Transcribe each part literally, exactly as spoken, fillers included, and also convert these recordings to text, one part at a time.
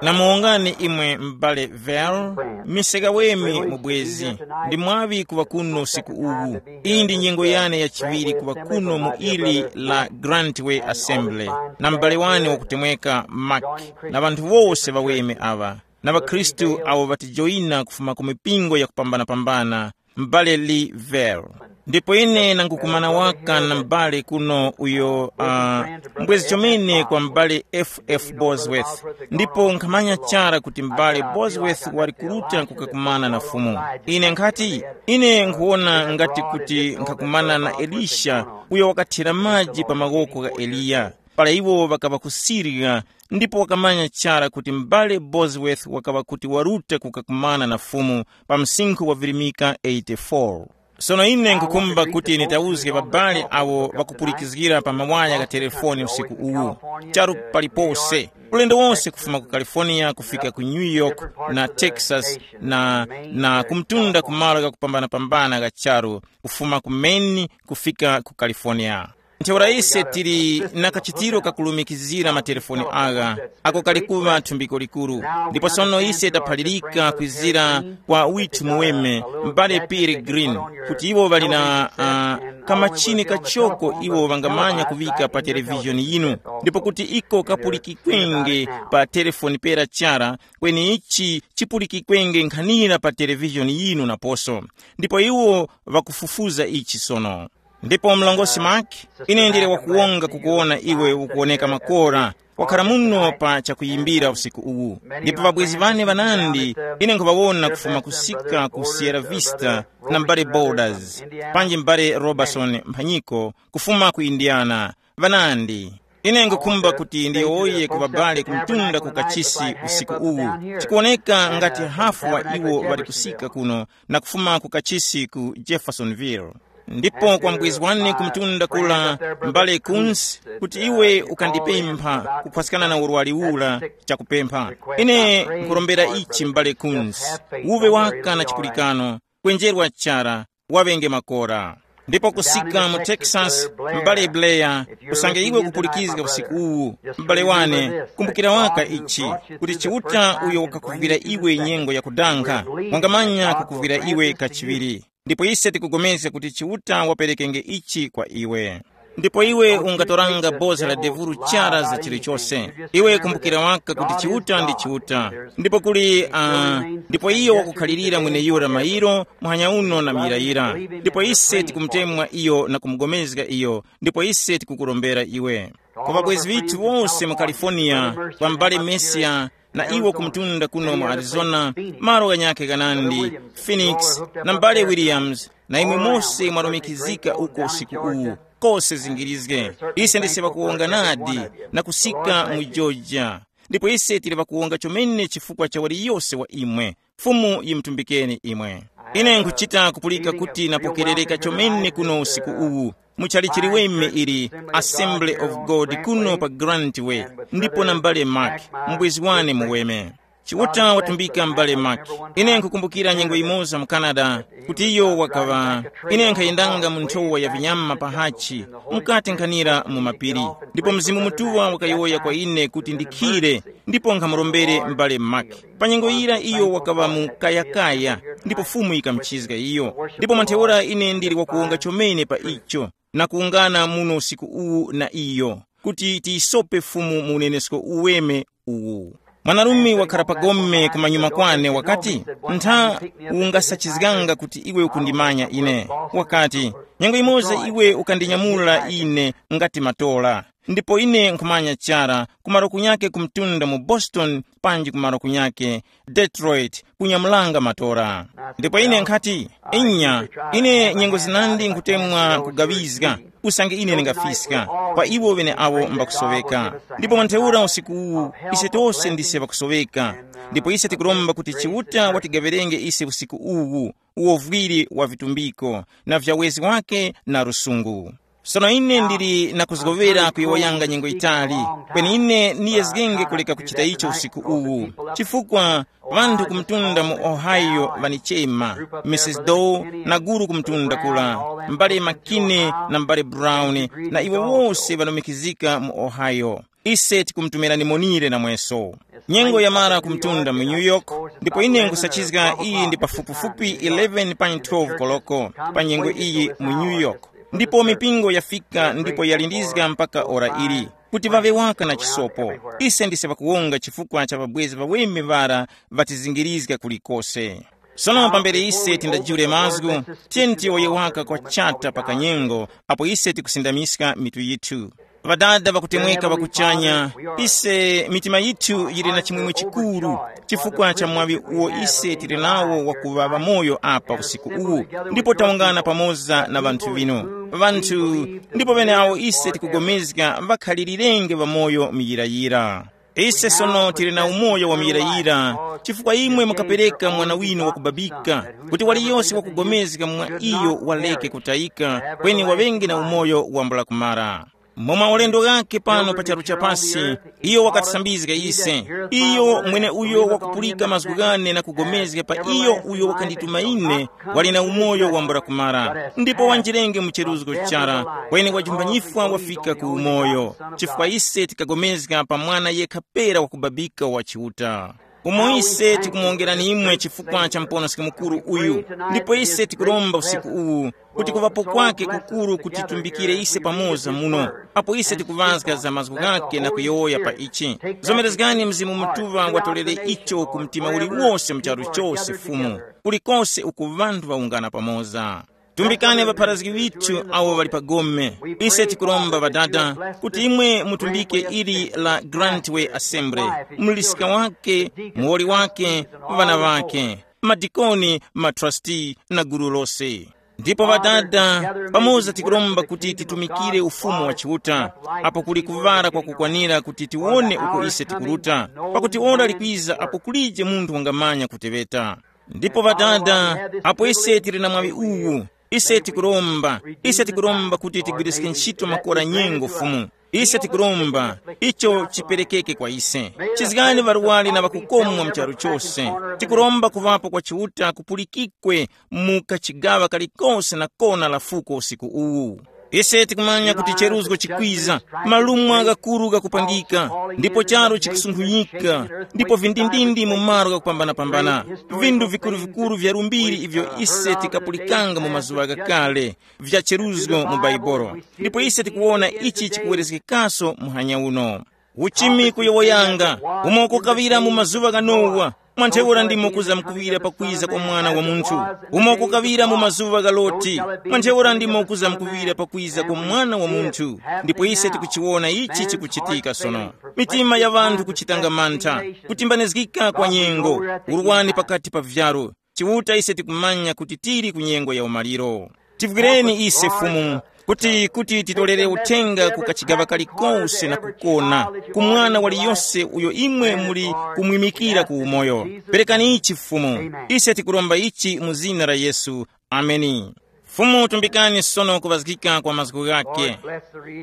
Namuwongani imwe m'bale Vel, miseka wemi mubwezi, ndi mwaŵi kuŵa kuno usiku uwu. Iyi ndi nyengo yane yachiŵiri kuŵa kuno mu ili la Grantway Assembly, na m'bale wane wakutemweka Mark, na ŵanthu wose ŵaweme aŵa, na ŵakhristu awo ŵatijoyina kufuma ku mipingo yakupambanapambana, m'bale Lee Vel. Ndipo ine nangukumana waka na m'bale kuno uyo uh, mbwezi chomene kwa m'bale F F Bosworth. Ndipo nkhamanya chara kuti m'bale Bosworth wali kuruta kukakumana na Fumu. Ine nkhati, ine nkhuwona ngati kuti nkhakumana na Elisha, uyo wakathira maji pa mawoko gha Eliya, para iwo ŵakaŵa kusirya, ndipo wakamanya chara kuti m'bale Bosworth wakaŵa kuti waruta kukakumana na Fumu pa msinkhu wa virimika eighty-four. Sono ine nkukhumba kuti nitauzge ŵabale awo ŵakupulikizgira pa mawaya gha telefoni usiku uwu, charu palipose, ulendo wonse kufuma ku California kufika ku New York na Texas na, na kumtunda ku malo ghakupambanapambana gha charu, kufuma ku Maine kufika ku California. Ntheura ise tili na kachitiro kakulumikizira matelefoni agha, ako kali kuŵa thumbiko likuru. Ndipo sono ise taphalirika kwizira kwa withu muweme, m'bale Peter Green, kuti iwo ŵali na uh, kamachini kachoko iwo ŵangamanya kuŵika pa televizhoni yinu, ndipo kuti iko kapulikikwenge pa telefoni pera chara, kweni ichi chipulikikwenge nkhanira pa televizhoni yinu naposo. Ndipo iwo ŵakufufuza ichi sono. Ndipo mlongosi Mark, ine ndili wakuwonga kukuwona iwe ukuwoneka makora, wakhala muno pa chakuyimbira usiku uwu. Ndipo ŵabwezi ŵane ŵanandi, ine nkhuŵawona kufuma kusika ku Sierra Vista, na m'bale Borders, panji m'bale Robertson mphanyiko, kufuma ku Indiana, ŵanandi. Ine nkukhumba kuti ndiyowoye ku ŵabale kumtunda ku kachisi usiku uwu. Chikuwoneka ngati hafu wa iwo ŵali kusika kuno na kufuma ku kachisi ku Jeffersonville. Ndipo kwa mbwezi wane kumtunda kula, m'bale Kunz, kuti iwe ukandipempha kuphwaskana na urwari ura, chakupempha. Ine nkurombera ichi, m'bale Kunz, uve waka na chipulikano, kwenjerwa chara, waŵenge makora. Ndipo kusika mu Texas, m'bale Blair, usange iwe ukupulikizga usiku uwu, m'bale wane, kumbukira waka ichi, kuti Chiuta uyo wakakuvwira iwe nyengo yakudankha, wangamanya kukuvwira iwe kachiŵiri. Ndipo ise tikupulikana kuti Chiuta waperekenge ichi kwa iwe. Ndipo iwe ungatoranga boza la devuru chara za chilichose. Iwe kumbukira waka kuti Chiuta ndi Chiuta. Ndipo kuli uh, ndipo iyo wakukhalirira mweneyura mairo, muhanya uno na muyirayira. Ndipo ise tikumutemwa iyo na kumugomezga iyo. Ndipo ise tikukurombera iwe. Kwa ŵabwezi ŵithu wose mu California, kwa m'bale Mesia, na iwo kumtunda kuno mu Arizona, malo ghanyakhe ghanandi, Phoenix, na m'bale Williams, na imwe mose mwarumikizika uko usiku uwu, kose zingirizge. Ise ndise ŵakuwonga nadi, na kusika mu Georgia. Ndipo ise tili ŵakuwonga chomene chifukwa cha waliyose wa imwe. Fumu yimutumbikeni imwe. Ine nkuchita kupulika kuti napokerereka chomene kuno usiku uwu, muchali chiliweme ili Assembly of God kuno pa Grantway, ndipo na m'bale Mark, mbwezi wane muweme. Chiuta watumbika m'bale Mark. Ine nkukumbukira nyengo imoza mu Canada, kuti iyo wakaŵa, ine nkhayendanga mu nthowa ya vinyama pa hachi, mukati nkhanira mu mapiri. Ndipo Mzimu Mutuŵa wakayowoya kwa ine kuti ndikhire, ndipo nkhamurombere m'bale Mark. Pa nyengo yira iyo wakaŵa mu kayakaya, ndipo Fumu yikamuchizga iyo. Ndipo mwantheura ine ndili wakuwonga chomene pa icho, na kuwungana muno usiku uwu na iyo, kuti tiyisope Fumu mu unenesko uweme uwu. Mwanarume wakhala pa gome kumanyuma kwane wakati, ntha ungasachizganga kuti iwe ukundimanya ine. Wakati, nyengo imoza iwe ukandinyamula ine ngati matola. Ndipo ine nkhumanya chara kumaro kunyake kumtunda mu Boston panji kumaro kunyake Detroit kunyamulanga matora. Ndipo ine nkhati, inya, ine nyengo zinandi nkhutemwa kugaŵizga, usange ine ndingafiska kwa iwo ŵeneawo mbakusoweka. Ndipo mwantheura usiku uwu, ise tose ndise ŵakusoweka. Ndipo ise tikuromba kuti Chiuta watigaŵerenge ise usiku uwu, uwovwiri wa vitumbiko, na vyawezi wake na lusungu. Sono ine ndili na kuzgowera kuyowoyanga nyengo yitali, kweni ine niyezgenge kuleka kuchita icho usiku uwu, chifukwa ŵanthu kumtunda mu Ohio ŵanichema, Missus Doe na guru kumtunda kula, m'bale Makine na m'bale Brown, na iwo wose ŵalumikizika mu Ohio. Ise tikumutumirani monire namweso. Nyengo yamara kumtunda mu New York, ndipo ine nkusachizga iyi ndi pafupifupi eleven pa twelve koloko pa nyengo iyi mu New York. Ndipo mipingo yafika ndipo yalindizga mpaka ora ili, kuti ŵaŵe waka na chisopo. Ise ndise ŵakuwonga chifukwa cha ŵabwezi ŵaweme ŵara ŵatizingirizga kulikose. Sono pambere ise tindajule mazgu, tiyeni tiyowoye waka kwa chata pa kanyengo apo ise tikusindamiska mitu yithu. Ŵadada ŵakutemweka ŵakuchanya, ise mitima yithu yili na chimwemwe chikuru chifukwa cha mwaŵi uwo ise tili nawo wakuŵa ŵamoyo apa usiku uwu, ndipo tawungana pamoza na ŵanthu ŵinu. Ŵanthu ndipo ŵeneawo ise tikugomezga ŵakhalilirenge ŵamoyo muyirayira. Ise sono tili na umoyo wa muyirayira, chifukwa imwe mukapereka mwana winu wakubabika, kuti waliyose wakugomezga mwa iyo waleke kutayika, kweni waŵenge na umoyo wambula kumara. Momwe ulendo ghake pano pa charu cha pasi, iyo wakatisambizga ise. Iyo mwene uyo wakupulika mazgu ghane na kugomezga pa iyo uyo wakandituma ine, wali na umoyo wambula kumara, ndipo wanjirenge mu cheruzgo chara, kweni wajumbanyifwa wafika ku umoyo, chifukwa ise tikagomezga pa mwana yekha pera wakubabika wa Chiuta. Umo ise tikumuwongerani imwe chifukwa cha muponoski mukuru uyu, ndipo ise tikuromba usiku uwu kuti kuŵapo kwake kukuru kutitumbikire ise pamoza muno, apo ise tikuŵazga za mazgu ghake na kuyowoya pa ichi. Zomerezgani Mzimu Mutuŵa watolere icho ku mtima uliwose mu charu chose, Fumu, kulikose uku ŵanthu ŵawungana pamoza. Tumbikani ŵapharazgi ŵithu awo ŵali pa gome. Ise tikuromba Ŵadada kuti imwe mutumbike ili la Grantway Assembly, mulisika wake, muwoli wake, ŵana ŵake, madikoni, matrasti na gulu lose. Ndipo Ŵadada, pamoza tikuromba kuti titumikire Ufumu wa Chiuta, apo kuli kuŵala kwakukwanira kuti tiwone uko ise tikuruta, pakuti ora likwiza apo kulije munthu wangamanya kuteŵeta. Ndipo Ŵadada, apo ise tili na mwaŵi uwu, ise tikuromba, ise tikuromba kuti tigwiriske ntchito makora nyengo Fumu. Ise tikuromba icho chiperekeke kwa ise. Chizgani ŵarwari na ŵakukomwa mu charu chose. Tikuromba kuŵapo kwa Chiuta kupulikikwe mu kachigaŵa kalikose na kona la fuko usiku uwu. Ise tikumanya kuti cheruzgo chikwiza, malumwa ghakuru ghakupangika, ndipo charu chikusunkhuyika, ndipo vindindindi mu malo ghakupambanapambana. Vindu vikuru-vikuru vya lumbiri ivyo ise tikapulikanga mu mazuŵa ghakale vya cheruzgo mu Baibolo, ndipo ise tikuwona ichi chikuwerezgekaso muhanya uno. Uchimi kuyowoyanga, umo kukaŵira mu mazuŵa gha Nowa, mwa ntheura ndimo kuzamkuŵira pakwiza kwa Mwana wa Munthu. Umo kukaŵira mu mazuŵa gha Loti, mwa ntheura ndimo kuzamkuŵira pakwiza kwa Mwana wa Munthu. Ndipo ise tikuchiwona ichi chikuchitika sono. Mitima ya ŵanthu kuchitanga mantha, kutimbanizgika kwa nyengo, urwani pakati pa vyaro. Chiuta ise tikumanya kuti tili ku nyengo ya umaliro. Tivwireni ise Fumu, kuti kuti titolere uthenga ku kachigaŵa kalikose na kukona, ku mwana waliyose uyo imwe muli kumwimikira ku umoyo. Perekani ichi Fumu, ise tikuromba ichi mu zina la Yesu. Ameni. Fumu tumbikani sono kuŵazgika kwa mazgu ghake.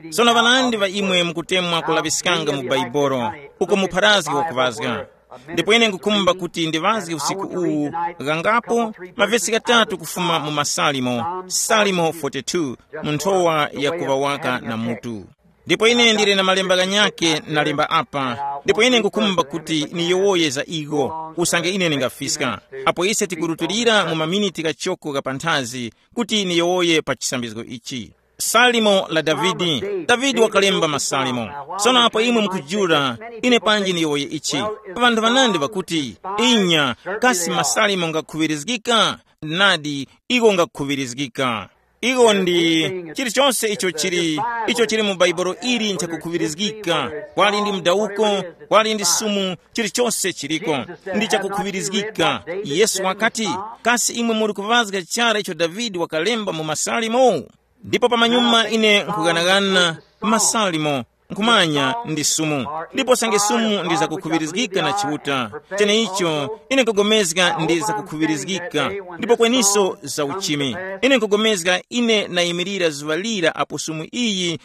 Sono ŵanandi ŵa imwe mukutemwa kulaŵiskanga mu Baibolo, uko mupharazgi wakuŵazga. Ndipo ine ngukhumba kuti ndiŵazge usiku uwu ghangapo mavesi ghatatu kufuma mu Masalimo, Salimo forty-two, mu nthowa ya kuŵa waka na mutu. Ndipo ine ndili na malemba ghanyakhe nalemba apa, ndipo ine ngukhumba kuti niyowoye za igho, usange ine ndingafiska. Apo ise tikurutulira mu maminiti ghachoko gha panthazi kuti niyowoye pa chisambizgo ichi. Salimo la Davide. Davide wakalemba masalimo. Sono apo imwe mukujula, ine panji niyowoye ichi. Ŵanthu ŵanandi ŵakuti, inya, kasi masalimo ngakhuŵirizgika? Nadi, iwo ngakhuŵirizgika. Iwo ndi chilichonse icho chili, icho chili mu Baibulo ili nchakukhuŵirizgika. Kwali ndi mdawuko, kwali ndi sumu, chilichonse chiliko ndi chakukhuŵirizgika. Yesu wakati, kasi imwe muli kuŵazga chara icho Davide wakalemba mu masalimo? Ndipo pamanyuma ine nkughanagana masalimo, nkhumanya ndi sumu, ndipo sange sumu ndi zakukhuŵirizgika na Chiuta. Cheneicho ine nkugomezga ndi zakukhuŵirizgika, ndipo kweniso za uchimi. Ine nkugomezga ine nayimirira zuŵa lira apo sumu iyi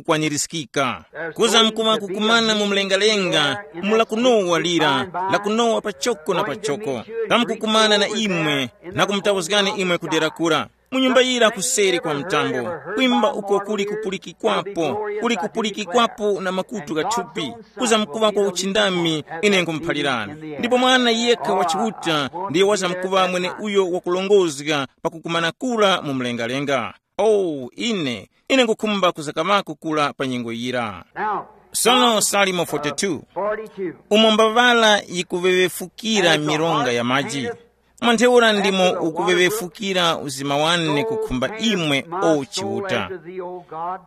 yikukwanirizgika. Kuza mkuŵa kukumana mu mlengalenga, mu lakunowa lira, lakunowa pachoko na pachoko. Kamkukumana na imwe, na kumutauzgani imwe kudera kura. mu nyumba yira kuseri kwa mtambo, kwimba uko kuli kupulikikwapo, kuli kupulikikwapo na makutu ghathupi, kuzamkuŵa kwa uchindami, ine nkhumuphalirani. Ndipo mwana yekha wa Chiuta ndiye wazamkuŵa mwene uyo wakulongozga pakukumana kura mu mlengalenga. Oh, ine, ine nkhukhumba kuzakaŵako kura pa nyengo yira. Now, Sono Salimo forty-two, forty-two. Umo mbaŵala yikuŵeŵefukira mironga ya maji, mwa ntheura ndimo ukuŵeŵefukira uzima wane kukhumba imwe, o Chiuta.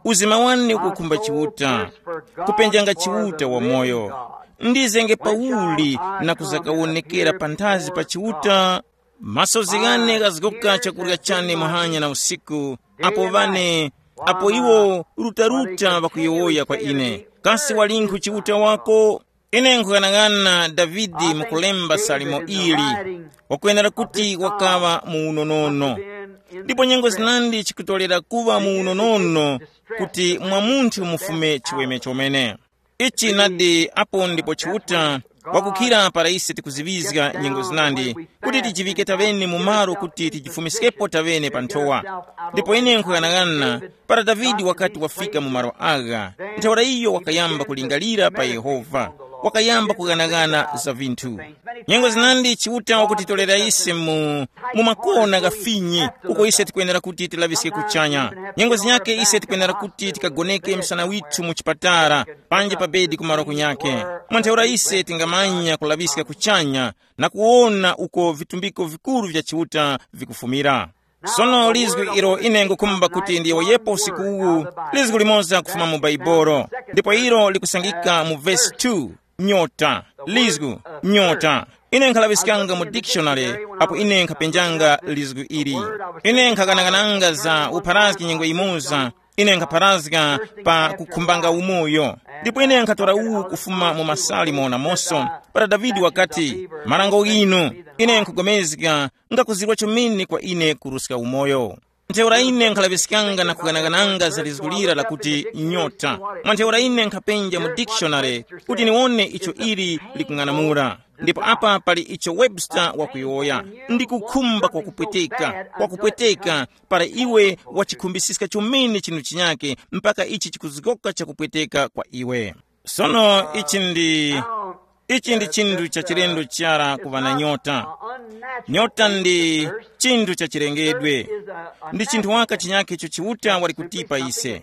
Uzima wane ukukhumba Chiuta, kupenjanga Chiuta wamoyo. Ndizenge pauli na kuzakawonekera panthazi pa Chiuta? Masozi ghane ghazgoka chakurya chane muhanya na usiku, apo ŵane, apo iwo rutaruta ŵakuyowoya kwa ine, kasi walinkhu Chiuta wako? Ine nkhughanaghana Davide mukulemba salimo ili, wakwenera kuti wakaŵa mu unonono. Ndipo nyengo zinandi chikutolera kuŵa mu unonono kuti mwa munthu mufume chiweme chomene. Ichi nadi apo ndipo Chiuta wakukhira para ise tikuziŵizga nyengo zinandi, kuti tijiŵike taŵene mu malo kuti tijifumiskepo taŵene pa nthowa. Ndipo ine nkhughanaghana, para Davide wakati wafika mu malo agha, ntheura iyo wakayamba kulingalira pa Yehova, wakayamba kughanaghana za vinthu. Nyengo zinandi Chiuta wakutitolera ise mu, mu makona ghafinyi, uko ise tikwenera kuti tilaŵiske kuchanya. Nyengo zinyake ise tikwenera kuti tikagoneke msana withu mu chipatala, panje pa bedi kumaro kunyake. Mwa ntheura ise tingamanya kulaŵiska kuchanya na kuwona uko vitumbiko vikuru vya Chiuta vikufumira. Sono lizgu ilo ine ngukhumba kuti ndiyowoyepo usiku uwu, lizgu limoza kufuma mu Baibolo, ndipo ilo likusangika mu vesi two, nyota, lizgu, nyota. Ine nkhalaŵiskanga mu dictionary apo ine nkhapenjanga lizgu ili. Ine nkhaganagananga za upharazgi nyengo imoza, ine nkhapharazga pa kukhumbanga umoyo. Ndipo ine nkhatora uwu kufuma mu masalimo namoso, para Davide wakati, marango ghinu, ine nkhugomezga, ngakuzirwa chomene kwa ine kuruska umoyo. Ntheura ine nkhalaŵiskanga na kuganagananga za lizgu lira lakuti nyota. Mwa ntheura ine nkhapenja mu dictionary kuti niwone icho ili likung'anamula. Ndipo apa pali icho Webster wakuyowoya, ndi kukhumba kwakupweteka, kwakupweteka, para iwe wachikhumbisiska chomene chinthu chinyake mpaka ichi chikuzgoka chakupweteka kwa iwe. Sono ichi ndi, ichi ndi chinthu cha chilendo chara kuŵa na nyota. Nyota ndi chinthu cha chilengedwe. Ndi chinthu waka chinyakhe icho Chiuta wali kutipa ise,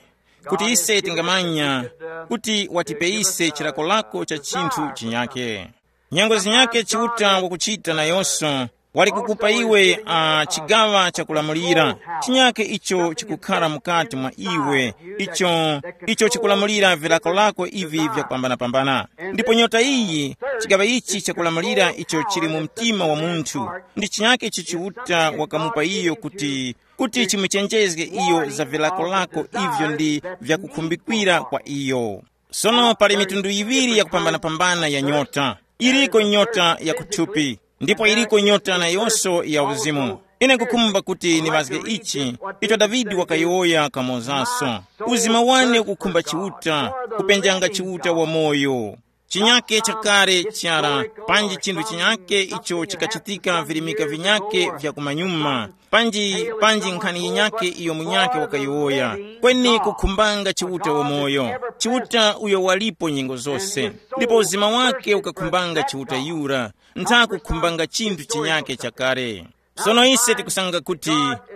kuti ise tingamanya kuti watipe ise chilakolako cha chinthu chinyakhe. Nyengo zinyakhe Chiuta wakuchita nayonso, wali kukupa iwe uh, chigaŵa chakulamulira chinyakhe icho chikukhara mukati mwa iwe, icho icho chikulamulira vilako lako ivi vyakupambanapambana. Ndipo nyota iyi, chigaŵa ichi chakulamulira icho chili mu mtima wa munthu, ndi chinyakhe icho Chiuta wakamupa iyo kuti kuti chimuchenjezge iyo za vilako lako ivyo ndi vyakukhumbikwira kwa iyo. Sono pali mitundu yiŵiri yakupambanapambana ya nyota. Iriko nyota ya kuthupi, ndipo iriko nyota nayonso ya uzimu. Ine nkukhumba kuti niŵazge ichi, icho Davide wakayowoya kamozaso. Uzima wane ukukhumba Chiuta, kupenjanga Chiuta wamoyo. Chinyake chakale chara, panji chinthu chinyake icho chikachitika virimika vinyake vya kumanyuma, panji panji nkhani yinyake iyo munyake wakayiwoya, kweni kukhumbanga Chiuta wamoyo. Chiuta uyo walipo nyengo zose, ndipo uzima wake ukakhumbanga Chiuta yura, ntha kukhumbanga chinthu chinyake chakale. Sono ise tikusanga kuti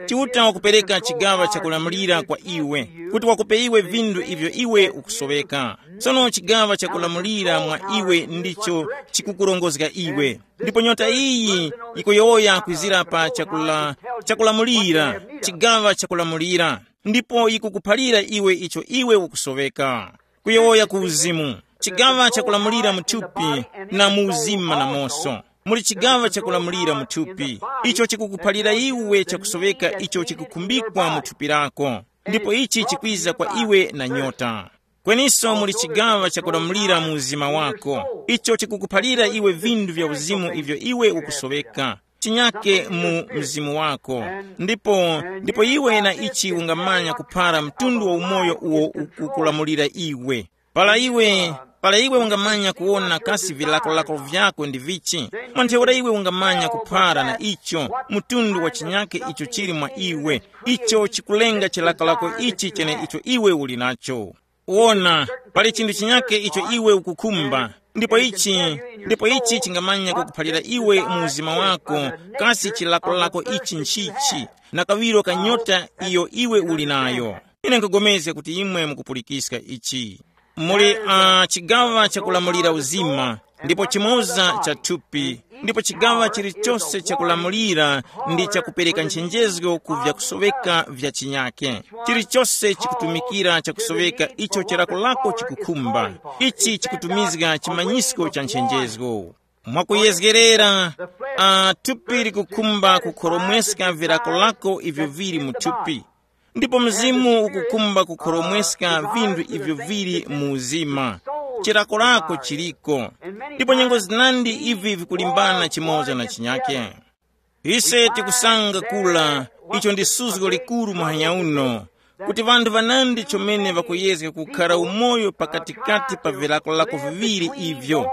Chiuta wakupereka chigaŵa chakulamulira kwa iwe, kuti wakupe iwe vindu ivyo iwe ukusoweka. Sono chigaŵa chakulamulira mwa iwe ndicho chikukurongozga iwe. Ndipo nyota iyi yikuyowoya kwizira pa chakula, chakulamulira, chigaŵa chakulamulira, ndipo yikukuphalira iwe icho iwe ukusoweka. Kuyowoya ku uzimu, chigaŵa chakulamulira mu thupi na mu uzima namoso. Muli chigaŵa chakulamulira mu thupi, icho chikukuphalira iwe chakusoweka icho chikukhumbikwa mu thupi lako, ndipo ichi chikwiza kwa iwe na nyota. Kweniso muli chigaŵa chakulamulira mu uzima wako, icho chikukuphalira iwe vindu vya uzimu ivyo iwe ukusoweka, chinyake mu mzimu wako. Ndipo ndipo iwe na ichi ungamanya kuphara mtundu wa umoyo uwo ukukulamulira iwe. Para iwe, para iwe ungamanya kuwona kasi vilakolako vyako ndi vichi, Mwa ntheura iwe ungamanya kuphara na icho, mtundu wa chinyake icho chili mwa iwe, icho chikulenga chilakolako ichi chene icho iwe uli nacho. Wona, pali chinthu chinyake icho iwe ukukhumba, ndipo ichi, ndipo ichi chingamanya kukuphalira iwe mu uzima wako, kasi chilakolako ichi nchichi, na kawiro ka nyota iyo iwe uli nayo. Ine nkupulikana kuti imwe mukupulikiska ichi. Muli uh, chigawa chakulamulira uzima, ndipo chimoza cha thupi, ndipo chigawa chilichose chakulamulira ndi chakupereka nchenjezgo ku vyakusoweka vya chinyake. Chilichose chikutumikira chakusoweka icho chilakolako chikukhumba. Ichi chikutumizga chimanyisko cha nchenjezgo. Mwakuyezgerera, uh, thupi likukhumba kukhoromweska vilakolako ivyo vili mu thupi, ndipo mzimu ukukhumba kukhoromweska vinthu ivyo vili mu uzima. Chilakolako chiliko, ndipo nyengo zinandi ivi vikulimbana chimoza na chinyake. Ise tikusanga kula, icho ndi suzgo likuru muhanya uno, kuti vanthu vanandi chomene vakuyezga kukhara umoyo pakatikati pa vilakolako viŵiri ivyo,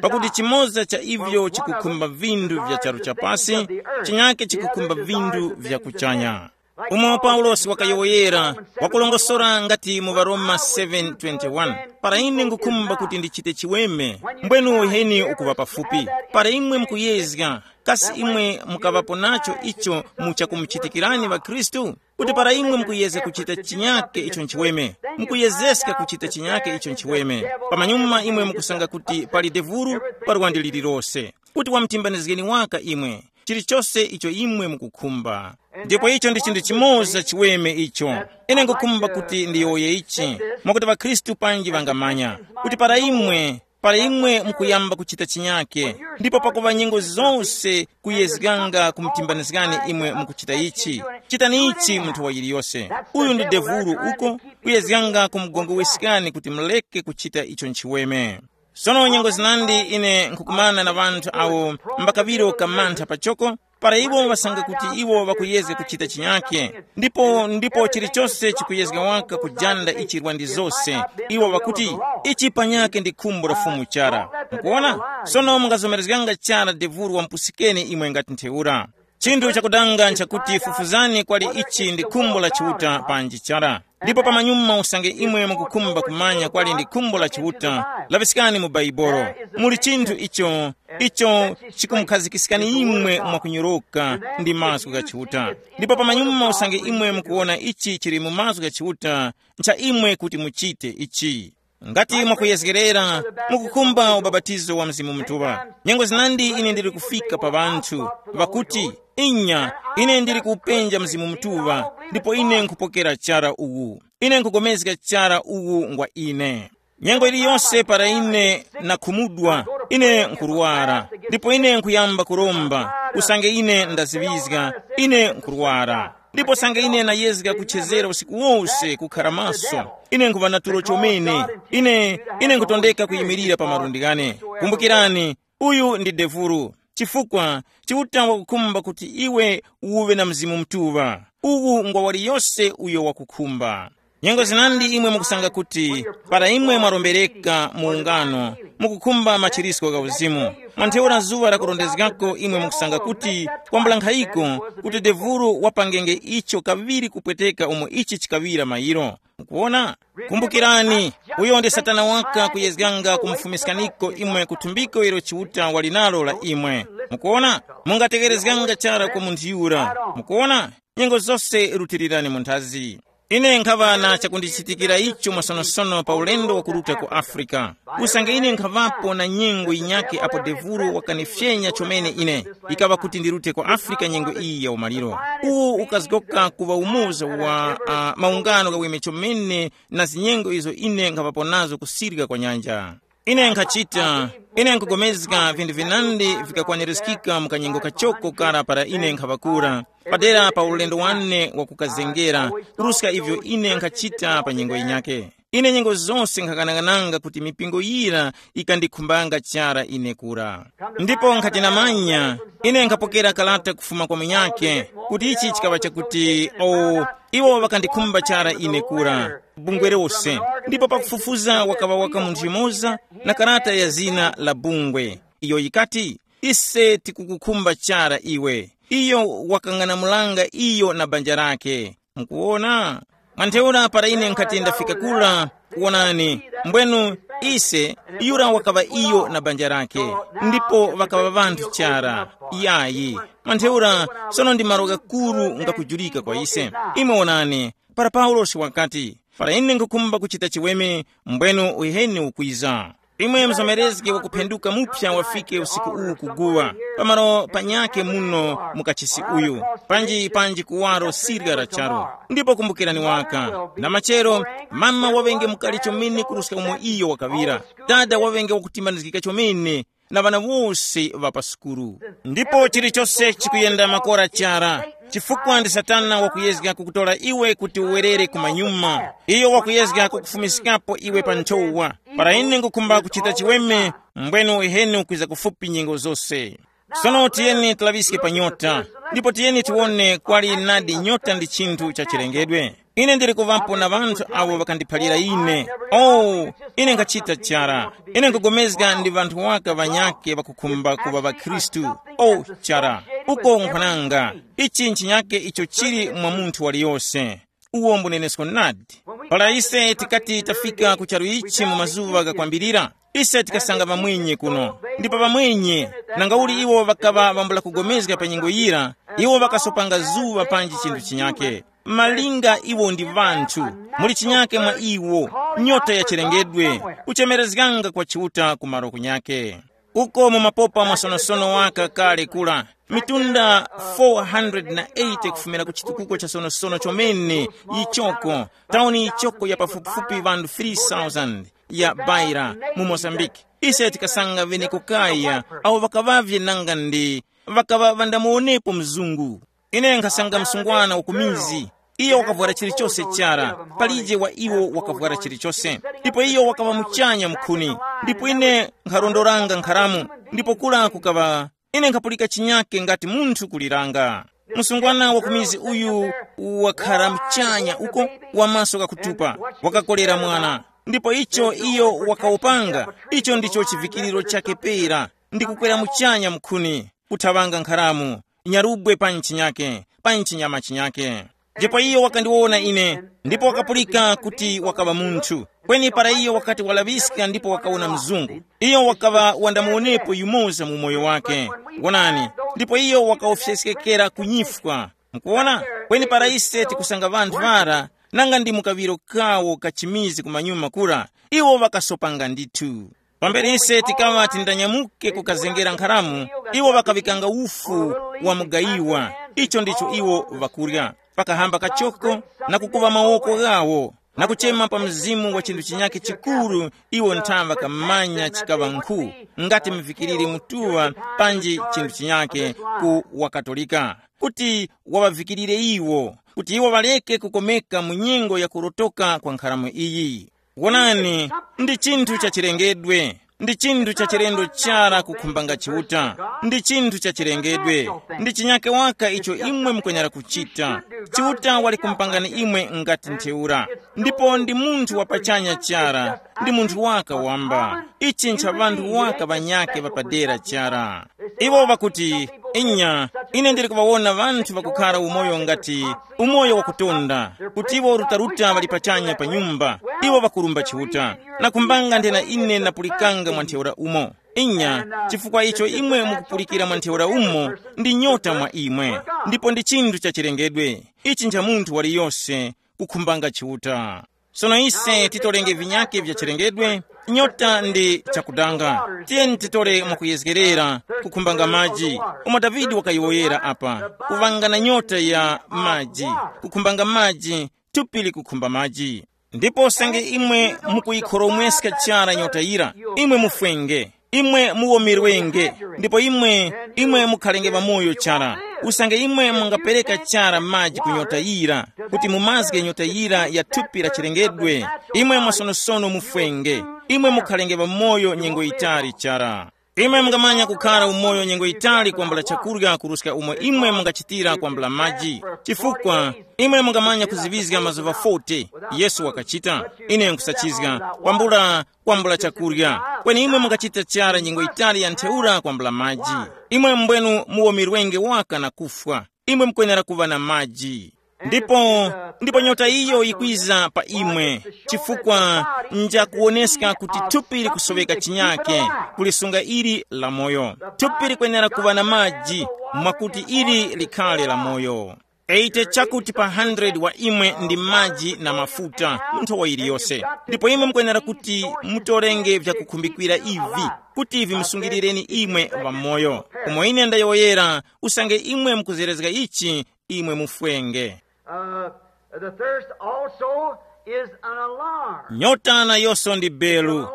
pakuti chimoza cha ivyo chikukhumba vinthu vya charu chapasi, chinyake chikukhumba vinthu vya kuchanya. Umo Paulosi wakayowoyera, wakulongosora ngati mu Varoma seven twenty-one, para ine ngukhumba kuti ndichite chiweme, mbwenu uheni ukuŵa pafupi. Para imwe mukuyezga, kasi imwe mukaŵapo nacho icho mu chakumuchitikirani ŵakhristu? Kuti para imwe mukuyezga kuchita chinyake icho nchiweme, mukuyezeska kuchita chinyake icho nchiweme, pamanyuma imwe mukusanga kuti pali devuru, pa lwandi lililose, kuti wamtimbanizgeni waka imwe chilichose icho imwe mukukhumba. Ndipo icho ndi chinthu chimoza chiweme icho. Ine ngukhumba kuti ndiyowoye ichi, mwakuti ŵakhristu panji ŵangamanya kuti para imwe, para imwe mukuyamba kuchita chinyake, ndipo pakuŵa nyengo zose kuyezganga kumtimbanizgani imwe mukuchita ichi, chitani ichi munthu wa yiliyose. Uyu ndi devulu uko, kuyezganga kumugongoweskani kuti muleke kuchita icho nchiweme. Sono nyengo zinandi ine nkhukumana na ŵanthu awo mbakaŵiro kamantha pachoko, para iwo ŵasanga kuti iwo ŵakuyezga kuchita chinyake, ndipo ndipo chilichose chikuyezga waka kujanda ichirwa ndi zose, iwo ŵakuti, ichi panyake ndi khumbo la Fumu chara. Mukuona? Sono mungazomerezganga chara devuru wamupusikeni imwe ngati ntheura. Chinthu chakudanga nchakuti fufuzani kwali ichi ndi khumbo la Chiuta panji chara. Ndipo pamanyuma usange imwe mukukhumba kumanya kwali ndi khumbo la Chiuta, laŵiskani mu Baibolo. Muli chinthu icho, icho chikumukhazikisani imwe mwakunyoroka ndi mazgu gha Chiuta. Ndipo pamanyuma usange imwe mukuwona ichi chili mu mazgu gha Chiuta, ncha imwe kuti muchite ichi. Ngati mwakuyezgerera, mukukhumba ubapatizo wa Mzimu Mutuŵa. Nyengo zinandi ine ndili kufika pa ŵanthu ŵakuti, inya, ine ndili kupenja Mzimu Mutuŵa, ndipo ine nkhupokera chara uwu. Ine nkhugomezga chara uwu ngwa ine. Nyengo iliyonse para ine nakhumudwa, ine nkhurwara, ndipo ine nkhuyamba kuromba, usange ine ndaziŵizga, ine nkhurwara. Ndipo sanga ine nayezga kuchezera usiku wose kukhara maso, ine nkhuŵa na tulo chomene. Ine, ine nkhutondeka kuyimirira pa malundi ghane. Kumbukirani, uyu ndi devulu, chifukwa Chiuta wakukhumba kuti iwe uwe na Mzimu Mutuŵa. Uwu ngwa waliyose uyo wakukhumba. Nyengo zinandi imwe mukusanga kuti para imwe mwarombereka mu ungano, mukukhumba machirisko gha uzimu, mwa ntheura zuŵa lakurondezgako imwe mukusanga kuti kwambula nkhayiko kuti devulu wapangenge icho kaŵiri kupweteka umo ichi chikaŵira mayiro. Mukuwona? Kumbukirani, uyo ndi Satana waka kuyezganga kumufumiskaniko imwe ku thumbiko ilo Chiuta wali nalo la imwe. Mukuwona? Mungatekerezganga chara kwa munthu yura. Mukuwona? Nyengo zose rutirirani mu nthazi. Ine nkhaŵa na chakundichitikira icho mwasonosono pa ulendo wakuruta ku Afrika. Usange ine nkhaŵapo na nyengo yinyakhe apo devuro wakanifyenya chomene ine, ikaŵa kuti ndirute ku Afrika nyengo iyi ya umaliro. Uwu ukazgoka kuŵa umoza wa uh, maungano ghaweme chomene na zinyengo izo ine nkhaŵapo nazo kusirika kwa nyanja. Ine nkhachita, ine nkugomezga vinthu vinandi vikakwanirizgika mu kanyengo kachoko kara para ine nkhaŵakura, padera pa ulendo wane wakukazengera, kuruska ivyo ine nkhachita pa nyengo yinyake. Ine nyengo zose nkhakanang'ananga kuti mipingo yira ikandikhumbanga chara ine kura. Ndipo nkhati namanya, ine nkhapokera kalata kufuma kwa munyakhe, kuti ichi chikaŵa chakuti, o, iwo ŵakandikhumba chara ine kura, bungwe lose. Ndipo pakufufuza wakaŵa waka munthu yumoza na karata ya zina la bungwe. Iyo yikati, Ise tikukukhumba chara iwe. Iyo wakang'anamulanga iyo na banja lake. Mukuwona? Mwantheura para ine nkhati ndafika kura, wonani, mbwenu ise, yura wakaŵa iyo na banja lake, ndipo ŵakaŵa ŵanthu chara. Yayi, mwantheura, sono ndi malo ghakuru ngakujulika kwa ise. Imwe wonani, para Paulosi wakati, para ine nkhukhumba kuchita chiweme, mbwenu uheni ukwiza. Imwe mzomerezge wakuphenduka mupsa wafike usiku uwu kuguwa, pamalo panyakhe muno mu kachisi uyu, panji panji kuwaro sirya la charu. Ndipo kumbukirani waka, na machero, mama waŵenge mukali chomene kuruska umo iyo wakaŵira. Dada waŵenge wakutimbanizgika chomene na ŵana wose ŵa pa sukulu. Ndipo chilichose chikuyenda makora chara, chifukwa ndi Satana wakuyezga kukutora iwe kuti uwerere kumanyuma. Iyo wakuyezga kukufumiskapo iwe pa nthowa. Para ine ngukhumba kuchita chiweme, mbwenu uheni ukwiza kufupi nyengo zose. Sono tiyeni tilaŵiske pa nyota, ndipo tiyeni tiwone kwali nadi nyota ndi chinthu cha chilengedwe. Ine ndili kuŵapo na ŵanthu awo ŵakandiphalira ine. Oh, ine nkhachita chara. Ine nkugomezga ndi ŵanthu waka ŵanyakhe ŵakukhumba kuŵa ŵakhristu. Oh, chara. Uko nkhwananga. Ichi nchinyakhe icho chili mwa munthu waliyose. Uwo mbunenesko nadi. Para ise tikati tafika ku charu ichi mu mazuŵa ghakwambirira, ise tikasanga ŵamwenye kuno. Ndipo ŵamwenye, nangauli iwo ŵakaŵa ŵambula kugomezga pa nyengo yira, iwo ŵakasopanga zuŵa panji chinthu chinyakhe. Malinga iwo ndi ŵanthu, muli chinyakhe mwa iwo, nyota ya chilengedwe, kuchemerezganga kwa Chiuta ku malo kunyakhe. Uko mu mapopa mwasonosono waka kale kula, mitunda four hundred na eighty kufumira ku chitukuko cha sonosono chomene, yichoko, tauni yichoko ya pafupifupi ŵanthu three thousand ya Beira mu Mozambique. Ise tikasanga ŵene kukaya awo ŵakaŵavye nanga ndi ŵakaŵa ŵandamuwonepo mzungu. Ine nkhasanga msungwana wa ku mizi. Iyo wakavwara chilichose chara, palije wa iwo wakavwara chilichose. Ndipo iyo wakaŵa muchanya mukhuni. Ndipo ine nkharondoranga nkharamu, ndipo kura kukaŵa, ine nkhapulika chinyake ngati munthu kuliranga. Msungwana wa ku mizi uyu wakhara muchanya uko, wa maso ghakutupa, wakakolera mwana. Ndipo icho iyo wakawopanga, icho ndicho chivikiriro chake pera, ndi kukwera muchanya mukhuni, kuthaŵanga nkharamu, nyarubwe pa ntchinyake, pa ntchinyama chinyake. Ndipo iyo wakandiwona ine, ndipo wakapulika kuti wakaŵa munthu. Kweni para iyo wakati walaŵiska ndipo wakawona mzungu, iyo wakaŵa wandamuwonepo yumoza mu umoyo wake. Wonani, ndipo iyo wakawofyeskekera kunyifwa. Mukuwona? Kweni para ise tikusanga ŵanthu ŵara, nanga ndi mu kaŵiro kawo kachimizi kumanyuma kura, iwo ŵakasopanga ndithu. Pambere ise tikaŵa tindanyamuke kukazengera nkharamu, iwo ŵakaŵikanga ufu wa mugayiwa, icho ndicho iwo ŵakurya. Pakahamba kachoko na kukuva mawoko ghawo, na kuchema pa mzimu wa chinthu chinyakhe chikuru, iwo nthaŵa kamanya chikaŵa nkhu, ngati mvikiriri mutuŵa panji chinthu chinyakhe ku waKatolika, kuti waŵavikirire iwo, kuti iwo ŵareke kukomeka mu nyengo ya kurotoka kwa nkharamu iyi. Wonani, ndi chinthu cha chilengedwe, ndi chinthu cha chilendo chara kukhumbanga Chiuta. Ndi chinthu cha chilengedwe, ndi chinyake waka icho imwe mukwenyera kuchita. Chiuta wali kumpangani imwe ngati ntheura, ndipo ndi munthu wa pachanya chara, ndi munthu waka wamba. Ichi ncha ŵanthu waka ŵanyake ŵapadera chara. Iwo ŵakuti, inya, ine ndili kuŵawona ŵanthu ŵakukhara umoyo ngati umoyo wakutonda, kuti iwo rutaruta ŵali pachanya pa nyumba, iwo ŵakurumba Chiuta. Nakhumbanga nthena ine napulikanga mwa ntheura umo. Inya, chifukwa icho imwe mukupulikira mwa ntheura umo ndi nyota mwa imwe, ndipo ndi chinthu cha chilengedwe. Ichi ncha munthu waliyose kukhumbanga Chiuta. Sono ise titorenge vinyake vya chilengedwe, nyota ndi chakudanga. Tiyeni titore mwakuyezgerera, kukhumbanga maji, umo Davide wakayowoyera apa, kuŵanga na nyota ya maji, kukhumbanga maji, thupi likukhumba maji. Ndipo usange imwe mukuyikhoromweska chara nyota yira, imwe mufwenge, imwe muwomerwenge, ndipo imwe, imwe mukhalenge ŵamoyo chara. Usange imwe mungapereka chara maji ku nyota yira, kuti mumazge nyota yira ya thupi la chilengedwe, imwe mwasonosono mufwenge, imwe mukhalenge ŵamoyo nyengo yitali chara. Imwe mungamanya kukhara umoyo nyengo yitali kwambula chakurya kuruska umo imwe mungachitira kwambula maji. Chifukwa imwe mungamanya kuziŵizga mazuŵa forty. Yesu wakachita. Ine nkusachizga kwambula kwambula chakurya. Kweni imwe mungachita chara nyengo yitali ya ntheura kwambula maji. Imwe mbwenu muwomerwenge waka na kufwa. Imwe mukwenera kuŵa na maji. Ndipo ndipo nyota iyo yikwiza pa imwe, chifukwa njakuwoneska kuti thupi likusoweka chinyake kulisunga ili la moyo. Thupi likwenera kuŵa na maji, mwakuti ili likhale la moyo. Eite chakuti pa hundred wa imwe ndi maji na mafuta mu nthowa yiliyose. Ndipo imwe mukwenera kuti mutorenge vyakukhumbikira ivi, kuti vimusungirireni imwe ŵamoyo. Umo ine ndayowoyera, usange imwe mukuzerezga ichi, imwe mufwenge. Uh, the thirst also is an alarm. Nyota nayonso ndi belu.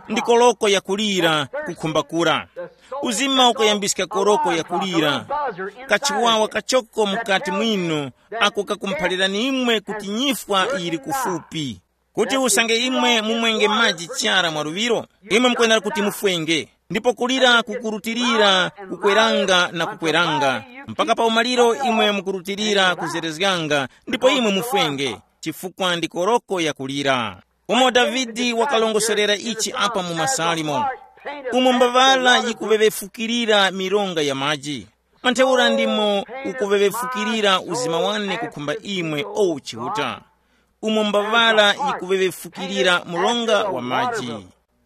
Ndi koloko yakulira, kukhumbakura. Uzima ukayambiska koroko yakulira, kachiwawa kachoko mukati mwinu, ako kakumphalirani imwe kuti nyifwa yili kufupi. Kuti usange imwe mumwenge maji chara mwa luŵiro, imwe mukwenera kuti mufwenge. Ndipo kulira kukurutilira kukweranga na kukweranga, mpaka pa umaliro imwe mukurutilira kuzerezganga, ndipo imwe mufwenge, chifukwa ndi koroko yakulira. Umo Davide wakalongosorera ichi apa mu Masalimo, umo mbaŵala yikuŵeŵefukirira mironga ya maji, mantheura ndimo ukuŵeŵefukirira uzima wane kukhumba imwe, o Chiuta. Umo mbaŵala yikuŵeŵefukirira mlonga wa maji.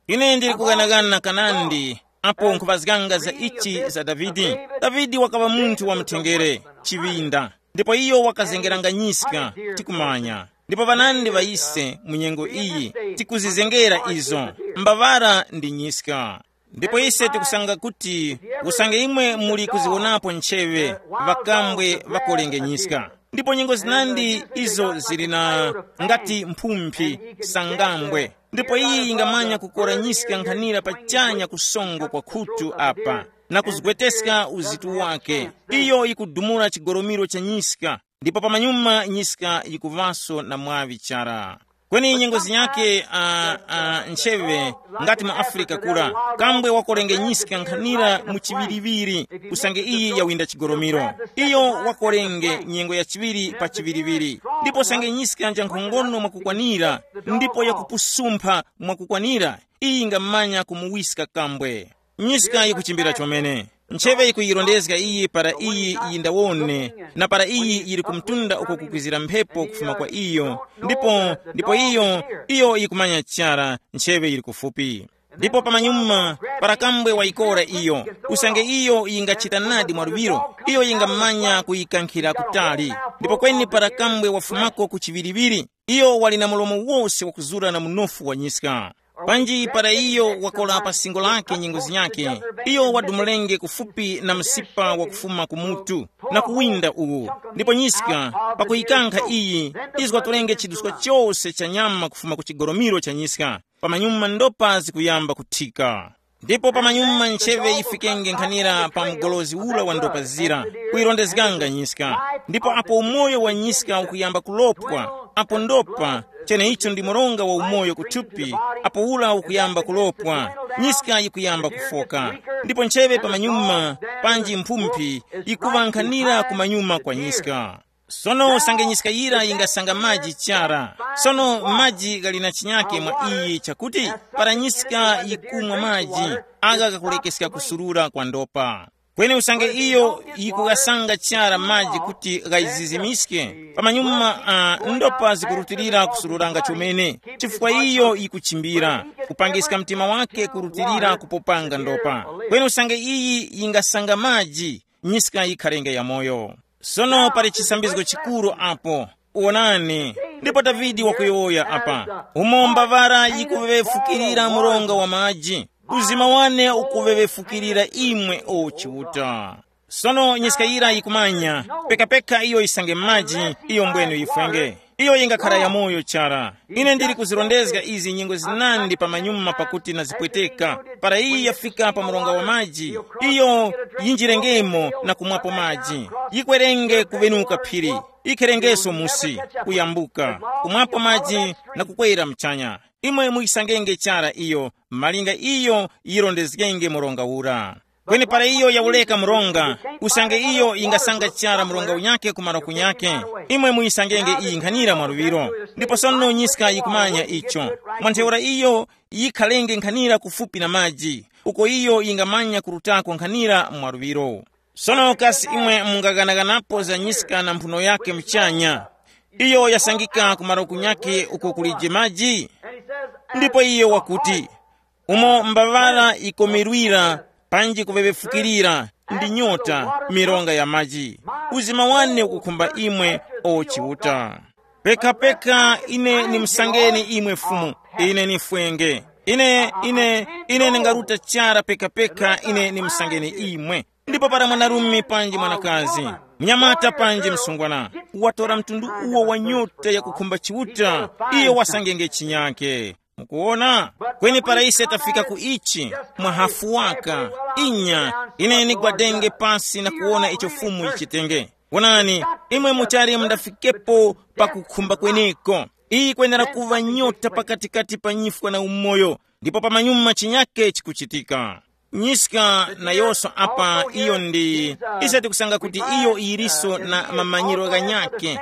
Ine ndili kughanaghana kanandi apo nkhupazganga za ichi za Davide. Davide wakaŵa munthu wa mthengere, chiŵinda, ndipo iyo wakazengeranga nyiska, tikumanya. Ndipo ŵanandi ŵa ise mu nyengo iyi tikuzizengera izo, mbaŵala ndi nyiska. Ndipo ise tikusanga kuti usange imwe muli kuziwonapo ncheŵe, ŵakambwe ŵakolengenyiska. Ndipo nyengo zinandi izo zili na ngati mphumphi sangambwe. Ndipo iyi yingamanya kukoranyiska nkhanira pachanya kusongo kwa khutu apa na kuzgweteska uzitu wake. Iyo yikudumula chigoromiro cha nyiska, ndipo pamanyuma nyiska yikuŵaso na mwaŵi chara. Kweni nyengo zinyakhe, uh, uh, ncheŵe ngati mu Afrika kura, kambwe wakolenge nyiska nkhanira mu chiŵiriŵiri, usange iyi yawinda chigoromiro. Iyo wakolenge nyengo ya chiŵiri pa chiŵiriŵiri, ndipo usange nyiska nja nkhongono mwakukwanira, ndipo yakupusumpha mwakukwanira, iyi ngamanya kumuwiska kambwe. Nyiska yikuchimbira chomene. Ncheve yikuyirondezga iyi para iyi yindawone, na para iyi yili kumtunda uko kukwizira mphepo kufuma kwa iyo. Ndipo ndipo iyo iyo yikumanya chara, ncheve yili kufupi. Ndipo pamanyuma, para kambwe wayikora iyo, usange iyo yingachita nadi mwaluŵiro, iyo yingamanya kuyikankhira kutali. Ndipo kweni para kambwe wafumako ku chiŵiriŵiri, iyo wali na mlomo wose wakuzura na munofu wa nyiska. Panji para iyo wakora pa singo lake nyengo zinyakhe, iyo wadumulenge kufupi na msipa wakufuma ku mutu, na kuwinda uwu. Ndipo nyiska, pakuyikankha iyi, izgwatorenge chiduskwa chose cha nyama kufuma ku chigoromiro cha nyiska. Pamanyuma ndopa zikuyamba kuthika. Ndipo pamanyuma ncheve yifikenge nkhanira pa mgolozi ula wa ndopa zira, kuyirondezganga nyiska. Ndipo apo umoyo wa nyiska ukuyamba kulopwa, apo ndopa, cheneicho ndi mronga wa umoyo kuthupi, apo ula ukuyamba kulopwa, nyiska yikuyamba kufoka. Ndipo ncheve pamanyuma, panji mphumphi, yikuŵa nkhanira kumanyuma kwa nyiska. Sono usange nyiska yira yingasanga maji chara. Sono maji ghali na chinyake mwa iyi chakuti, para nyiska yikumwa maji, agha ghakulekeska kusurura kwa ndopa. Kweni usange iyo yikughasanga chara maji kuti ghayizizimiske, pamanyuma, uh, ndopa zikurutilira kusururanga chomene, chifukwa iyo yikuchimbira, kupangiska mtima wake kurutilira kupopanga ndopa. Kweni usange iyi yingasanga maji, nyiska yikharenge yamoyo. Sono pali chisambizgo chikuru apo. Wonani, ndipo Davide wakuyowoya apa, umo mbavara yikuŵefukirira mronga wa maji, uzima wane ukuŵefukirira imwe, o Chiuta. Sono nyiska yira yikumanya, pekapeka iyo yisange maji, iyo mbwenu yifwenge. Iyo yingakhara yamoyo chara. Ine ndili kuzirondezga izi nyengo zinandi pamanyuma pakuti nazipweteka. Para iyi yafika pa mronga wa maji, iyo yinjirengemo na kumwapo maji. Yikwerenge kuŵenuka phiri, yikherengeso musi, kuyambuka, kumwapo maji na kukwera mchanya. Imwe muyisangenge chara iyo, malinga iyo yirondezgenge mronga ura. Kweni para iyo yawureka mronga, usange iyo yingasanga chara mronga unyakhe ku malo kunyakhe, imwe muyisangenge iyi nkhanira mwa luŵiro. Ndipo sono nyiska yikumanya icho. Mwa ntheura iyo yikhalenge nkhanira kufupi na maji, uko iyo yingamanya kurutako nkhanira mwa luŵiro. Sono kasi imwe mungaghanaganapo za nyiska na mphuno yakhe muchanya? Iyo yasangika ku malo kunyakhe uko kulije maji. Ndipo iyo wakuti, umo mbaŵara yikomerwira, panji kuŵeŵefukirira, ndi nyota, mironga ya maji. Uzima wane ukukhumba imwe, o Chiuta. Pekapeka ine nimusangeni imwe Fumu, ine nifwenge. Ine, ine, ine ndingaruta chara pekapeka ine nimusangeni imwe. Ndipo para mwanarume panji mwanakazi, mnyamata panji msungwana, watora mtundu uwo wa nyota yakukhumba Chiuta, iyo wasangenge chinyake. Mukuwona? Kweni para ise tafika ku ichi, mwa hafu waka, inya, ine nigwadenge pasi na kuwona icho Fumu yichitenge. Wonani, imwe muchali mundafikepo pakukhumba kweneko. Iyi kwenera kuŵa nyota pakatikati pa nyifwa na umoyo, ndipo pamanyuma chinyake chikuchitika. Nyiska nayonso apa iyo ndi, ise tikusanga kuti iyo yiliso na mamanyiro ghanyakhe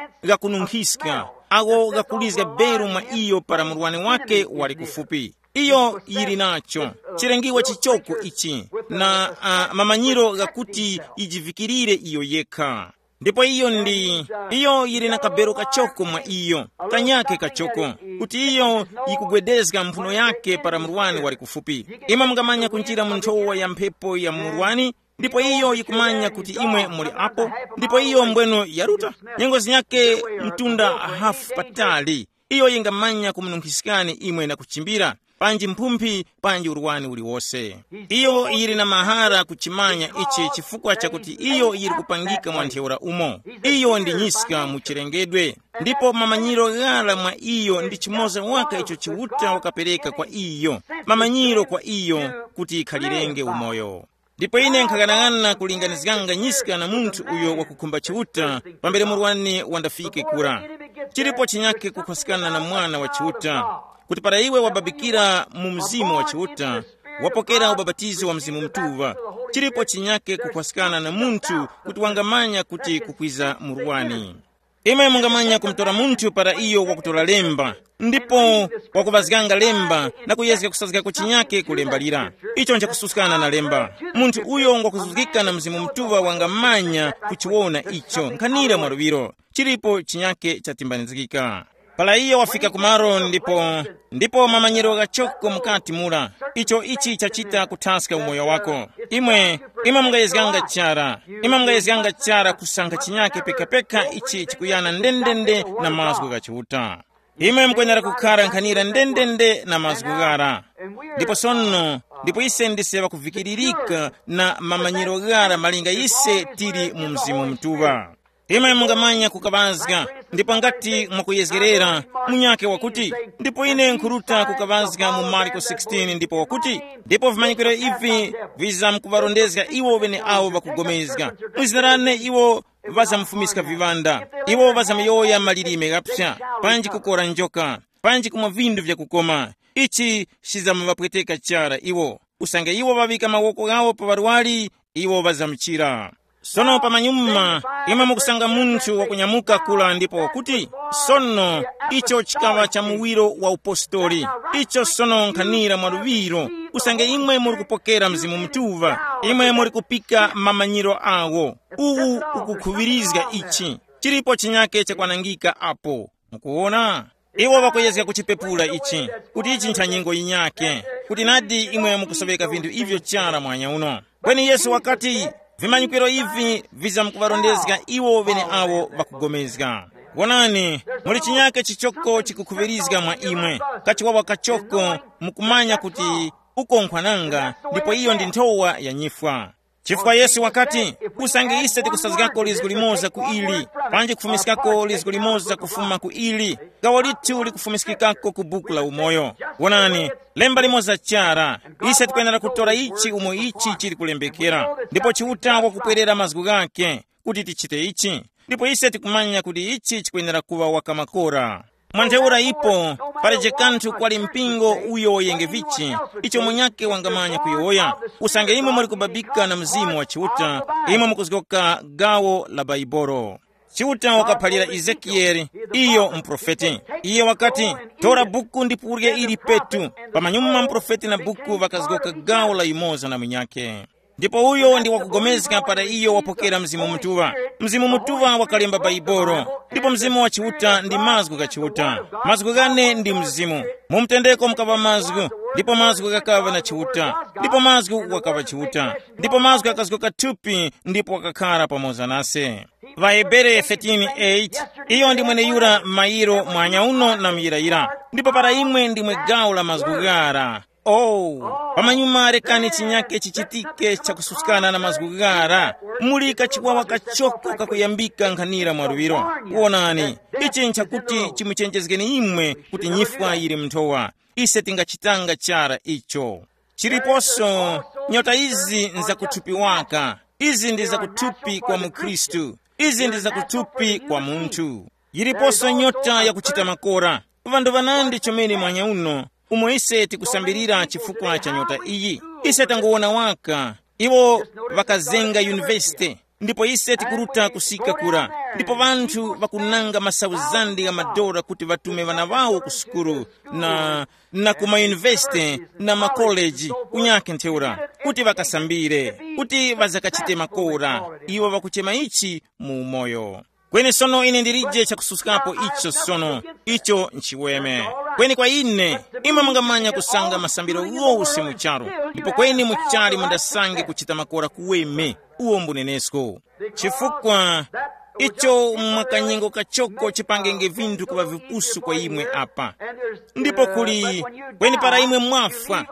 ghakununkhiska, agho ghakulizga beru mwa iyo para murwani wake wali kufupi. Iyo yili nacho chilengiwa chichoko ichi, na uh, mamanyiro ghakuti yijivikirire iyo yekha. Ndipo iyo ndi, iyo yili na kabero kachoko mwa iyo, kanyake kachoko, kuti iyo yikugwedezga mphuno yake para murwani wali kufupi. Imwe mungamanya kunjira mu nthowa ya mphepo ya murwani, ndipo iyo yikumanya kuti imwe muli apo, ndipo iyo mbweno yaruta nyengo zinyake mtunda hafu patali. Iyo yingamanya kumununkhiskani imwe na kuchimbira, panji mphumphi, panji urwani uliwose. Iyo yili na mahara kuchimanya ichi chifukwa chakuti iyo yili kupangika mwa ntheura umo. Iyo ndi nyiska mu chilengedwe, ndipo mamanyiro ghara mwa iyo ndi chimoza waka icho Chiuta wakapereka kwa iyo, mamanyiro kwa iyo kuti yikhalirenge umoyo. Ndipo ine nkhaghanag'ana kulinganizganga nyiska na munthu uyo wakukhumba Chiuta, pambere murwani wandafike kura. Chilipo chinyakhe kukhwaskana na mwana wa Chiuta, kuti para iwe wababikira mu Mzimu wa Chiuta, wapokera ubapatizo wa Mzimu Mutuŵa, chilipo chinyakhe kukhwaskana na munthu kuti wangamanya kuti kukwiza murwani. Imwe mungamanya kumutora munthu para iyo wakutora lemba, ndipo wakuŵazganga lemba na kuyezga kusazgako chinyake ku lemba lira. Icho nchakususkana na lemba. Munthu uyo ngwakuzuzgika na Mzimu Mutuŵa wangamanya kuchiwona icho nkhanira mwa luŵiro. Chilipo chinyake chatimbanizgika. Para iyo wafika kumaro ndipo, ndipo mamanyiro ghachoko mukati mura, icho ichi chachita kuthaska umoyo wako. Imwe, imwe mungayezganga chara, imwe mungayezganga chara kusankha chinyake pekapeka ichi chikuyana ndendende na mazgu gha Chiuta. Imwe mukwenera kukhara nkhanira ndendende na mazgu ghara. Ndipo sono, ndipo ise ndise ŵakuvikiririka na mamanyiro ghara malinga ise tili mu Mzimu Mutuŵa. Imwe mungamanya kukaŵazga, ndipo ngati mwakuyezgerera, munyakhe wakuti, ndipo ine nkhuruta kukaŵazga mu Marko sixteen ndipo wakuti, ndipo vimanyikiro ivi vizamkuŵarondezga iwo ŵeneawo ŵakugomezga. Mu zina lane iwo ŵazamufumiska viŵanda, iwo ŵazamuyowoya malilime ghapsa, panji kukora njoka, panji kumwa vindu vyakukoma. Ichi chizamuŵapweteka chara iwo. Usange iwo ŵaŵika mawoko ghawo pa ŵarwari, iwo ŵazamuchira. Sono pamanyuma, imwe mukusanga munthu wakunyamuka kula ndipo wakuti, sono, icho chikaŵa cha muwiro wa upostoli. Icho sono nkhanira mwa luŵiro. Usange imwe muri kupokera Mzimu Mutuŵa, imwe muri kupika mamanyiro awo. Uwu ukukhuŵirizga ichi. Chilipo chinyake chakwanangika apo. Mukuwona? Iwo ŵakuyezga kuchipepula ichi, kuti ichi ncha nyengo yinyakhe, kuti nadi imwe mukusoweka vinthu ivyo chara mwanya uno. Kweni Yesu wakati, vimanyikiro ivi vizamkuŵarondezga iwo ŵeneawo ŵakugomezga. Wonani, muli chinyake chichoko chikukhuŵirizga mwa imwe, kachiwawa kachoko, mukumanya kuti uko nkhwananga, ndipo iyo ndi nthowa ya nyifwa. Chifukwa Yesu wakati, usange ise tikusazgako lizgu limoza ku ili, panji kufumiskako lizgu limoza kufuma ku ili, gawo lithu likufumiskikako ku buku la umoyo. Wonani, lemba limoza chara, ise tikwenera kutora ichi umo ichi chili kulembekera, ndipo Chiuta wakupwerera mazgu ghakhe kuti tichite ichi, ndipo ise tikumanya kuti ichi chikwenera kuŵa wakamakora. Mwa ntheura ipo, paleje kanthu kwali mpingo uyo woyenge vichi, icho munyakhe wangamanya kuyowoya. Usange imwe muli kubabika na Mzimu wa Chiuta, imwe mukuzgoka gawo la Baibolo. Chiuta wakaphalira Ezekiyeli, iyo muprofeti. Iye wakati, tora buku ndipo urye ili petu. Pamanyuma muprofeti na buku ŵakazgoka gawo la yumoza na munyakhe. Ndipo uyo ndi wakugomezga para iyo wapokera Mzimu Mutuŵa. Mzimu Mutuŵa wakalemba Baibolo, ndipo Mzimu wa Chiuta ndi mazgu gha Chiuta. Mazgu ghane ndi Mzimu. Mu mtendeko mukaŵa mazgu, ndipo mazgu ghakaŵa na Chiuta, ndipo mazgu wakaŵa Chiuta, ndipo mazgu akazgoka thupi ndipo wakakhara pamoza nase. Vahebere thirteen eight, iyo ndi mweneyura mayiro mwanya uno na muyirayira, ndipo para imwe ndimwe gawo la mazgu ghara. Oh, pamanyuma rekani chinyake chichitike chakususkana na mazgu ghara. Muli kachiwawa kachoko kakuyambika nkhanira mwa luŵiro. Wonani, ichi nchakuti chimuchenjezgeni imwe kuti nyifwa yili mnthowa. Ise tingachitanga chara icho. Chiliponso, nyota izi nzakuthupi waka. Izi ndi zakuthupi kwa mukhristu. Izi ndi zakuthupi kwa munthu. Yiliponso nyota yakuchita makora. Ŵanthu ŵanandi chomene mwanya uno, umo ise tikusambirira chifukwa cha nyota iyi. Ise tangowona waka, iwo ŵakazenga yunivesite, ndipo ise tikuruta kusika kura, ndipo ŵanthu ŵakunanga masauzandi gha madora kuti ŵatume ŵana ŵawo ku sukulu, na na ku mayunivesite na makoleji kunyakhe ntheura, kuti ŵakasambire, kuti ŵazakachite makora. Iwo ŵakuchema ichi mu umoyo. Kweni sono ine ndilije chakususkapo icho sono, icho nchiweme. Kweni kwa ine, imwe mungamanya kusanga masambiro ghose mu charu, ndipo kweni muchali mundasange kuchita makora kuweme, uwo mbunenesko. Chifukwa icho mwa kanyengo kachoko chipangenge vinthu kuŵa vipusu kwa imwe apa. Ndipo kuli, kweni para imwe mwafwa,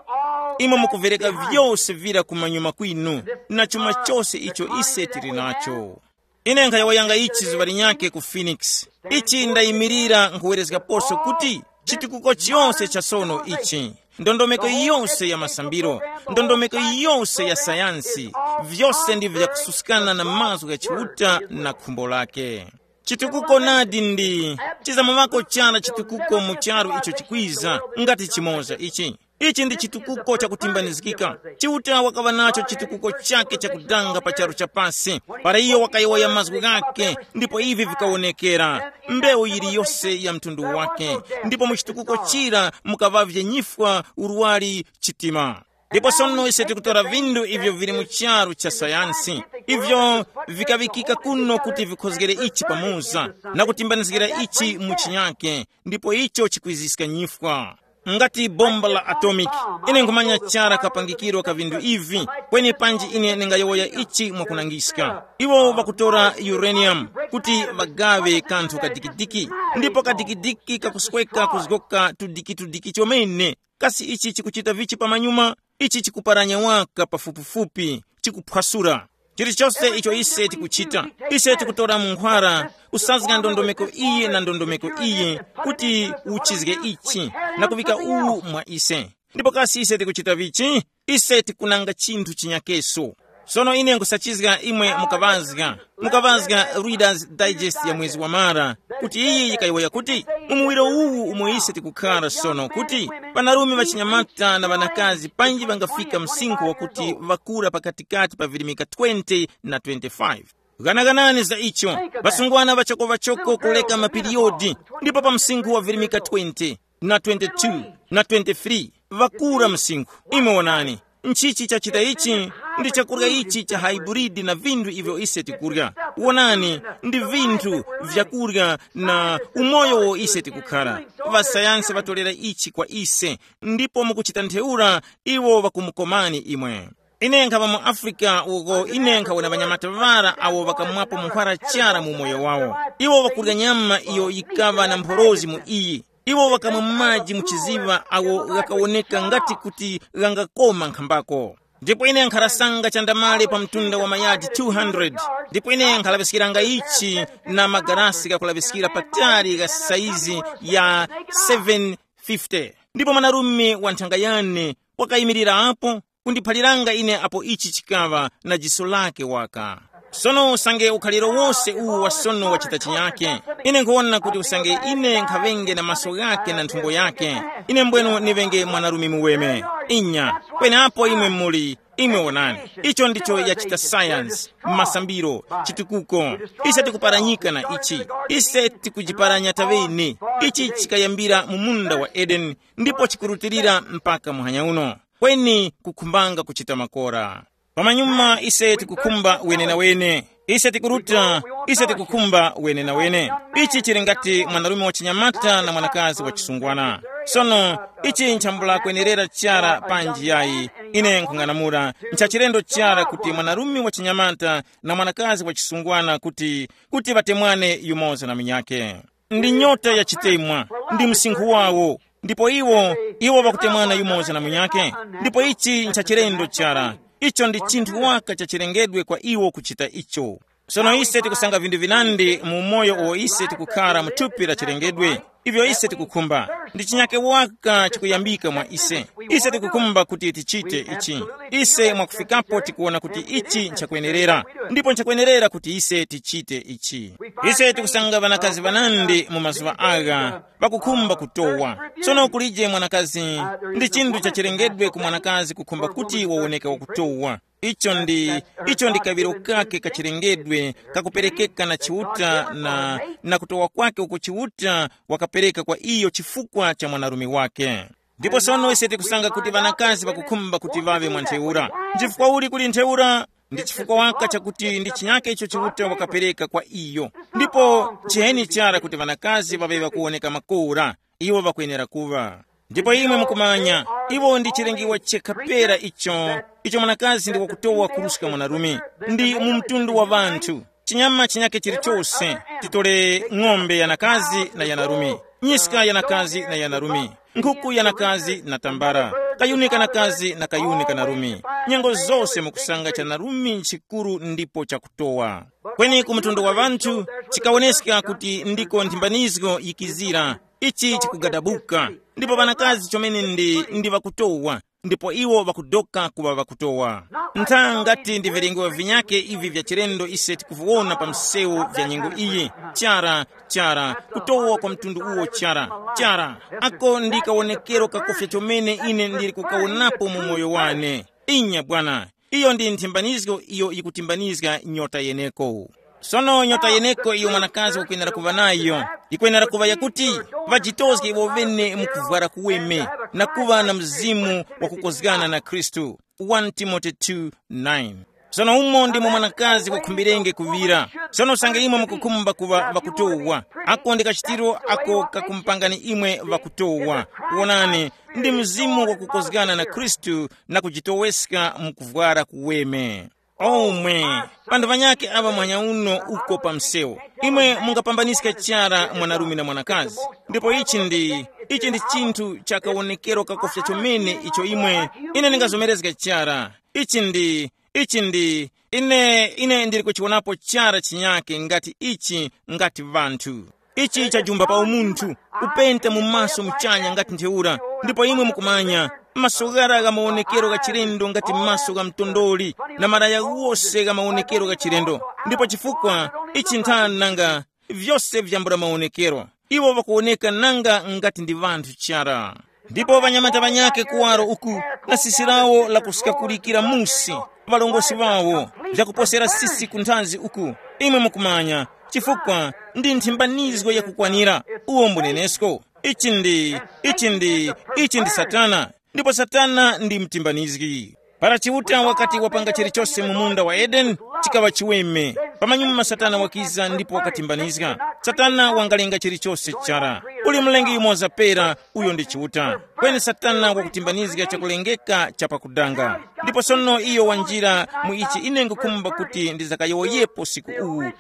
imwe mukuvereka vyose vira kumanyuma kwinu, na chuma chose icho ise tili nacho. Ine nkhayowoyanga ichi zuŵa linyakhe ku Phoenix. Ichi ndayimirira nkhuwerezgaposo kuti chitukuko chiyonse cha sono ichi, ndondomeko yiyonse ya masambiro, ndondomeko yiyonse ya sayansi, vyose ndivyo vyakususkana na mazgu gha Chiuta na khumbo lake. Chitukuko nadi ndi chizamuŵako chara chitukuko mu charu icho chikwiza, ngati chimoza ichi. Ichi ndi chitukuko chakutimbanizgika. Chiuta wakaŵa nacho chitukuko chake chakudanga pa charu cha pasi, para iyo wakayowoya mazgu ghake, ndipo ivi vikawonekera, mbewu yiliyose ya mtundu wake. Ndipo mu chitukuko chira mukaŵavye nyifwa, urwari, chitima. Ndipo sono ise tikutora vindu ivyo vili mu charu cha sayansi, ivyo vikaŵikika kuno kuti vikhozgere ichi pamoza, na kutimbanizgira ichi mu chinyake, ndipo icho chikwiziska nyifwa. Ngati bomba la atomiki, ine nkhumanya chara kapangikiro ka vindu ivi, kweni panji ine ndingayowoya ichi mwakunangiska. Iwo ŵakutora uranium kuti ŵagaŵe kanthu kadikidiki, ndipo kadikidiki kakusweka kuzgoka tudikitudiki chomene. Kasi ichi chikuchita vichi pamanyuma? Ichi chikuparanya waka pafupifupi, chikuphwasura. Chilichose icho ise tikuchita, ise tikutora munkhwara, kusazga ndondomeko iyi na ndondomeko iyi, kuti uchizge ichi, na kuŵika uwu mwa ise. Ndipo kasi ise tikuchita vichi? Ise tikunanga chinthu chinyakeso. Sono ine nkusachizga imwe mukaŵazga, mukaŵazga Reader's Digest ya mwezi wa Mara, kuti iyi yikayowoya kuti, mu muwiro uwu umo ise tikukhara sono, kuti ŵanarume ŵachinyamata na ŵanakazi panji ŵangafika msinkhu wakuti ŵakura pakatikati pa virimika twenty na twenty-five. Ghanaganani za icho, ŵasungwana ŵachokoŵachoko kuleka mapiriyodi, ndipo pa msinkhu wa virimika twenty na twenty-two na twenty-three ŵakura msinkhu. Imwe wonani, nchichi chachita ichi? Ndi chakurya ichi cha haiburidi na vinthu ivyo ise tikurya. Wonani, ndi vinthu vyakurya na umoyo wo ise tikukhara. Ŵasayansi ŵatolera ichi kwa ise, ndipo mukuchita ntheura iwo ŵakumukomani imwe. Ine nkhaŵa mu Afrika uko ine nkhawona ŵanyamata ŵara awo ŵakamwapo nkhwara chara mu umoyo wawo. Iwo ŵakurya nyama iyo yikaŵa na mphorozi mu iyi. Iwo ŵakamwa maji mu chiziŵa awo ghakawoneka ngati kuti ghangakoma nkhambako. Ndipo ine nkharasanga chandamale pa mtunda wa mayadi two hundred, ndipo ine nkhalaŵiskiranga ichi na magarasi ghakulaŵiskira patali gha saizi ya seven fifty. Ndipo mwanarume wa nthanga yane wakayimirira apo kundiphaliranga ine apo ichi chikaŵa na jiso lake waka. Sono usange ukhaliro wose uwu wa sono wachita chinyake, ine nkhuwona kuti usange ine nkhaŵenge na maso ghake na nthumbo yake, ine mbwenu niŵenge mwanarume muweme. Inya, kweneapo imwe muli, imwe wonani, icho ndicho yachita sayansi, masambiro, chitukuko. Ise tikuparanyika na ichi. Ise tikujiparanya taŵene. Ichi chikayambira mu munda wa Edeni, ndipo chikurutilira mpaka muhanya uno. Kweni kukhumbanga kuchita makora. Pamanyuma ise tikukhumba wenenawene. Ise tikuruta, ise tikukhumba wenenawene. Ichi chili ngati mwanarume wa chinyamata na mwanakazi wa chisungwana. Sono, ichi nchambula kwenerera chara panji yayi. Ine nkhung'anamula nchachilendo chara kuti mwanarume wa chinyamata na mwanakazi wa chisungwana kuti, kuti ŵatemwane yumoza na munyakhe. Ndi nyota ya chitemwa, ndi msinkhu wawo. Ndipo iwo, iwo ŵakutemwana yumoza na munyakhe. Ndipo ichi nchachilendo chara. Icho ndi chinthu waka cha chilengedwe kwa iwo kuchita icho. Sono ise tikusanga vinthu vinandi mu umoyo uwo ise tikukhara mu thupi la chilengedwe. Ivyo ise tikukhumba, ndi chinyake waka chikuyambika mwa ise. Ise tikukhumba kuti tichite ichi. Ise mwakufikapo tikuwona kuti ichi nchakwenerera. Ndipo nchakwenerera kuti ise tichite ichi. Ise tikusanga ŵanakazi ŵanandi mu mazuŵa agha ŵakukhumba kutowa. Tsono kulije mwanakazi, ndi chinthu chachilengedwe ku mwanakazi kukhumba kuti wawoneke wakutowa. Icho ndi, icho ndi kaŵiro kake kachilengedwe kakuperekeka na Chiuta na, na kutowa kwake uko Chiuta wakapereka kwa iyo chifukwa cha mwanarume wake. Ndipo sono ise tikusanga kuti ŵanakazi ŵakukhumba kuti ŵaŵe mwa ntheura. Nchifukwa uli kuli ntheura? Ndi chifukwa waka chakuti ndi chinyake icho Chiuta wakapereka kwa iyo. Ndipo nchiheni chara kuti ŵanakazi ŵaŵe ŵakuwoneka makora, iwo ŵakwenera kuŵa. Ndipo imwe mukumanya, iwo ndi chilengiwa chekha pera icho, icho mwanakazi ndi wakutowa kuruska mwanarume. Ndi mu mtundu wa ŵanthu, chinyama chinyake chilichose, titole ng'ombe yanakazi na yanarume, nyiska yanakazi na yanarume, nkhuku yanakazi na tambala, kayuni kanakazi na kayuni kanarume. Nyengo zose mukusanga chanarume nchikuru ndipo chakutowa. Kweni ku mtundu wa ŵanthu, chikawoneska kuti ndiko nthimbanizgo yikizira. Ichi chikugadabuka. Ndipo ŵanakazi chomene ndi, ndi ŵakutowa, ndipo iwo ŵakudoka kuŵa ŵakutowa. Ntha ngati ndi vilengewa vinyake ivi vya chilendo ise tikuviwona pa msewu vya nyengo iyi. Chara, chara, kutowa kwa mtundu uwo chara, chara. Ako ndi kawonekero kakofya chomene ine ndili kukawonapo mu moyo wane. Inya bwana, iyo ndi nthimbanizgo iyo yikutimbanizga nyota yeneko. Sono nyota yeneko iyo mwanakazi wakwenera kuŵa nayo, yikwenera kuŵa yakuti ŵajitozge iwo ŵene mu kuvwara kuweme, na kuŵa na mzimu wakukozgana na Khristu. One Timote two nine. Sono umo ndimo mwanakazi wakhumbirenge kuŵira. Sono usange imwe mukukhumba kuŵa ŵakutowa, ako ndi kachitiro ako kakumupangani imwe ŵakutowa. Wonani, ndi mzimu wakukozgana na Khristu na kujitoweska mu kuvwara kuweme. Omwe, panthu panyakhe aŵa mwanya uno uko pa msewu, imwe mungapambaniska chara mwanarume na mwanakazi. Ndipo ichi ndi, ichi ndi chinthu cha kawonekero kakofya chomene icho imwe, ine ndingazomerezga chara. Ichi ndi, ichi ndi, ine, ine ndili kuchiwonapo chara chinyake ngati ichi, ngati vanthu. Ichi chajumba pa umunthu, kupenta mu maso muchanya ngati ntheura, ndipo imwe mukumanya, maso ghara gha mawonekero gha chilendo ngati maso gha mtondoli, na malaya ghose gha mawonekero gha chilendo. Ndipo chifukwa ichi nthani nanga, vyose vyambula mawonekero, iwo ŵakuwoneka nanga ngati ndi ŵanthu chara. Ndipo ŵanyamata ŵanyakhe kuwaro uku, na sisi lawo lakusikakulikira musi, ŵalongosi ŵawo, vyakuposera sisi ku nthazi uku. Imwe mukumanya, chifukwa ndi nthimbanizgo yakukwanira, uwo mbunenesko. Ichi ndi, ichi ndi, ichi ndi Satana. Ndipo Satana ndi mtimbanizgi. Para Chiuta wakati wapanga chilichose mu munda wa Edeni, chikaŵa chiweme. Pamanyuma Satana wakiza ndipo wakatimbanizga. Satana wangalenga chilichose chara. Kuli mlengi yumoza pera, uyo ndi Chiuta. Kweni Satana wakutimbanizga chakulengeka cha pakudanga. Ndipo sono iyo wanjira mu ichi ine ngukhumba kuti ndizakayowoyepo siku uwu,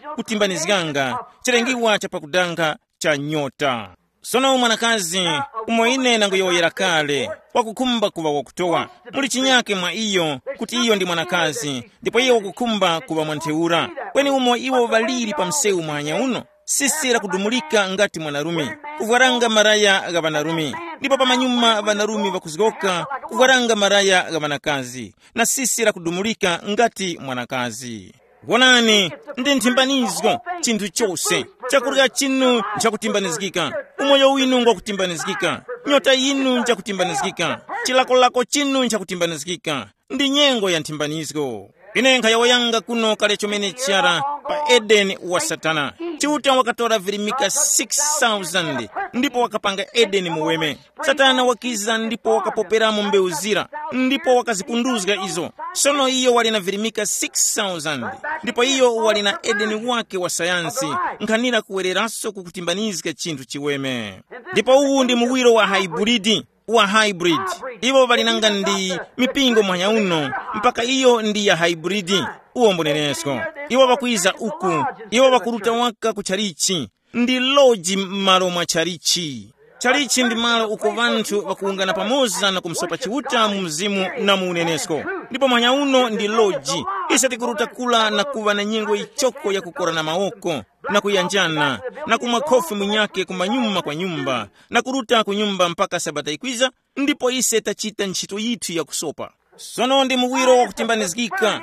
kutimbanizganga, chilengiwa cha pakudanga cha nyota. Sono mwanakazi, umo ine nanguyowoyera kale, wakukhumba kuŵa wakutowa. Muli chinyake mwa iyo, kuti iyo ndi mwanakazi, ndipo iyo wakukhumba kuŵa mwa ntheura. Kweni umo iwo ŵaliri pa msewu mwanya uno, sisi lakudumulika ngati mwanarume, kuvwaranga maraya gha ŵanarume, ndipo pamanyuma ŵanarume ŵakuzgoka kuvwaranga maraya gha ŵanakazi, na sisi lakudumulika ngati mwanakazi. Wonani, ndi nthimbanizgo. Chinthu chose, chakurya chinu nchakutimbanizgika, umoyo winu ngwakutimbanizgika, nyota yinu njakutimbanizgika, chilakolako chinu nchakutimbanizgika. Ndi nyengo ya nthimbanizgo. Ine nkhayowoyanga kuno kale chomene chara pa Edeni wa Satana. Chiuta wakatora virimika six thousand ndipo wakapanga Edeni muweme. Satana wakiza ndipo wakapoperamo mbewu zira, ndipo wakazipunduzga izo. Sono iyo wali na virimika six thousand, ndipo iyo wali na Edeni wake wa sayansi, nkhanira kuwereranso kukutimbanizga chinthu chiweme. Ndipo uwu ndi muwiro wa hybrid, wa hybrid. Iwo ŵali nanga ndi mipingo mwanya uno, mpaka iyo ndi ya hybrid. Uwo mbunenesko. Iwo ŵakwiza uku, iwo ŵakuruta waka ku chalichi, ndi loji m'malo mwa chalichi. Chalichi ndi malo uko ŵanthu ŵakuwungana pamoza na kumsopa Chiuta mu mzimu na mu unenesko. Ndipo mwanya uno ndi loji. Ise tikuruta kula na kuŵa na nyengo yichoko ya kukora na mawoko, na kuyanjana, na kumwa khofi munyake kumanyuma kwa nyumba, na kuruta ku nyumba mpaka sabata ikwiza, ndipo ise tachita ntchito yithu ya kusopa. Sono ndi muwiro wakutimbanizgika,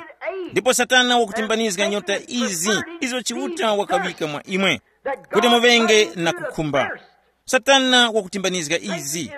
ndipo Satana wakutimbanizga nyota izi izo Chiuta wakaŵika mwa imwe, kuti muŵenge na kukhumba. Satana wakutimbanizga izi.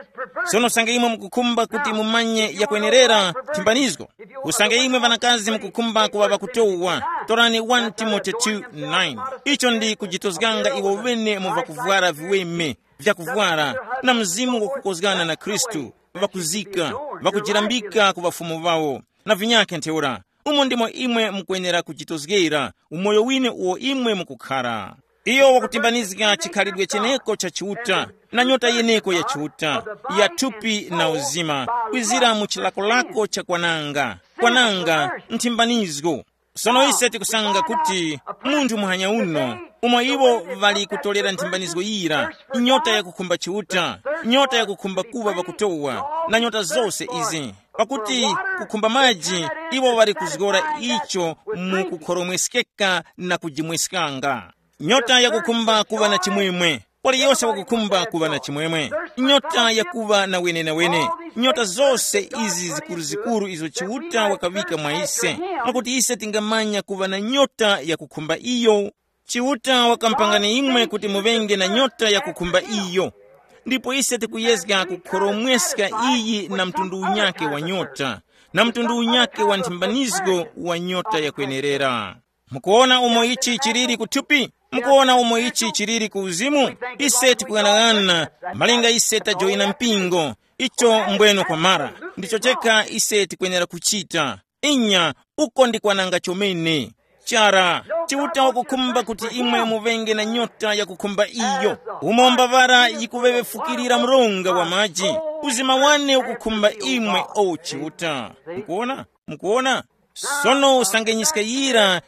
Sono usange imwe mukukhumba kuti mumanye yakwenerera thimbanizgo, usange imwe ŵanakazi mukukhumba kuŵa ŵakutowa, torani one Timote two nine. Icho ndi kujitozganga iwo wene mu vakuvwara viweme, vyakuvwara, na mzimu wakukozgana na Khristu, ŵakuzika, ŵakujirambika ku ŵafumu ŵawo, na vinyakhe ntheura. Umo ndimo imwe mukwenera kuchitozgera umoyo wine uwo imwe mukukhara. Iyo wakutimbanizga chikhalidwe cheneko cha Chiuta, na nyota yeneko ya Chiuta, ya thupi na uzima, kwizira mu chilakolako cha kwananga, kwananga nthimbanizgo. Sono ise tikusanga kuti munthu muhanya uno, umo iwo ŵali kutolera nthimbanizgo yira, nyota yakukhumba Chiuta, nyota yakukhumba kuŵa ŵakutowa, na nyota zose izi, pakuti kukhumba maji, iwo ŵali kuzgora icho mu kukhoromweskeka na kujimweskanga. Nyota yakukhumba kuŵa na chimwemwe. Waliyose wakukhumba kuŵa na chimwemwe. Nyota yakuŵa na wenenawene. Nyota zose izi zikuruzikuru izo Chiuta wakaŵika mwa ise, mwakuti ise tingamanya kuŵa na nyota yakukhumba iyo. Chiuta wakampangani imwe kuti muŵenge na nyota yakukhumba iyo. Ndipo ise tikuyezga kukhoromweska iyi na mtundu unyake wa nyota, na mtundu unyake wa nthimbanizgo wa nyota yakwenerera. Mukuwona umo ichi chiliri kuthupi? Mukuwona umo ichi chiliri ku uzimu? Ise tikuyang'ana, malinga ise tajoyina mpingo, icho mbweno kwamara. Ndicho chekha ise tikwenera kuchita. Inya, uko ndi kwananga chomene. Chara, Chiuta wakukhumba kuti imwe muŵenge na nyota yakukhumba iyo. Umo mbavara yikuŵeŵefukirira mronga wa maji, uzima wane ukukhumba imwe, o Chiuta. Mukuwona? Mukuwona? Sono usange nyiska yira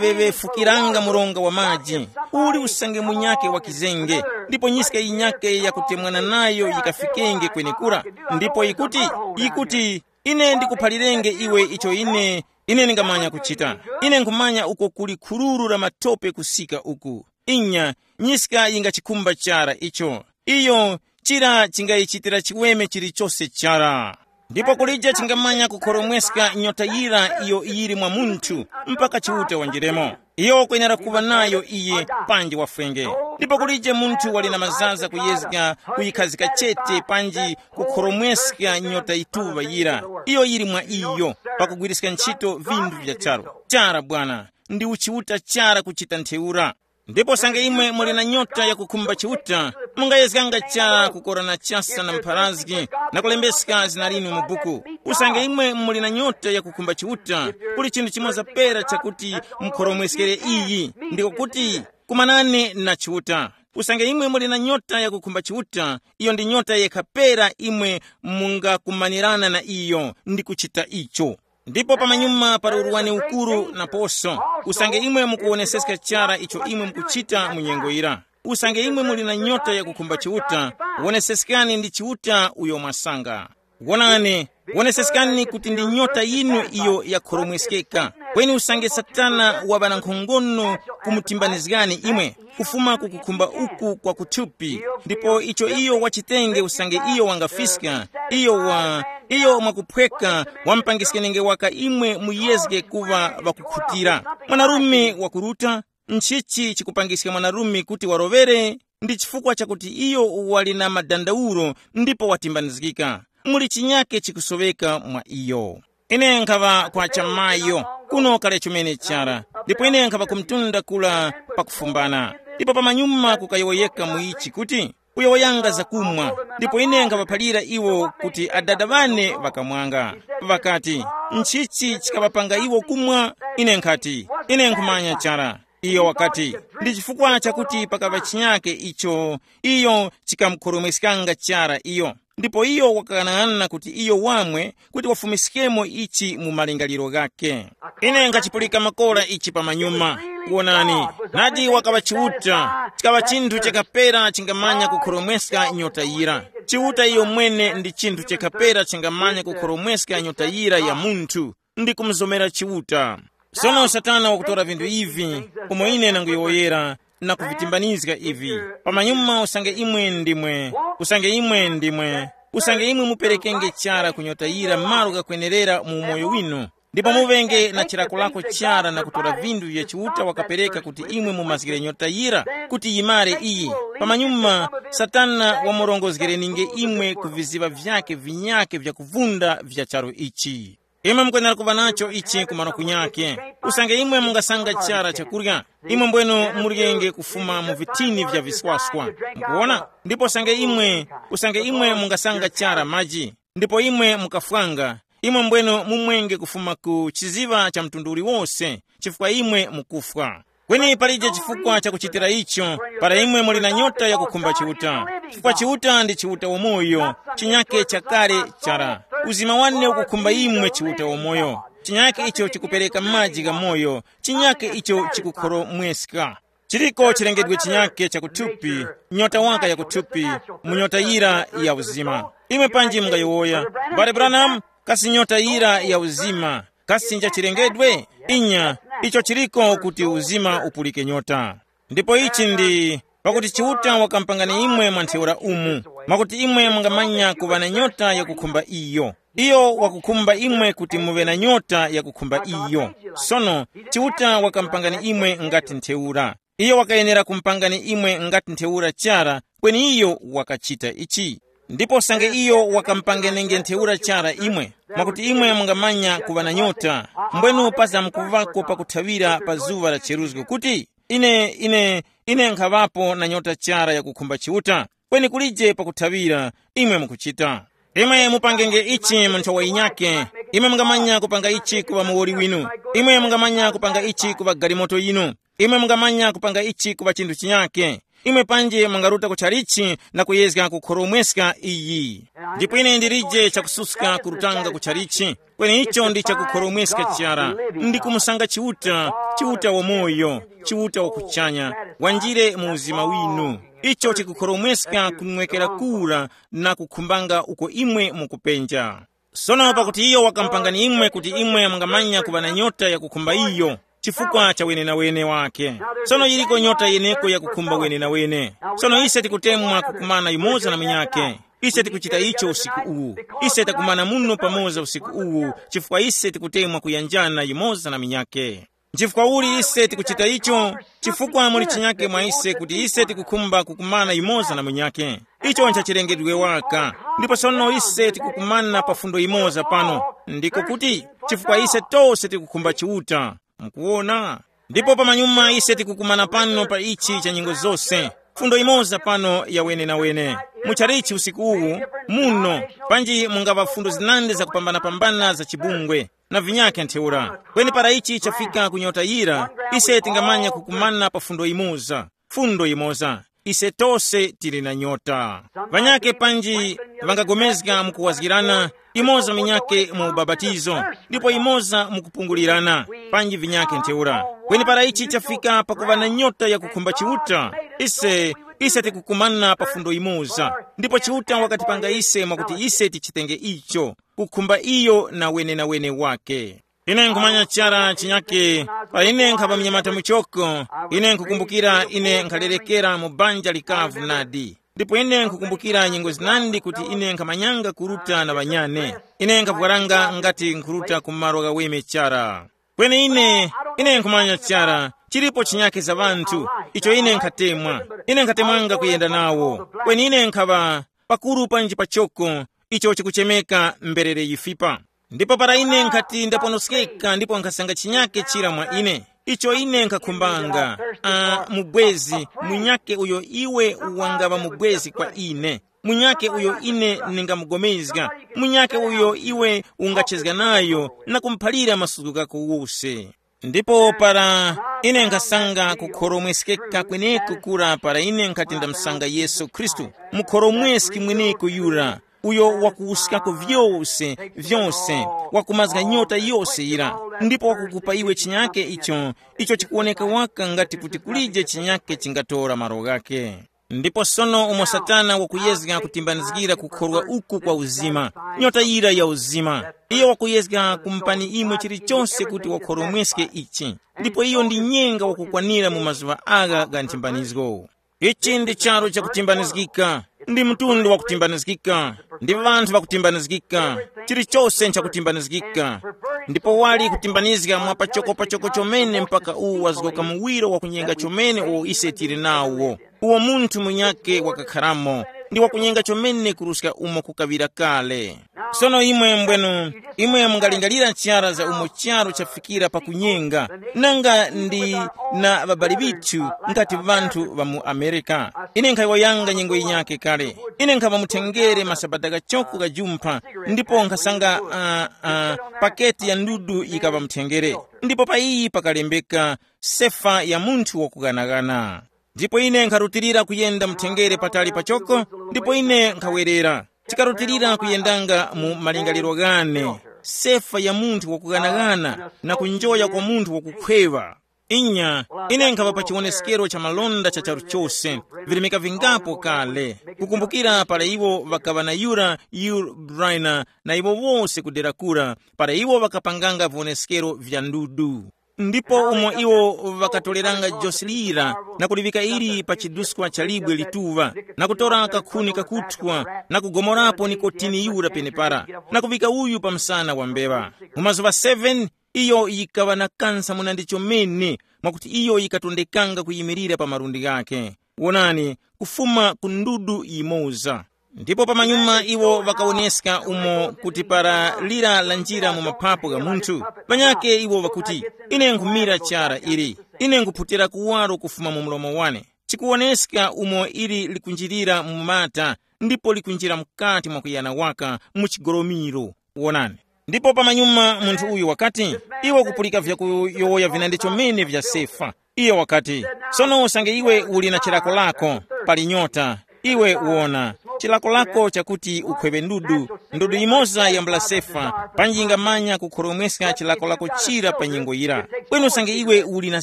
yikaŵeŵefukiranga mronga wa maji, uli usange munyakhe wa kizenge, ndipo nyiska yinyakhe yakutemwana nayo yikafikenge kwenekura, ndipo yikuti, yikuti, ine ndikuphalirenge iwe icho ine, ine ndingamanya kuchita. Ine nkhumanya uko kuli khururu la matope kusika uku. Inya, nyiska yingachikhumba chara icho. Iyo, chira chingayichitira chiweme chilichose chara. Ndipo kulije chingamanya kukhoromweska nyota yira iyo yili mwa munthu, mpaka Chiuta wanjiremo. Iyo wakwenera kuŵa nayo iye, panji wafwenge. Ndipo kulije munthu wali na mazaza kuyezga kuyikhazika chete panji kukhoromweska nyota yituŵa yira. Iyo yili mwa iyo, pakugwiriska ntchito vinthu vya charu. Chara bwana, ndi uchiuta chara kuchita ntheura. Ndipo sange imwe muli na nyota yakukhumba Chiuta, mungayezganga chara kukorana chasa na mpharazgi, na kulembeska zina linu mu buku. Usange imwe muli na nyota yakukhumba Chiuta, kuli chinthu chimoza pera chakuti mukhoromweskere iyi, ndiko kuti, kumanani na Chiuta. Usange imwe muli na nyota yakukhumba Chiuta, iyo ndi nyota yekha pera imwe mungakumanirana na iyo ndi kuchita icho. Ndipo pamanyuma pali urwani ukuru naposo, usange imwe mukuwoneseska chara icho imwe mukuchita mu nyengo yira. Usange imwe muli na nyota yakukhumba Chiuta, woneseskani ndi Chiuta uyo mwasanga. Wonani, woneseskani kuti ndi nyota yinu iyo yakhoromweskeka. Kweni usange Satana waŵa na nkhongono kumutimbanizgani imwe, kufuma ku kukhumba uku kwa kuthupi, ndipo icho iyo wachitenge usange iyo wangafiska, iyo wa, Iyo mwakuphweka wamupangiske nenge waka imwe muyezge kuŵa ŵakukhutira. Mwanarume wakuruta, nchichi chikupangiska mwanarume kuti waroŵere? Ndi chifukwa chakuti iyo wali na madandawuro ndipo watimbanizgika. Muli chinyake chikusoweka mwa iyo. Ine nkhaŵa kwa chamayo kuno kale chomene chara, ndipo ine nkhaŵa kumtunda kula pakufumbana. Ndipo pamanyuma kukayowoyeka mu ichi kuti, uyo wayanga zakumwa. Ndipo ine nkhaŵaphalira iwo kuti adada ŵane ŵakamwanga. Ŵakati, nchichi chikaŵapanga iwo kumwa? Ine nkhati, ine nkhumanya chara. Iyo wakati, ndi chifukwa chakuti pakaŵa chinyake icho, iyo chikamukhoromweskanga chara iyo. Ndipo iyo wakang'anang'ana kuti iyo wamwe kuti wafumiskemo ichi mu malingaliro ghakhe. Ine nkhachipulika makora ichi pamanyuma. Wonani, nadi wakaŵa Chiuta, chikaŵa chinthu chakapera chingamanya kukhoromweska nyota yira. Chiuta iyo mwene ndi chinthu chakapera chingamanya kukhoromweska nyota yira ya munthu, ndi kumuzomera Chiuta. Sono Satana wakutora vinthu ivi, umo ine nanguyowoyera, na kuvitimbanizga ivi. Pamanyuma usange imwe ndimwe, usange imwe ndimwe, usange imwe muperekenge chara kunyotayira malo ghakwenerera mu umoyo winu, ndipo muŵenge na chilakolako chara na kutora vinthu vya Chiuta wakapereka kuti imwe mumazgire nyota yira kuti yimare iyi. Pamanyuma Satana wamurongozgereninge imwe ku viziŵa vyake vinyakhe vyakuvunda vya charu ichi. Imwe mukwenera kuŵa nacho ichi ku malo kunyakhe. Usange imwe mungasanga chara chakurya, imwe mbwenu muryenge kufuma mu vithini vya viswaswa. Mukuwona? Ndipo usange imwe, usange imwe mungasanga chara maji, ndipo imwe mukafwanga, imwe mbwenu mumwenge kufuma ku chiziŵa cha mtundu uliwose, chifukwa imwe mukufwa. Kweni palije chifukwa chakuchitira icho, para imwe muli na nyota yakukhumba Chiuta. Chifukwa Chiuta ndi Chiuta wamoyo, chinyake chakale chara. Uzima wane ukukhumba imwe Chiuta wamoyo, chinyake icho chikupereka maji gha moyo, chinyake icho chikukhoromweska. Chiriko chilengedwe chinyake chakuthupi, nyota waka yakuthupi, mu nyota yira ya uzima. Imwe panji mungayowoya, mbale Branham, kasi nyota yira ya uzima kasi nja chilengedwe? Inya, icho chiriko kuti uzima upulike nyota. Ndipo ichi ndi pakuti Chiuta wakampangani imwe mwa ntheura umu, mwakuti imwe mungamanya kuŵa na nyota yakukhumba iyo. Iyo wakukhumba imwe kuti muŵe na nyota yakukhumba iyo. Sono, Chiuta wakampangani imwe ngati ntheura. Iyo wakayenera kumpangani imwe ngati ntheura chara, kweni iyo wakachita ichi. Ndipo usange iyo wakampanganenge ntheura chara imwe, mwakuti imwe mungamanya kuŵa na nyota, mbwenu pazamkuŵako pakuthawira pa zuŵa la cheruzgo kuti, ine, ine, ine nkhaŵapo na nyota chara yakukhumba Chiuta, kweni kulije pakuthawira. Imwe mukuchita. Imwe mupangenge ichi mu nthowa yinyakhe. Imwe mungamanya kupanga ichi kuŵa muwoli winu. Imwe mungamanya kupanga ichi kuŵa galimoto yinu. Imwe mungamanya kupanga ichi kuŵa chinthu chinyakhe. Imwe panje mungaruta ku chalichi na kuyezga kukhoromweska iyi. Ndipo ine ndilije chakususka kurutanga ku chalichi, kweni icho ndi chakukhoromweska chara. Ndi kumusanga Chiuta, Chiuta wamoyo, Chiuta wakuchanya, wanjire mu uzima winu. Icho chikukhoromweska kunwekera kura na kukhumbanga uko imwe mukupenja. Sono pakuti iyo wakampangani imwe kuti imwe mungamanya kuŵa na nyota yakukhumba iyo, chifukwa cha wenenawene wake. Sono yiriko nyota yeneko yakukhumba wenenawene. Sono ise tikutemwa kukumana yumoza na munyakhe. Ise tikuchita icho usiku uwu. Ise takumana muno pamoza usiku uwu, chifukwa ise tikutemwa kuyanjana yumoza na munyakhe. Nchifukwa uli ise tikuchita icho? Chifukwa muli chinyake mwa ise kuti ise tikukhumba kukumana yumoza na munyakhe. Icho nchachilengedwe waka. Ndipo sono ise tikukumana pa fundo yimoza pano. Ndiko kuti, chifukwa ise tose tikukhumba Chiuta. Mukuwona? Ndipo pamanyuma ise tikukumana pano pa ichi cha nyengo zose. Fundo yimoza pano ya wenenawene. Muchalichi usiku uwu, muno, panji mungaŵa fundo zinandi zakupambanapambana za chibungwe na vinyakhe ntheura. Kweni para ichi chafika ku nyota yira, ise tingamanya kukumana pa fundo yimoza. Fundo yimoza. Ise tose tili na nyota. Ŵanyakhe panji ŵangagomezga mu kuwazgirana, imoza minyakhe mu ubapatizo, ndipo imoza mu kupungulirana, panji vinyakhe ntheura. Kweni para ichi chafika pakuŵa na nyota yakukhumba Chiuta, ise, ise tikukumana pa fundo imoza. Ndipo Chiuta wakatipanga ise mwakuti ise tichitenge icho, kukhumba iyo na wenenawene wake. Ine nkhumanya chara chinyake, pa ine nkhapa mnyamata muchoko, ine nkhukumbukira ine nkhalerekera mu banja likavu nadi. Ndipo ine nkhukumbukira nyengo zinandi kuti ine nkhamanyanga kuruta na ŵanyane. Ine nkhapwaranga ngati nkhuruta ku malo ghaweme chara. Kweni ine, ine nkhumanya chara, chilipo chinyake za ŵanthu, icho ine nkhatemwa. Ine nkhatemwanga kuyenda nawo. Kweni ine nkhaŵa pakuru panji pachoko, icho chikuchemeka mberere yifipa. Ndipo para ine nkhati ndaponoskeka ndipo nkhasanga chinyake chira mwa ine, icho ine nkhakhumbanga, uh, mubwezi, munyake uyo iwe wangaŵa mubwezi kwa ine, munyake uyo ine ningamugomezga, munyake uyo iwe ungachezga nayo na kumuphalira masuku ghako wose. Ndipo para ine nkhasanga kukhoromweskeka kweneko kura para ine nkhati ndamsanga Yesu Khristu, mukhoromweski mweneko yura, uyo wakuwuskako vyose, vyose, wakumazga nyota yose yira, ndipo wakukupa iwe chinyake icho, icho chikuwoneka waka ngati kuti kulije chinyake chingatora malo ghake. Ndipo sono umo Satana wakuyezga kutimbanizgira kukhorwa uku kwa uzima, nyota yira ya uzima, iyo wakuyezga kumpani imwe chilichonse kuti wakhoromweske ichi. Ndipo iyo ndi nyenga wakukwanira mu mazuŵa agha gha nthimbanizgo. Ichi ndi charu chakutimbanizgika, ndi mtundu wakutimbanizgika, ndi ŵanthu ŵakutimbanizgika, chilichose nchakutimbanizgika. Ndipo wali kutimbanizga mwa pachoko pachoko chomene mpaka uwu wazgoka muwiro wa kunyenga chomene uwo ise tili nawo, uwo munthu munyakhe wakakharamo, ndi wakunyenga chomene kuruska umo kukaŵira kale. Sono imwe mbwenu, imwe mungalingalira chara za umo charu chafikira pakunyenga, nanga ndi na ŵabali ŵithu ngati ŵanthu ŵa mu Amerika. Ine nkhayowoyanga nyengo yinyakhe kale. Ine nkhava muthengere masabata ghachoko ghajumpha, ndipo nkhasanga uh, uh, paketi ya ndudu yikaŵa muthengere. Ndipo pa iyi pakalembeka, sefa ya munthu wakuganaghana. Ndipo ine nkharutilira kuyenda mthengere patali pachoko, ndipo ine nkhawerera. Tikarutilira kuyendanga mu malingaliro ghane, sefa ya munthu wakuganaghana na kunjoya kwa munthu wakukhweŵa. Inya, ine nkhaŵa pa chiwoneskero cha malonda cha charu chose, virimika vingapo kale, kukumbukira para iwo ŵakaŵa na yura Yul Briner na iwo wose kudera kura, para iwo ŵakapanganga viwoneskero vya ndudu. Ndipo umo iwo ŵakatoleranga josi lira na kuliŵika ili pa chiduskwa cha libwe lituŵa, na kutora kakhuni kakuthwa, na kugomorapo nikotini yura penepara, na kuŵika uyu pa msana wa mbeŵa. Mu mazuŵa seven, iyo yikaŵa na kansa munandi chomene, mwakuti iyo yikatondekanga kuyimirira pa malundi ghakhe. Wonani, kufuma ku ndudu yimoza. Ndipo pamanyuma iwo ŵakawoneska umo kuti para lira lanjira mu maphapo gha munthu, ŵanyakhe iwo ŵakuti, ine nkhumira chara ili, ine nkhuphutira kuwaro kufuma mu mlomo wane. Chikuwoneska umo ili likunjirira mu mata, ndipo likunjira mukati mwa kuyana waka mu chigolomiro. Wonani. Ndipo pamanyuma munthu uyu wakati, iwe kupulika vyakuyowoya vinandi chomene vya sefa. Iyo wakati, sono usange iwe uli na chilako lako, pali nyota, iwe uwona, chilako lako chakuti ukhweŵe ndudu, ndudu yimoza yambula sefa, panji yingamanya kukhoromweska chilako lako chira pa nyengo yira. Kweni usange iwe uli na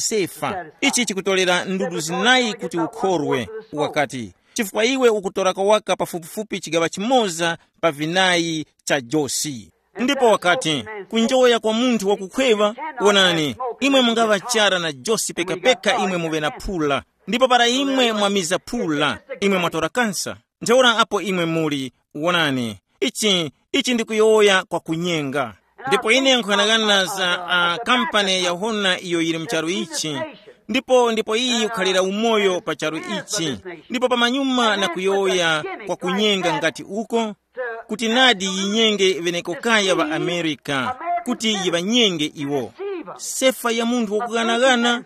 sefa, ichi chikutolera ndudu zinayi kuti ukhorwe. Wakati, chifukwa iwe ukutorako waka pafupifupi chigaŵa chimoza pa vinayi cha josi. Ndipo wakati, kunjoya kwa munthu wakukhweŵa, wonani, imwe mungaŵa chara na josi pekapeka imwe muŵe na phula, ndipo para imwe mwamiza phula, imwe mwatora kansa. Ntheura apo imwe muli, wonani, ichi, ichi ndi kuyowoya kwa kunyenga. Ndipo ine nkhughanaghana za uh, kampani ya hona iyo yili mu charu ichi, ndipo ndipo iyi ikukhalira umoyo pa charu ichi, ndipo pamanyuma na kuyowoya kwa kunyenga ngati uko, kuti nadi yinyenge ŵenekokaya ŵa Amerika, kuti yiŵanyenge iwo. Sefa ya munthu wakughanagana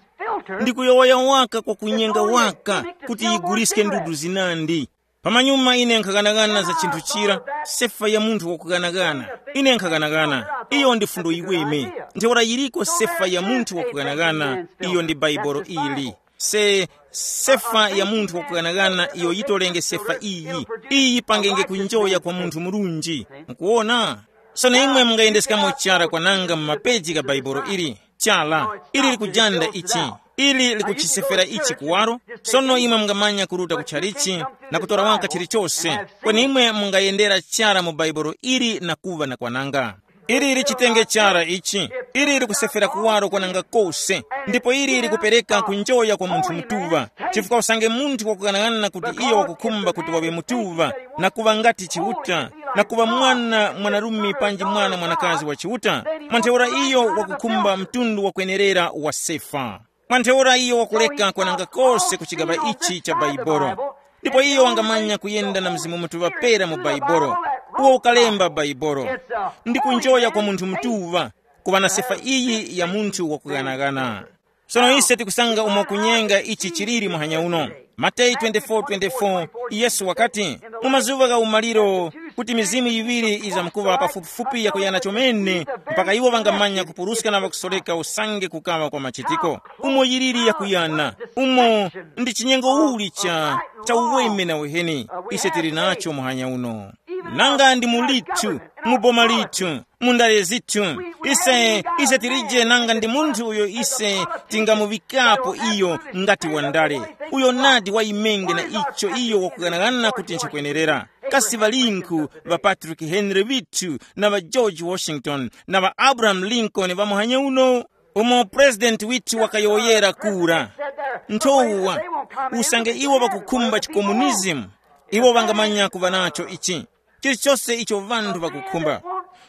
ndi kuyowoya waka kwa kunyenga waka, kuti yiguliske ndudu zinandi. Pamanyuma ine nkhaghanaghana za chinthu chira, sefa ya munthu wakughanagana. Ine nkhaghanaghana, iyo ndi fundo yiweme. Ntheura yiriko sefa ya munthu wakughanagana, iyo ndi Baibolo ili. Se, sefa ya munthu wakughanagana iyo yitolenge sefa iyi, iyi yipangenge kunjoya kwa munthu murunji. Mukuwona? Sono imwe mungayendeskamo chara kwananga mu mapeji gha Baibolo ili. Chala, ili likujanda ichi, ili likuchisefera ichi kuwaro. Sono imwe mungamanya kuruta ku tchalichi na kutora waka chilichose, kweni imwe mungayendera chara mu Baibolo ili na kuŵa na kwananga. Ili lichitenge chara ichi. Ili likusefera kuwaro kwananga kose. Ndipo ili likupereka kunjoya kwa munthu mutuŵa. Chifukwa usange munthu wakughanagana kuti iyo wakukhumba kuti waŵe mutuŵa, na kuŵa ngati Chiuta, na kuŵa mwana mwanarume panji mwana mwanakazi wa Chiuta, mwa ntheura iyo wakukhumba mtundu wakwenerera wa sefa. Mwa ntheura iyo wakuleka kwananga kose ku chigaŵa ichi cha Baibolo. Ndipo iyo wangamanya kuyenda na Mzimu Mutuŵa pera mu Baibolo, uwo ukalemba Baibolo, ndi kunjoya kwa munthu mutuŵa, kuŵa na sefa iyi ya munthu wakughanagana. Sono ise tikusanga umo kunyenga ichi chiliri muhanya uno. Mateyu twenty-four twenty-four, Yesu wakati, mu mazuŵa gha umaliro, kuti mizimu yiŵiri izamkuŵa pafupifupi yakuyana chomene, mpaka iwo ŵangamanya kupuruska na ŵakusoreka usange kukaŵa kwa machitiko. Umo yiliri yakuyana, umo ndi chinyengo uli cha cha uweme na uheni ise tili nacho muhanya uno. Nanga ndi mu lithu, mu boma lithu, mu ndale zithu, ise ise tilije nanga ndi munthu uyo ise tingamuŵikapo iyo ngati wandale, uyo nadi wayimenge na icho iyo wakughanagana kuti nchikwenerera. Kasi ŵalinkhu ŵa Patrick Henry vithu na ŵa George Washington na ŵa Abraham Lincoln ŵa muhanya uno? Umo purezidenti withu wakayowoyera kura, nthowa, usange iwo ŵakukhumba chikomunizimu, iwo ŵangamanya kuŵa nacho ichi, chilichose icho ŵanthu ŵakukhumba.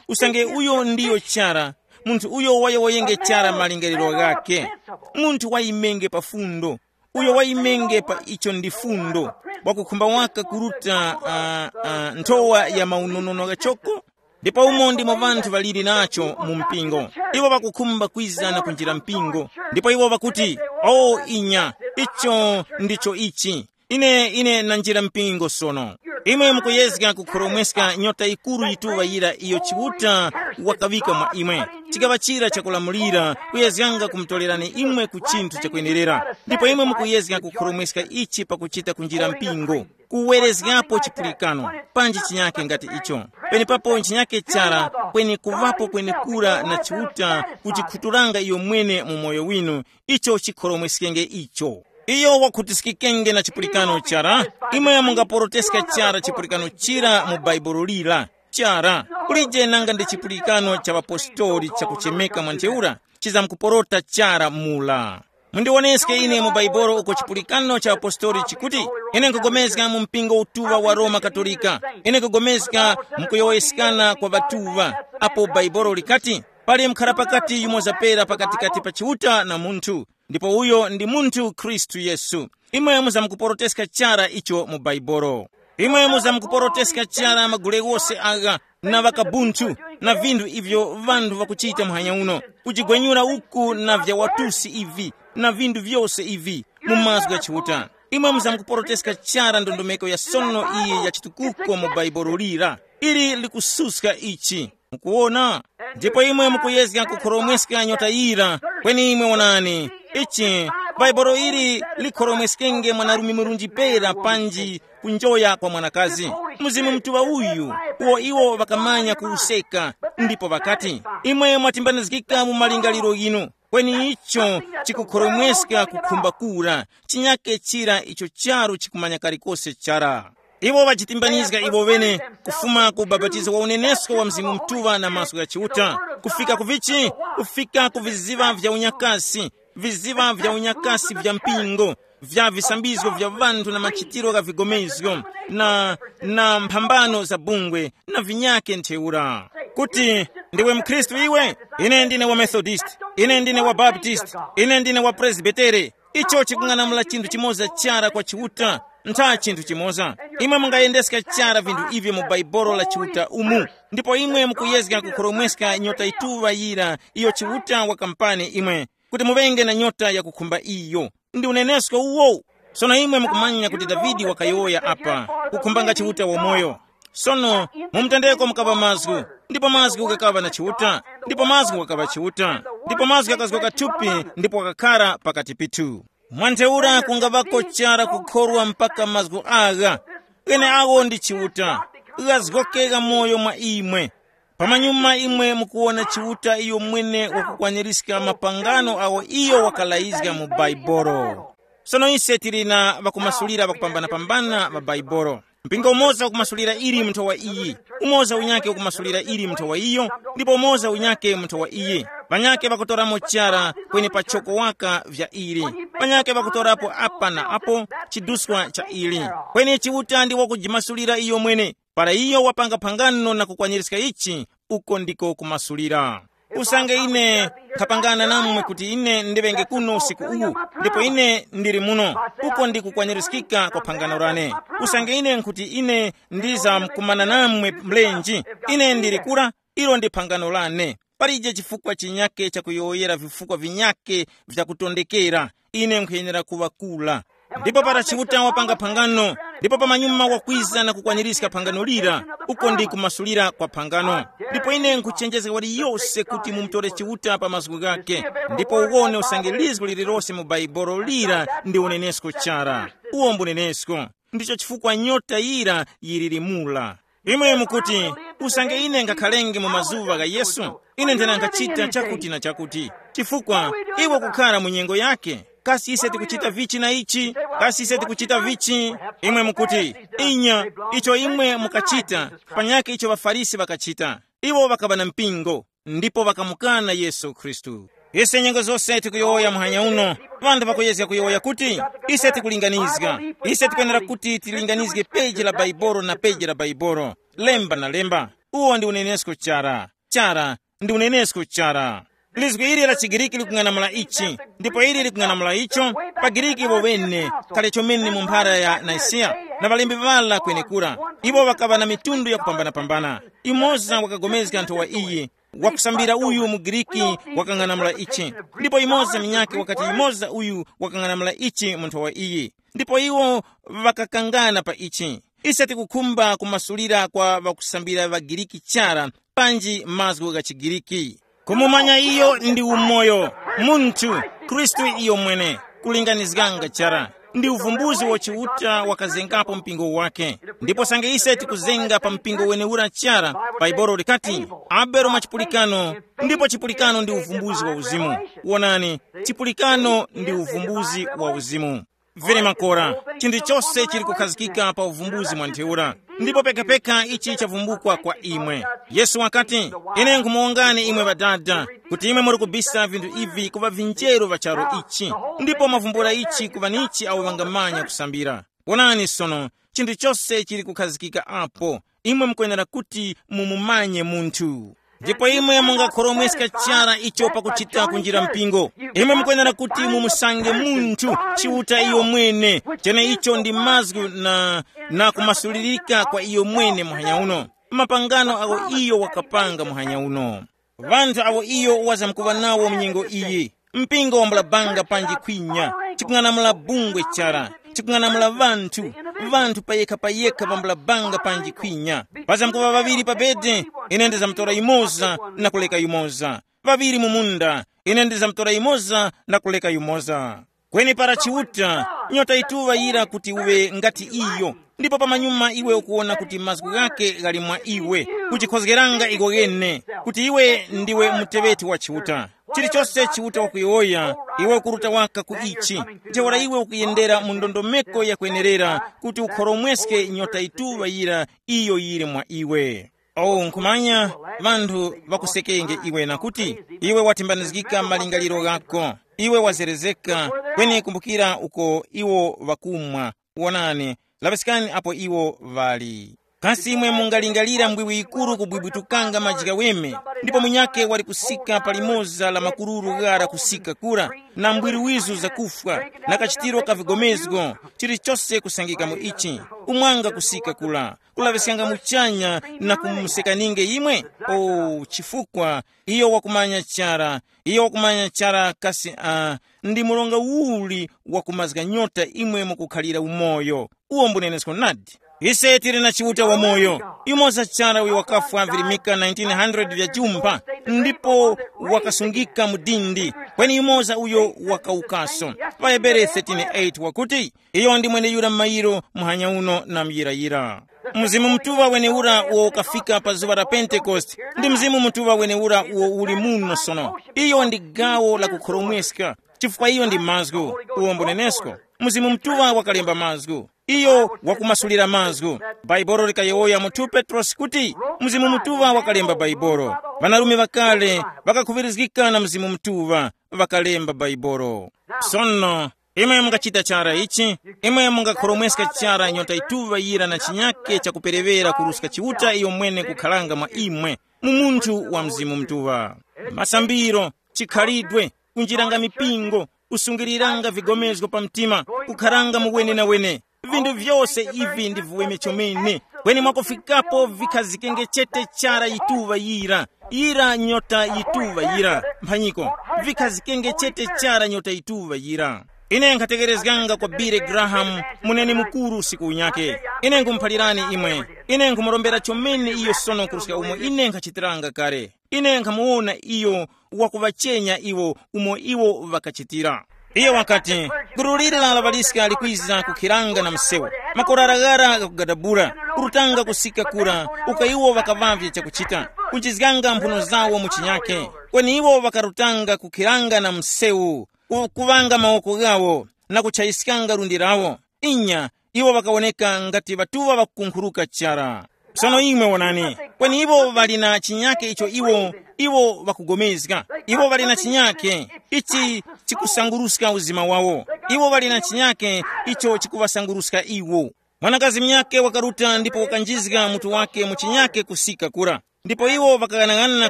Usange uyo ndiyo chara, munthu uyo wayowoyenge chara malingaliro ghakhe, munthu wayimenge pa fundo, uyo wayimenge pa icho ndi fundo, wakukhumba waka kuruta uh, uh, nthowa ya maunonono ghachoko. Ndipo umo ndimo ŵanthu ŵaliri nacho mu mpingo. Iwo ŵakukhumba kwiza na kunjira mpingo, ndipo iwo ŵakuti, o inya, icho ndicho ichi. Ine ine nanjira mpingo sono. Imwe mukuyezga kukhoromweska nyota yikuru yituŵa yira iyo Chiuta wakaŵika mwa imwe, chikaŵa chira chakulamulira kuyezganga kumutorerani imwe ku chinthu chakwenerera. Ndipo imwe mukuyezga kukhoromweska ichi pakuchita kunjira mpingo, kuwerezgapo chipulikano, panji chinyake ngati icho. Penepapo nchinyake chara, kweni kuŵapo kwenekura na Chiuta kuchikhuturanga iyo mwene mu moyo winu, icho chikhoromweskenge icho. Iyo wakhutiskikenge na chipulikano chara. Imwe mungaporoteska chara chipulikano chira mu Bhaibuli lira? Chara, kulije nanga ndi chipulikano cha ŵapostori chakuchemeka mwa ntheura chizamkuporota chara mula. Mundiwoneske ine mu Bhaibuli uko chipulikano cha ŵapostori chikuti, ine nkugomezga mu mpingo utuŵa wa Roma Katolika. Ine nkugomezga mu kuyowoyeskana kwa ŵatuŵa, apo Bhaibuli likati, pali mkharapakati yumoza pera pakatikati pa Chiuta na munthu, ndipo uyo ndi munthu Khristu Yesu. Imwe muzamkuporoteska chara icho mu Bhaibuli. Imwe muzamkuporoteska chara magule ghose agha, na ŵakabunthu, na vinthu ivyo ŵanthu ŵakuchita muhanya uno, kujigwenyura uku na vya watusi ivi, na vinthu vyose ivi, mu mazgu gha Chiuta. Imwe muzamkuporoteska chara ndondomeko ya sono iyi ya chitukuko mu Bhaibuli lira. Ili likususka ichi. Mukuwona? Ndipo imwe mukuyezga kukhoromweska nyota yira, kweni imwe wonani, ichi, Bhaibuli ili likhoromweskenge mwanarume murunji pera panji kunjoya kwa mwanakazi. Mzimu Mutuŵa uyu, uwo iwo ŵakamanya kuwuseka, ndipo ŵakati, imwe mwatimbanizgika mu malingaliro ghinu, kweni icho chikukhoromweska kukhumba kura, chinyake chira icho charu chikumanya kalikose chara. Iwo ŵajitimbanizga iwo ŵene, kufuma ku ubapatizo wa unenesko wa Mzimu Mutuŵa na mazgu gha Chiuta, kufika ku vichi? Kufika ku viziŵa vya unyakasi, viziŵa vya unyakasi vya mpingo, vya visambizgo vya ŵanthu na machitiro gha vigomezgo, na, na mphambano za bungwe, na vinyake ntheura. Kuti, ndiwe mkhristu iwe? Ine ndine wa Methodist, ine ndine wa Baptist, ine ndine wa Presbytere. Icho chikung'anamula chinthu chimoza chara kwa Chiuta, ntha chinthu chimoza. Imwe mungayendeska chara vinthu ivyo mu Bhaibuli la Chiuta umu, ndipo imwe mukuyezga kukhoromweska nyota yituŵa yira iyo Chiuta wakampani imwe, kuti muŵenge na nyota yakukhumba iyo. Ndi unenesko uwo. Sono imwe mukumanya kuti Davide wakayowoya apa, kukhumbanga Chiuta wamoyo. Sono, mu mtendeko mukaŵa mazgu, ndipo mazgu ghakaŵa na Chiuta, ndipo mazgu ghakaŵa Chiuta, ndipo mazgu ghakazgoka thupi, ndipo ghakakhara pakati pithu. Mwa ntheura kungaŵako chara kukhorwa mpaka mazgu agha, gheneagho ndi Chiuta, ghazgoke ghamoyo mwa imwe. Pamanyuma imwe mukuwona Chiuta iyo mwene wakukwanirizga mapangano agho iyo wakalayizga mu Bhaibuli. Sono ise tili na ŵakumasulira ŵakupambanapambana ŵa Bhaibuli. Mpingo umoza ukumasulira ili munthu wa iyi, umoza unyake ukumasulira ili munthu wa iyo, ndipo umoza unyake munthu wa iyi. Ŵanyake ŵakutoramo chara kweni pachoko waka vya ili. Ŵanyake ŵakutorapo apa na apo chiduswa cha ili. Kweni Chiuta ndi wakujimasulira iyo mwene. Para iyo wapanga phangano na kukwanirizga ichi, uko ndiko kumasulira. Usange ine nkhapangana namwe kuti ine ndiŵenge kuno usiku uwu, ndipo ine ndili muno, uko ndi kukwanirizgika kwa phangano lane. Usange ine nkhuti ine ndizamkumana namwe mlenji, ine ndili kura, ilo ndi phangano lane. Palije chifukwa chinyake chakuyowoyera vifukwa vinyake vyakutondekera. Ine nkhuyenera kuŵa kula. Ndipo para Chiuta wapanga phangano, ndipo pamanyuma wakwiza na kukwanirizga phangano lira, uko ndi kumasulira kwa phangano. Ndipo ine nkhuchenjezga waliyose kuti mumutore Chiuta pa mazgu ghake, ndipo uwone usange lizgu lililose mu Baibolo lira ndi unenesko chara. Uwo mbunenesko. Ndicho chifukwa nyota yira yiliri mula. Imwe mukuti, usange ine ngakhalenge mu mazuŵa gha Yesu, ine ndinangachita chakuti na chakuti. Chifukwa iwe kukhara mu nyengo yake, kasi ise tikuchita vichi na ichi? Kasi ise tikuchita vichi? Imwe mukuti, inya, icho imwe mukachita, panyakhe icho ŵaFarisi ŵakachita. Iwo ŵakaŵa na mpingo, ndipo ŵakamukana Yesu Khristu. Ise nyengo zose tikuyowoya muhanya uno, ŵanthu ŵakuyezga kuyowoya kuti, ise tikulinganizga. Ise tikwenera kuti tilinganizge peji la Baibolo na peji la Baibolo, lemba na lemba. Uwo ndi unenesko chara. Chara, ndi unenesko chara. Lizgu ili la chiGiriki likung'anamula ichi, ndipo ili likung'anamula icho. Pa Giriki iwo wene, kale chomene mu mphara ya Nisiya, na ŵalembi ŵala kwenekura, iwo ŵakaŵa na mitundu yakupambanapambana. Yumoza wakagomezga nthowa iyi, wakusambira uyu mu Giriki wakang'anamula ichi, ndipo yumoza minyake wakati yumoza uyu wakang'anamula ichi mu nthowa iyi, ndipo iwo ŵakakangana pa ichi. Ise tikukhumba kumasulira kwa ŵakusambira ŵaGiriki chara, panji mazgu gha chiGiriki. Kumumanya iyo ndi umoyo, munthu, Khristu iyo mwene, kulinganizganga chara. Ndi uvumbuzi wa Chiuta wakazengapo mpingo wake. Ndipo sange ise tikuzenga pa mpingo wenewura chara, Baibolo likati, Abele mwa chipulikano, ndipo chipulikano ndi uvumbuzi wa uzimu. Wonani, chipulikano ndi uvumbuzi wa uzimu. Vili makora, chinthu chose chili kukhazikika pa uvumbuzi mwa ntheura. Ndipo pekapeka ichi chavumbukwa kwa imwe. Yesu wakati, ine nkhumuwongani imwe ŵadada, kuti imwe muri kubisa vinthu ivi ku ŵavinjeru ŵa charu ichi, ndipo mwavumbula ichi ku ŵanichi awo ŵangamanya kusambira. Wonani sono, chinthu chose chili kukhazikika apo. Imwe mukwenera kuti mumumanye munthu. Ndipo imwe mungakhoromweska chara icho pakuchita kunjira mpingo. Imwe mukwenera kuti mumusange munthu, Chiuta iyo mwene, cheneicho ndi mazgu na, na kumasulirika kwa iyo mwene muhanya uno. Mapangano awo iyo wakapanga muhanya uno. Ŵanthu awo iyo wazamkuŵa nawo mu nyengo iyi. Mpingo wambula banga panji khwinya, chikung'anamula bungwe chara, chikung'anamula ŵanthu, ŵanthu payekha-payekha ŵambula banga panji khwinya. Pazamkuŵa ŵaŵiri pa bede, ine ndizamtora yumoza na kuleka yumoza. Ŵaŵiri mu munda, ine ndizamtora yumoza na kuleka yumoza. Kweni para Chiuta, nyota yituŵa yira kuti uŵe ngati iyo, ndipo pamanyuma iwe ukuwona kuti mazgu ghake ghali mwa iwe, kuchikhozgeranga iko ghene, kuti iwe ndiwe muteŵeti wa Chiuta. Chilichose Chiuta wakuyowoya, iwe ukuruta waka ku ichi, ntheura iwe ukuyendera mu ndondomeko yakwenerera kuti ukhoromweske nyota yituŵa yira iyo yili mwa iwe. Oh, nkhumanya, ŵanthu ŵakusekenge iwe na kuti, iwe watembanizgika malingaliro ghako, iwe wazerezeka, kweni kumbukira uko iwo ŵakumwa. Wonani, laŵiskani apo iwo ŵali. Kasi imwe mungalingalira mbwiwi yikuru kubwibwitukanga maji ghaweme, ndipo munyakhe wali kusika pa limoza la makururu ghara kusika kura, na mbwiri wizu zakufwa, na kachitiro ka vigomezgo, chilichose kusangika mu ichi, kumwanga kusika kura, kulaŵiskanga muchanya na kumusekaninge imwe? O, chifukwa iyo wakumanya chara, iyo wakumanya chara kasi a, ndi mronga uli wakumazga nyota imwe mukukhalira umoyo. Uwo mbunenesko nadi. Ise tili na Chiuta wamoyo, yumoza chara uyo wakafwa virimika nineteen hundred vya jumba, ndipo wakasungika mu dindi, kweni yumoza uyo wakawukaso. Pa Hebere thirteen eight wakuti, iyo ndi mweneyura m'mayiro, muhanya uno na muyirayira. Mzimu Mutuŵa wenewura uwo ukafika pa zuŵa la Pentekoste, ndi Mzimu Mutuŵa wenewura uwo uli muno sono. Iyo ndi gawo la kukhoromweska, chifukwa iyo ndi mazgu, uwo mbunenesko. Mzimu Mutuŵa wakalemba mazgu. Iyo wakumasulira mazgu. Bhaibolo likayowoya mu two Petrosi kuti Mzimu Mutuŵa wakalemba Bhaibolo. Ŵanarume ŵakale ŵakakhuŵirizgika na Mzimu Mutuŵa, ŵakalemba Bhaibolo. Sono, imwe mungachita chara ichi, imwe mungakhoromweska chara nyota yituŵa yira na chinyake chakuperewera kuruska Chiuta iyo mwene kukharanga mwa imwe, mu munthu wa Mzimu Mutuŵa. Masambiro, chikhalidwe, kunjiranga mipingo, kusungiliranga vigomezgo pa mtima, kukharanga mu wenenawene. Vinthu vyose ivi ndi vuweme chomene. Kweni mwakufikapo vikhazikenge chete chara yituŵa yira, yira nyota yituŵa yira, mphanyiko, vikhazikenge chete chara nyota yituŵa yira. Ine nkhatekerezganga kwa Billy Graham, muneni mukuru usiku unyake. Ine nkhumuphalirani imwe, ine nkhumurombera chomene iyo sono kuruska umo ine nkhachitiranga kale. Ine nkhamuwona iyo wakuŵachenya iwo umo iwo ŵakachitira. Iye wakati, gulu lira la ŵaliska likwiza kukhiranga na msewu, makorara ghara ghakugadabula, kurutanga kusika kura, uko iwo ŵakaŵavye chakuchita, kunjizganga mphuno zawo mu chinyakhe. Kweni iwo ŵakarutanga kukhiranga na msewu, ku- kuŵanga mawoko ghawo, na kuchayiskanga lundi lawo. Inya, iwo ŵakawoneka ngati ŵatuŵa ŵakukunkhuruka chara. Sono imwe wonani, kweni iwo ŵali na chinyake icho iwo, iwo ŵakugomezga. Iwo ŵali na chinyake ichi chikusanguruska uzima wawo. Iwo ŵali na chinyake icho chikuŵasanguruska iwo. Mwanakazi munyakhe wakaruta ndipo wakanjizga mutu wake mu chinyake kusika kura. Ndipo iwo ŵakaghanaghanana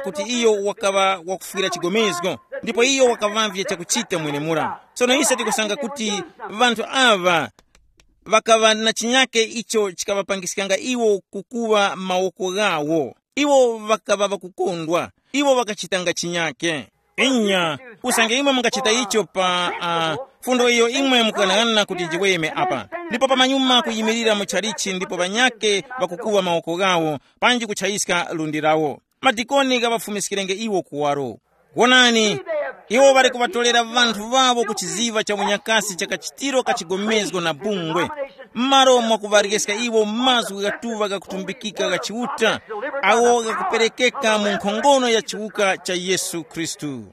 kuti iyo wakaŵa wakufwira chigomezgo, ndipo iyo wakaŵavye chakuchita mwenemura. Sono ise tikusanga kuti ŵanthu aŵa ŵakaŵa na chinyake icho chikaŵapangiskanga iwo kukuŵa mawoko ghawo. Iwo ŵakaŵa ŵakukondwa, iwo ŵakachitanga chinyake. Inya, usange imwe mungachita icho pa uh, fundo iyo imwe mukughanaghanana kuti njiweme apa, ndipo pamanyuma kuyimirira mu chalichi ndipo ŵanyake ŵakukuŵa mawoko ghawo, panji kuchayiska lundi lawo. Madikoni ghaŵafumiskirenge iwo kuwaro. Wonani, iwo ŵali kuŵatolera ŵanthu ŵawo ku chiziŵa cha unyakasi cha kachitiro ka chigomezgo na bungwe, m'malo mwakuŵaryezga iwo mazgu ghatuŵa ghakutumbikika gha Chiuta, agho ghakuperekeka mu nkhongono ya chiwuka cha Yesu Khristu.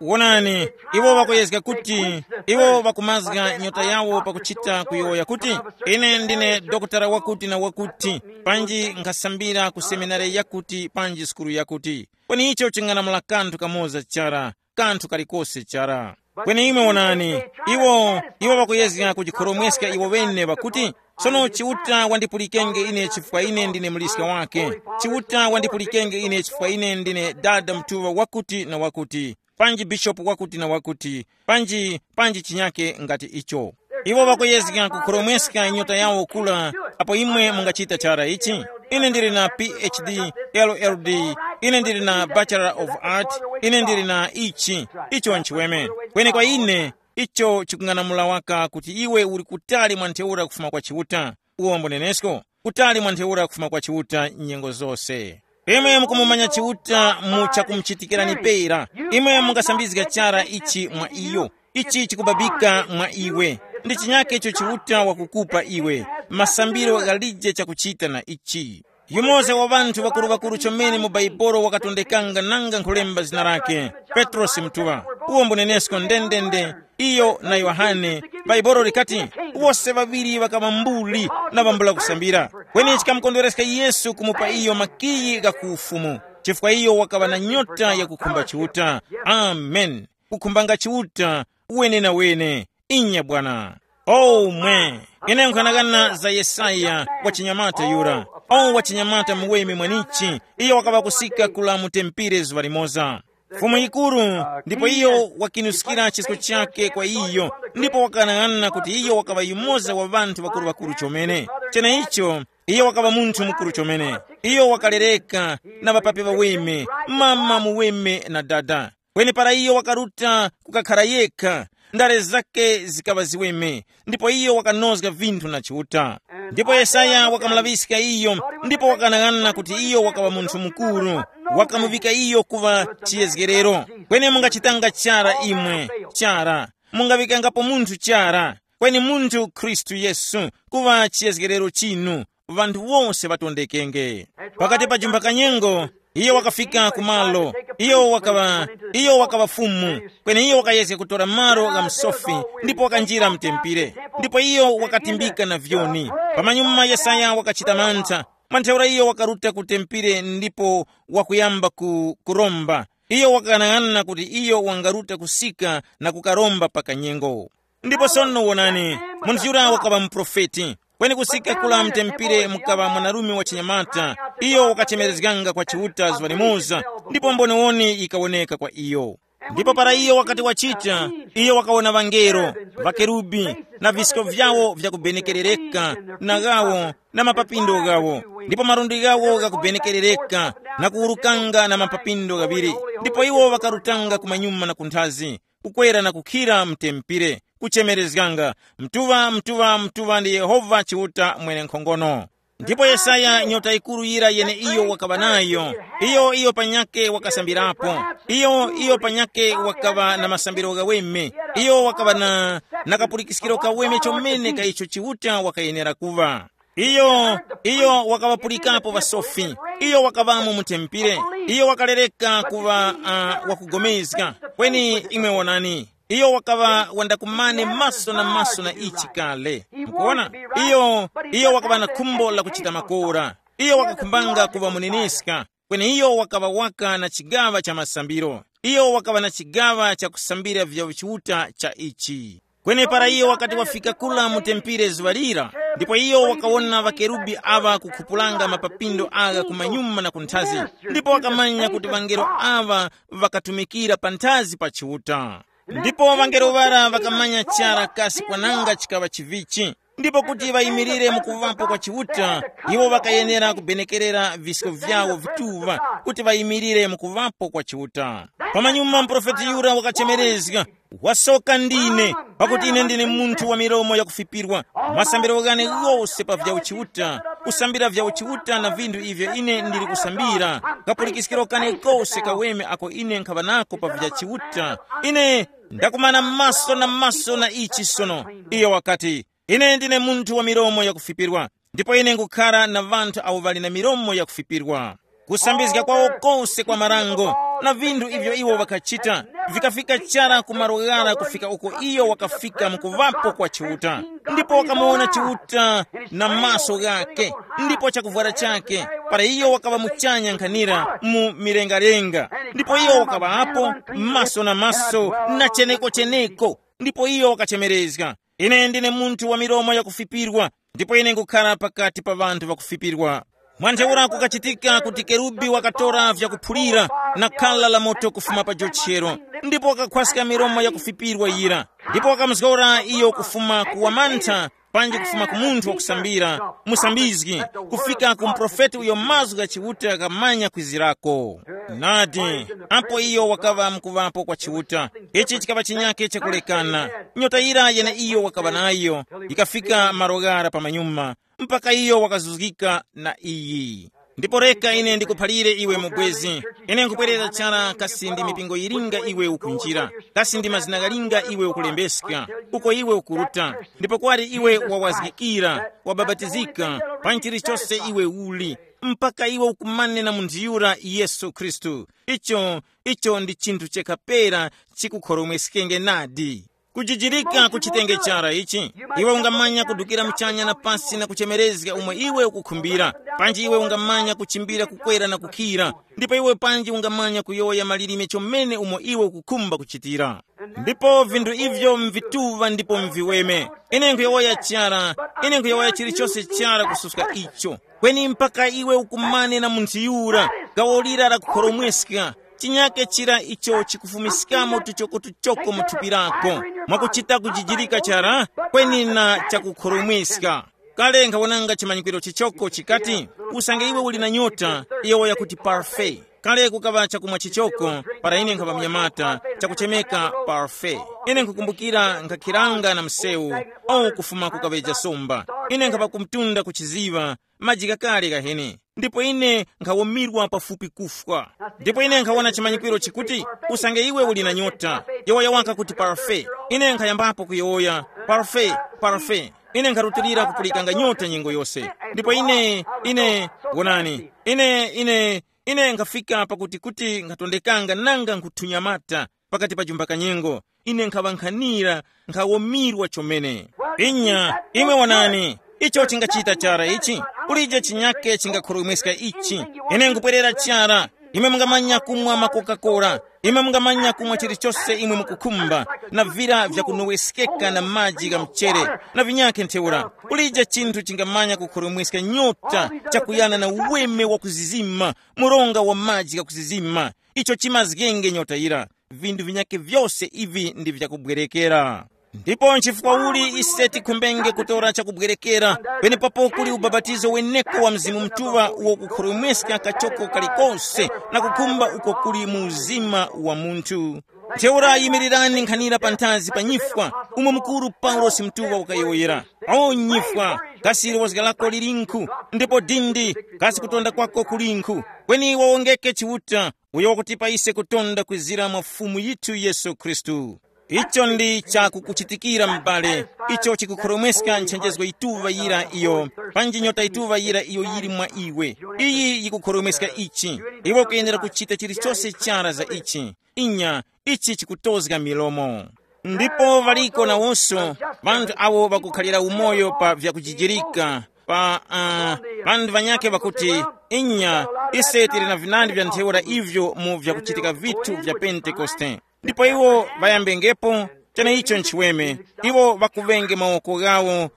Wonani, iwo ŵakuyezga kuti iwo ŵakumazga nyota yawo pakuchita kuyowoya kuti, ine ndine dokotala wakuti na wakuti, panji nkhasambira ku seminari yakuti panji sukulu yakuti. Kweni icho ching'anamula kanthu kamoza chara, kanthu kalikose chara. Kweni imwe wonani, iwo iwo ŵakuyezga kujikhoromweska iwo ŵene ŵakuti, sono Chiuta wandipulikenge ine chifukwa ine ndine muliska wake. Chiuta wandipulikenge ine chifukwa ine ndine dada mutuŵa wakuti na wakuti, panji bishopu wakuti na wakuti, panji panji chinyake ngati icho. Iwo ŵakuyezga kukhoromweska nyota yawo kula. Apo imwe mungachita chara ichi, ine ndili na P H D, L L D, ine ndili na Bachelor of Art, ine ndili na ichi, icho nchiweme. Kweni kwa ine, icho chikung'anamula waka kuti iwe uli kutali mwa ntheura kufuma kwa Chiuta. Uwombo nenesko, kutali mwa ntheura kufuma kwa Chiuta nyengo zose. Imwe mukumumanya Chiuta mu chakumuchitikirani pera. Imwe mungasambizga chara ichi mwa iyo. Ichi chikubabika mwa iwe. Ndi chinyake icho Chiuta wakukupa iwe. Masambiro ghalije chakuchita na ichi. Yumoza wa ŵanthu ŵakuru-ŵakuru chomene mu Baibolo wakatondekanga nanga nkhulemba zina lake, Petrosi Mutuŵa. Uwo mbunenesko ndendende, iyo na Yohane. Baibolo likati, wose ŵaŵiri ŵakaŵa mbuli na ŵambula kusambira. Kweni chikamukondwereska Yesu kumupa iyo makiyi gha ku ufumu, chifukwa iyo wakaŵa na nyota yakukhumba Chiuta. Amen. Kukhumbanga Chiuta wenenawene. Inya bwana. Oh mwe. Ine nkhanakana za Yesaya, wa chinyamata yura. Oh wa chinyamata muweme mwanichi. Iyo wakaŵa kusika kula mu tempire zuŵa limoza. Fumu yikuru, ndipo iyo wakinuskira chisko chake kwa iyo, ndipo wakanang'ana kuti iyo wakaŵa yumoza wa ŵanthu ŵakuru-ŵakuru chomene. Cheneicho, iyo wakaŵa munthu mukuru chomene. Iyo wakalereka na ŵapapi ŵaweme, mama muweme na dada. Kweni para iyo wakaruta kukakhara yekha, ndale zake zikaŵa ziweme, ndipo iyo wakanozga vinthu na Chiuta. Ndipo Yesaya wakamulaŵiska iyo, ndipo wakanang'ana kuti iyo wakaŵa munthu mukuru, wakamuŵika iyo kuŵa chiyezgerero. Kweni mungachitanga chara imwe, chara, mungaŵikangapo munthu chara, kweni munthu Khristu Yesu kuŵa chiyezgerero chinu, ŵanthu wose ŵatondekenge. Pakati pa jumba kanyengo, Iyo wakafika ku malo, iyo wakaŵa, iyo wakaŵa fumu, kweni iyo wakayezga kutora malo gha msofi, ndipo wakanjira mtempere. Ndipo iyo wakatimbika na vyoni. Pamanyuma Yesaya wakachita mantha. Mwa ntheura iyo wakaruta ku tempere ndipo wakuyamba ku, kuromba. Iyo wakang'anang'ana kuti iyo wangaruta kusika na kukaromba pa kanyengo. Ndipo sono wonani, munthu yura wakaŵa muprofeti. Kweni kusika kula mtempere mukaŵa mwanarume wa chinyamata, iyo wakachemerezganga kwa Chiuta zuŵa limoza, ndipo mboniwoni yikawoneka kwa iyo. Ndipo para iyo wakati wachita, iyo wakawona ŵangelo, ŵakerubi, na visko vyawo vyakubenekerereka, na ghawo, na mapapindo ghawo, ndipo malundi ghawo ghakubenekerereka, na kuwurukanga na mapapindo ghaŵiri. Ndipo iwo ŵakarutanga kumanyuma na kunthazi, kukwera na kukhira mtempire, kuchemerezganga, mtuŵa, mtuŵa, mtuŵa ndi Yehova Chiuta mwenenkhongono. Ndipo Yesaya nyota yikuru yira yeneiyo wakaŵa nayo, iyo iyo panyake wakasambirapo, iyo iyo panyake wakaŵa na masambiro ghaweme, iyo wakaŵa na, na kapulikiskiro kaweme chomene ka icho Chiuta wakayenera kuŵa. Iyo, iyo wakaŵapulikapo ŵasofi, iyo wakaŵamo mu tempire, iyo wakalereka kuŵa uh, wakugomezga. Kweni imwe wonani, iyo wakaŵa wandakumane maso na maso na ichi kale. Mukuona? Iyo, iyo wakaŵa na khumbo la kuchita makora. Iyo wakakhumbanga kuŵa muneneska, kweni iyo wakaŵa waka na chigaŵa cha masambiro. Iyo wakaŵa na chigaŵa cha kusambira vya Chiuta cha ichi. Kweni para iyo wakati wafika kula mu tempire zuŵa lira, ndipo iyo wakawona ŵakerubi aŵa kukhupulanga mapapindo agha kumanyuma na kunthazi, ndipo wakamanya kuti ŵangelo aŵa ŵakatumikira panthazi pa Chiuta. Ndipo ŵangelo ŵara ŵakamanya chara kasi kwananga chikaŵa chivichi, ndipo kuti ŵayimirire mu kuŵapo kwa Chiuta, iwo ŵakayenera kubenekerera visko vyawo vituŵa kuti ŵayimirire mu kuŵapo kwa Chiuta. Pamanyuma muprofeti yura wakachemerezga, wasoka ndine, pakuti ine ndine munthu wa milomo yakufipirwa. Masambiro ghane ghose pa vya uchiuta, kusambira vya uchiuta na vinthu ivyo ine ndili kusambira, kapulikiskiro kane kose kaweme ako ine nkhaŵa nako pa vya chiuta. Ine ndakumana maso na maso na ichi sono. Iyo wakati, ine ndine munthu wa milomo yakufipirwa, ndipo ine ngukhara na ŵanthu awo ŵali na milomo yakufipirwa. Kusambizga kwawo kose kwa marango na vinthu ivyo iwo ŵakachita, vikafika chara ku malo ghara kufika uko iyo wakafika mu kuŵapo kwa Chiuta. Ndipo wakamuwona Chiuta na maso ghake, ndipo chakuvwara chake, para iyo wakaŵa muchanya nkhanira mu milengalenga. Ndipo iyo wakaŵa apo maso na maso na cheneko-cheneko. Ndipo iyo wakachemerezga, ine ndine munthu wa milomo yakufipirwa, ndipo ine nkukhala pakati pa ŵanthu ŵakufipirwa. Mwa ntheura kukachitika kuti kerubi wakatora vyakuphulira na khala la moto kufuma pa jochero, ndipo wakakhwaska milomo yakufipirwa yira, ndipo wakamuzgora iyo kufuma ku wamantha, panji kufuma ku munthu wakusambira, musambizgi, kufika ku muprofeti uyo mazgu gha Chiuta ghamanya kwizirako. Nadi, apo iyo wakaŵa mkuŵapo kwa Chiuta, ichi chikaŵa chinyake chakulekana. Nyota yira yene iyo wakaŵa nayo yikafika malo ghara pamanyuma, mpaka iyo wakazuzgika na iyi. Ndipo reka ine ndikuphalire iwe mubwezi, ine nkupwerera chara kasi ndi mipingo yilinga iwe ukunjira, kasi ndi mazina ghalinga iwe ukulembeska, uko iwe ukuruta, ndipo kwali iwe wawazgikira, wabapatizika, pa chilichose iwe uli, mpaka iwe ukumane na munthu yura Yesu Khristu. Icho, icho ndi chinthu chekha pera chikukhoromweskenge nadi. Kujijirika ku chitenge chara ichi, iwe ungamanya kudukira muchanya na pasi na kuchemerezga umo iwe ukukhumbira. Panji iwe ungamanya kuchimbira kukwera na kukhira, ndipo iwe panji ungamanya kuyowoya malilime chomene umo iwe ukukhumba kuchitira. Ndipo vinthu ivyo mvituŵa ndipo mviweme. Ine nkhuyowoya chara, ine nkhuyowoya chilichose chara kususka icho. Kweni mpaka iwe ukumane na munthu yura, gawo lira lakukhoromweska, chinyake chira icho chikufumiskamo tuchokotuchoko mu thupi lako, mwakuchita kujijirika chara, kweni na chakukhoromweska. Kale nkhawonanga chimanyikwiro chichoko chikati, usange iwe uli na nyota, iyo yakuti parfait. Kale kukaŵa chakumwa chichoko, para ine nkhapa mnyamata, chakuchemeka parfait. Ine nkhukumbukira nkhakhiranga na msewu, au kufuma kukaŵeja somba. Ine nkhapa kumtunda kuchiziŵa, maji ghakale ghahene. Ndipo ine nkhawumirwa pafupi kufwa. Ndipo ine nkhawona chimanyikwiro chikuti, usange iwe uli na nyota, yowoya waka kuti parfait. Ine nkhayambapo kuyowoya, parfait, parfait. Ine nkharutilira kupulikanga nyota nyengo yose. Ndipo ine, ine, wonani, ine, ine, ine nkhafika pakuti kuti nkhatondekanga nanga nkuthunyamata pakati pa jumba kanyengo. Ine nkhaŵa nkhanira, nkhawomirwa chomene. Inya, imwe wonani, icho chingachita chara ichi, kulije chinyake chingakhorwemweska ichi. Ine nkupwerera chara. Imwe mungamanya kumwa ma Coca-Cola, imwe mungamanya kumwa chilichose imwe mukukhumba, na vira vyakunoweskeka na maji gha mchere, na vinyakhe ntheura. Kulije chinthu chingamanya kukhoromweska nyota chakuyana na uweme wakuzizima, muronga wa maji ghakuzizima. Icho chimazgenge nyota yira. Vinthu vinyakhe vyose ivi ndi vyakubwerekera. Ndipo nchifukwa uli ise tikhumbenge kutora chakubwerekera, penepapo kuli ubapatizo weneko wa Mzimu Mutuŵa uwo kukhoromweska kachoko kalikose na kukhumba uko kuli mu uzima wa munthu. Ntheura yimirirani nkhanira panthazi pa nyifwa, umo mukuru Paulosi Mutuŵa wakayowoyera. O nyifwa, kasi lozga lako lilinkhu? Ndipo dindi, kasi kutonda kwako kulinkhu? Kweni wawongeke Chiuta, uyo wakutipa ise kutonda kwizira mwa Fumu yithu Yesu Khristu. Icho ndi chakukuchitikira m'bale, icho chikukhoromweska nchenjezgo yituŵa yira iyo, panji nyota yituŵa yira iyo yili mwa iwe. Iyi yikukhoromweska ichi. Iwe ukuyenera kuchita chilichose chara za ichi. Inya, ichi chikutozga milomo. Ndipo ŵaliko nawonso ŵanthu awo ŵakukhalira umoyo pa vyakujijirika, pa uh, ŵanthu ŵanyakhe ŵakuti, inya, ise tili na vinandi vya ntheura ivyo mu vyakuchitika vithu vya Pentekoste. Ndipo iwo ŵayambengepo cheneicho nchiweme. Iwo ŵakuŵenge mawoko ghawo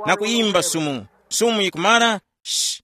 na kuyimba sumu. Sumu yikumara, sh,